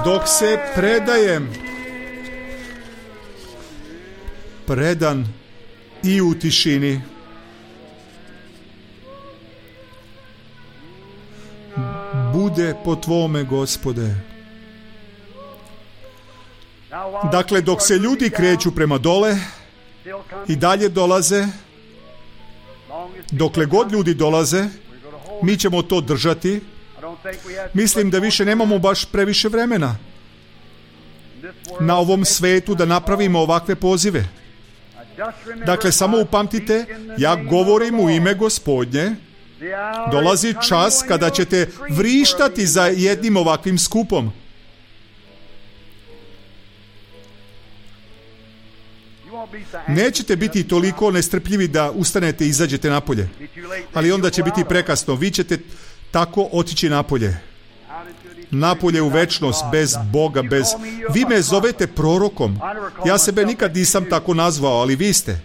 Dok se predajem, predan i u tišini. Bude po tvome, Gospode. Dakle, dok se ljudi kreću prema dole i dalje dolaze, dokle god ljudi dolaze, mi ćemo to držati. Mislim da više nemamo baš previše vremena na ovom svetu da napravimo ovakve pozive. Dakle, samo upamtite, ja govorim u ime Gospodnje. Dolazi čas kada ćete vrištati za jednim ovakvim skupom. Nećete biti toliko nestrpljivi da ustanete i izađete napolje. Ali onda će biti prekasno. Vi ćete tako otići napolje. Napolje u večnost, bez Boga, bez... Vi me zovete prorokom. Ja sebe nikad nisam tako nazvao, ali vi ste.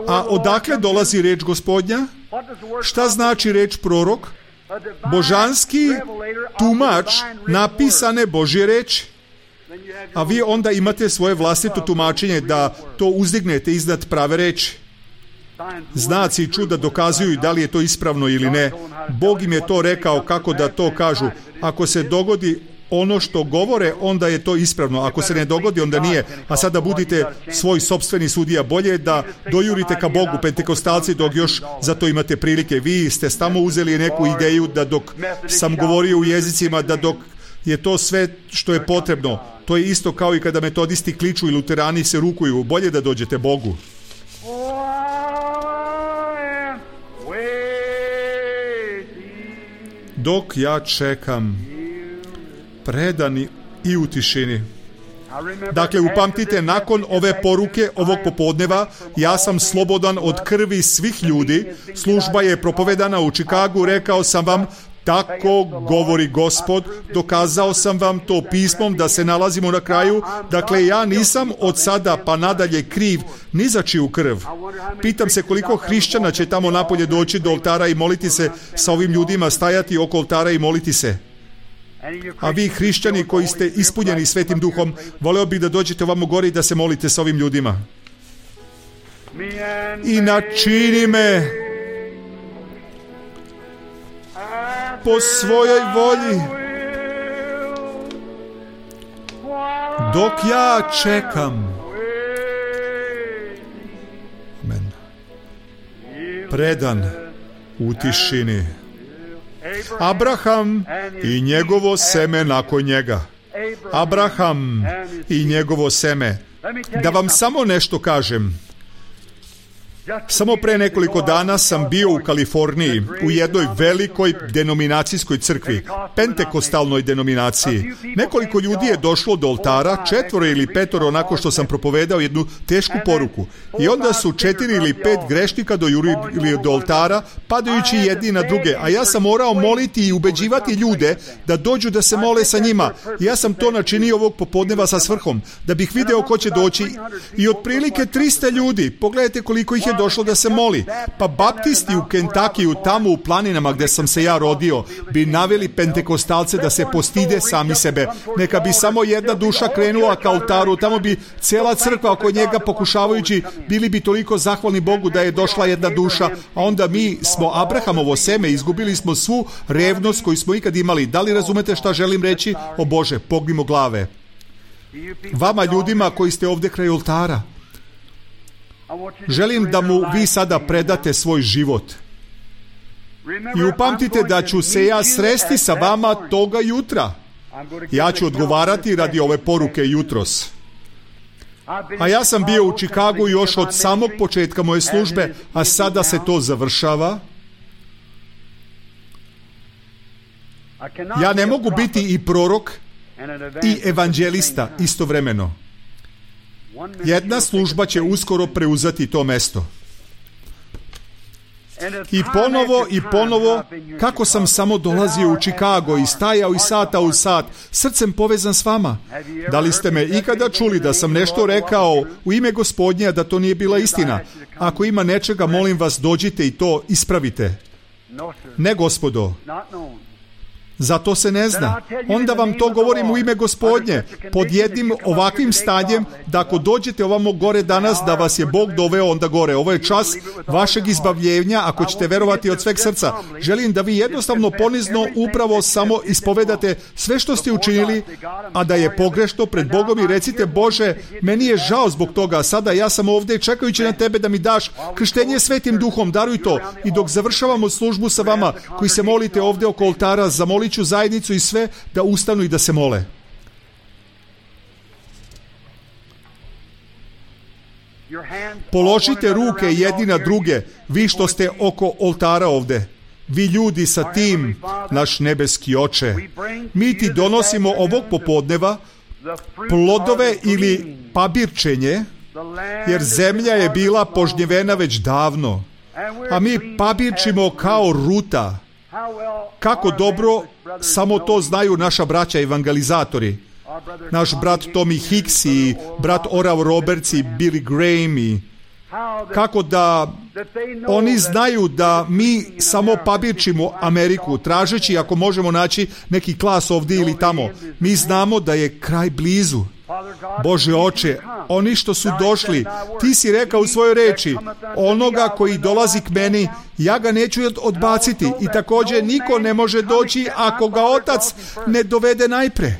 A odakle dolazi reč Gospodnja? Šta znači reč prorok? Božanski tumač napisane Božje reči. A vi onda imate svoje vlastito tumačenje da to uzdignete iznad prave reči. Znaci i čuda dokazuju da li je to ispravno ili ne. Bog im je to rekao kako da to kažu. Ako se dogodi ono što govore, onda je to ispravno. Ako se ne dogodi, onda nije. A sada budite svoj sopstveni sudija. Bolje je da dojurite ka Bogu, pentekostalci, dok još za to imate prilike. Vi ste tamo uzeli neku ideju da dok sam govorio u jezicima, da dok je to sve što je potrebno. To je isto kao i kada metodisti kliču i luterani se rukuju. Bolje da dođete Bogu. Dok ja čekam, predani i u tišini. Dakle, upamtite, nakon ove poruke ovog popodneva, ja sam slobodan od krvi svih ljudi. Služba je propovedana u Čikagu, rekao sam vam, tako govori Gospod, dokazao sam vam to pismom da se nalazimo na kraju. Dakle, ja nisam od sada pa nadalje kriv ni za čiju krv. Pitam se koliko hrišćana će tamo napolje doći do oltara i moliti se sa ovim ljudima, stajati oko oltara i moliti se. A vi hrišćani koji ste ispunjeni Svetim Duhom, voleo bih da dođete ovamo gore i da se molite sa ovim ljudima. I načini me po svojoj volji, dok ja čekam. Amen. Predan u tišini. Abraham i njegovo seme nakon njega. Abraham i njegovo seme. Da vam samo nešto kažem. Samo pre nekoliko dana sam bio u Kaliforniji, u jednoj velikoj denominacijskoj crkvi, pentekostalnoj denominaciji. Nekoliko ljudi je došlo do oltara, 4 ili 5, onako što sam propovedao jednu tešku poruku. I onda su 4 ili 5 grešnika dojurili do oltara, padajući jedni na druge. A ja sam morao moliti i ubeđivati ljude da dođu da se mole sa njima. I ja sam to načinio ovog popodneva sa svrhom, da bih video ko će doći. I otprilike 300 ljudi, pogledajte koliko ih je došlo da se moli. Pa baptisti u Kentakiju, tamo u planinama gdje sam se ja rodio, bi naveli pentekostalce da se postide sami sebe. Neka bi samo jedna duša krenula ka oltaru, tamo bi cijela crkva oko njega pokušavajući, bili bi toliko zahvalni Bogu da je došla jedna duša, a onda mi smo Abrahamovo seme, izgubili smo svu revnost koju smo ikad imali. Da li razumete šta želim reći? O Bože, pognimo glave. Vama ljudima koji ste ovdje kraj oltara, želim da mu vi sada predate svoj život. I upamtite da ću se ja sresti sa vama toga jutra. Ja ću odgovarati radi ove poruke jutros. A ja sam bio u Čikagu još od samog početka moje službe, a sada se to završava. Ja ne mogu biti i prorok i evanđelista istovremeno. Jedna služba će uskoro preuzeti to mesto. I ponovo, kako sam samo dolazio u Čikago i stajao iz sata u sat, srcem povezan s vama. Da li ste me ikada čuli da sam nešto rekao u ime Gospodnja da to nije bila istina? Ako ima nečega, molim vas, dođite i to ispravite. Ne, gospodo. Zato se ne zna. Onda vam to govorim u ime Gospodnje, pod jednim ovakvim stanjem, da ako dođete ovamo gore danas, da vas je Bog doveo onda gore. Ovo je čas vašeg izbavljenja, ako ćete verovati od sveg srca. Želim da vi jednostavno ponizno upravo samo ispovedate sve što ste učinili, a da je pogrešno pred Bogom i recite: Bože, meni je žao zbog toga, sada ja sam ovdje čekajući na tebe da mi daš krštenje Svetim Duhom, daruj to. I dok završavamo službu sa vama koji se molite ovdje oko oltara, zamolit ću zajednicu i sve da ustanu i da se mole. Položite ruke jedni na druge, vi što ste oko oltara ovdje. Vi ljudi sa tim, naš nebeski Oče, mi ti donosimo ovog popodneva plodove ili pabirčenje, jer zemlja je bila požnjevena već davno, a mi pabirčimo kao ruta. Kako dobro, samo to znaju naša braća evangelizatori. Naš brat Tommy Hicks i brat Oral Roberts i Billy Graham i kako da oni znaju da mi samo pabirčimo Ameriku, tražeći ako možemo naći neki klas ovdje ili tamo. Mi znamo da je kraj blizu. Bože Oče, oni što su došli, ti si rekao u svojoj reči, onoga koji dolazi k meni, ja ga neću odbaciti, i također niko ne može doći ako ga Otac ne dovede najpre.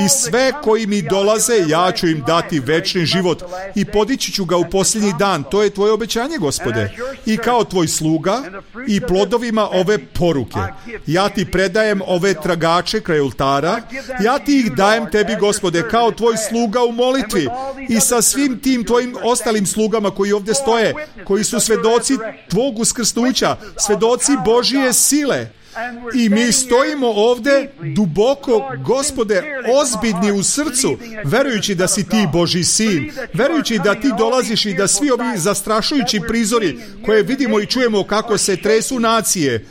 I sve koji mi dolaze, ja ću im dati večni život i podići ću ga u posljednji dan. To je tvoje obećanje, Gospode. I kao tvoj sluga i plodovima ove poruke, ja ti predajem ove tragače kraj oltara, ja ti ih dajem tebi, Gospode, kao tvoj sluga u molitvi i sa svim tim tvojim ostalim slugama koji ovdje stoje, koji su svedoci tvog uskrsnuća, svedoci Božije sile. I mi stojimo ovdje duboko, Gospode, ozbiljni u srcu, verujući da si ti Božji sin, verujući da ti dolaziš i da svi ovi zastrašujući prizori koje vidimo i čujemo kako se tresu nacije,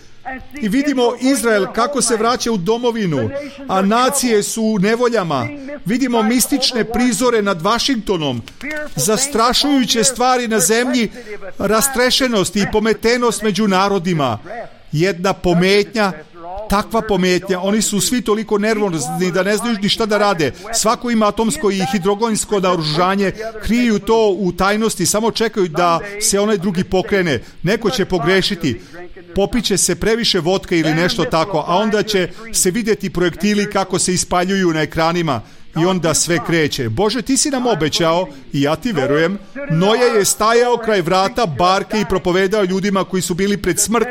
i vidimo Izrael kako se vraća u domovinu, a nacije su u nevoljama. Vidimo mistične prizore nad Vašingtonom, zastrašujuće stvari na zemlji, rastrešenost i pometenost među narodima. Jedna pometnja, takva pometnja, oni su svi toliko nervozni da ne znaju ni šta da rade. Svako ima atomsko i hidrogensko naoružanje, kriju to u tajnosti, samo čekaju da se onaj drugi pokrene. Neko će pogrešiti. popiće se previše vodke ili nešto tako, a onda će se vidjeti projektili kako se ispaljuju na ekranima i onda sve kreće. Bože, ti si nam obećao, i ja ti verujem, Noje je stajao kraj vrata barke i propovedao ljudima koji su bili pred smrt,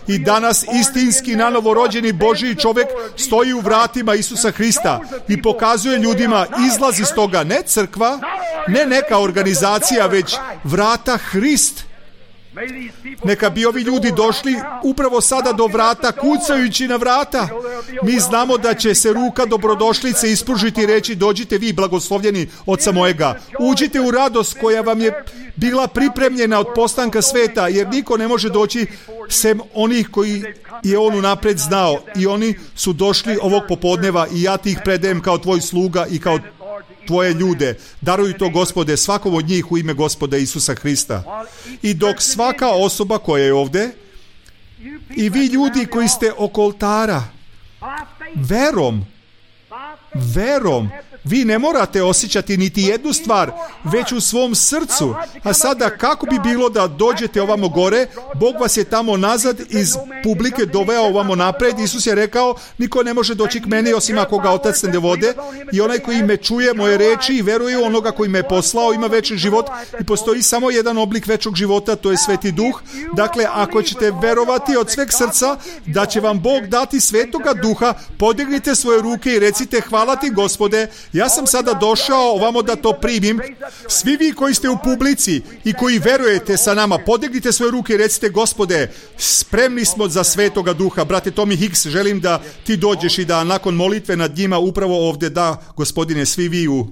i danas istinski nanovorođeni Božji čovjek stoji u vratima Isusa Hrista i pokazuje ljudima izlaz iz toga, ne crkva, ne neka organizacija, već vrata Hrist. Neka bi ovi ljudi došli upravo sada do vrata, kucajući na vrata. Mi znamo da će se ruka dobrodošlice ispružiti i reći: dođite vi, blagoslovljeni Oca mojega, uđite u radost koja vam je bila pripremljena od postanka sveta, jer niko ne može doći sem onih koji je on unapred znao, i oni su došli ovog popodneva i ja ti ih predajem kao tvoj sluga i kao tvoje ljude. Daruj to, Gospode, svakom od njih u ime Gospoda Isusa Hrista. I dok svaka osoba koja je ovdje, i vi ljudi koji ste oko oltara, verom, vi ne morate osjećati niti jednu stvar, već u svom srcu. A sada, kako bi bilo da dođete ovamo gore? Bog vas je tamo nazad iz publike doveo ovamo napred. Isus je rekao: niko ne može doći k meni osim ako ga Otac ne dovode, i onaj koji me čuje moje reči i veruje u onoga koji me je poslao ima večni život. I postoji samo jedan oblik večnog života, to je Sveti Duh. Dakle, ako ćete verovati od sveg srca da će vam Bog dati Svetoga Duha, podignite svoje ruke i recite: hvala ti, Gospode, ja sam sada došao ovamo da to primim. Svi vi koji ste u publici i koji verujete sa nama, podignite svoje ruke i recite: Gospode, spremni smo za Svetoga Duha. Brate Tommy Hicks, želim da ti dođeš i da nakon molitve nad njima upravo ovdje, da, Gospodine, svi vi u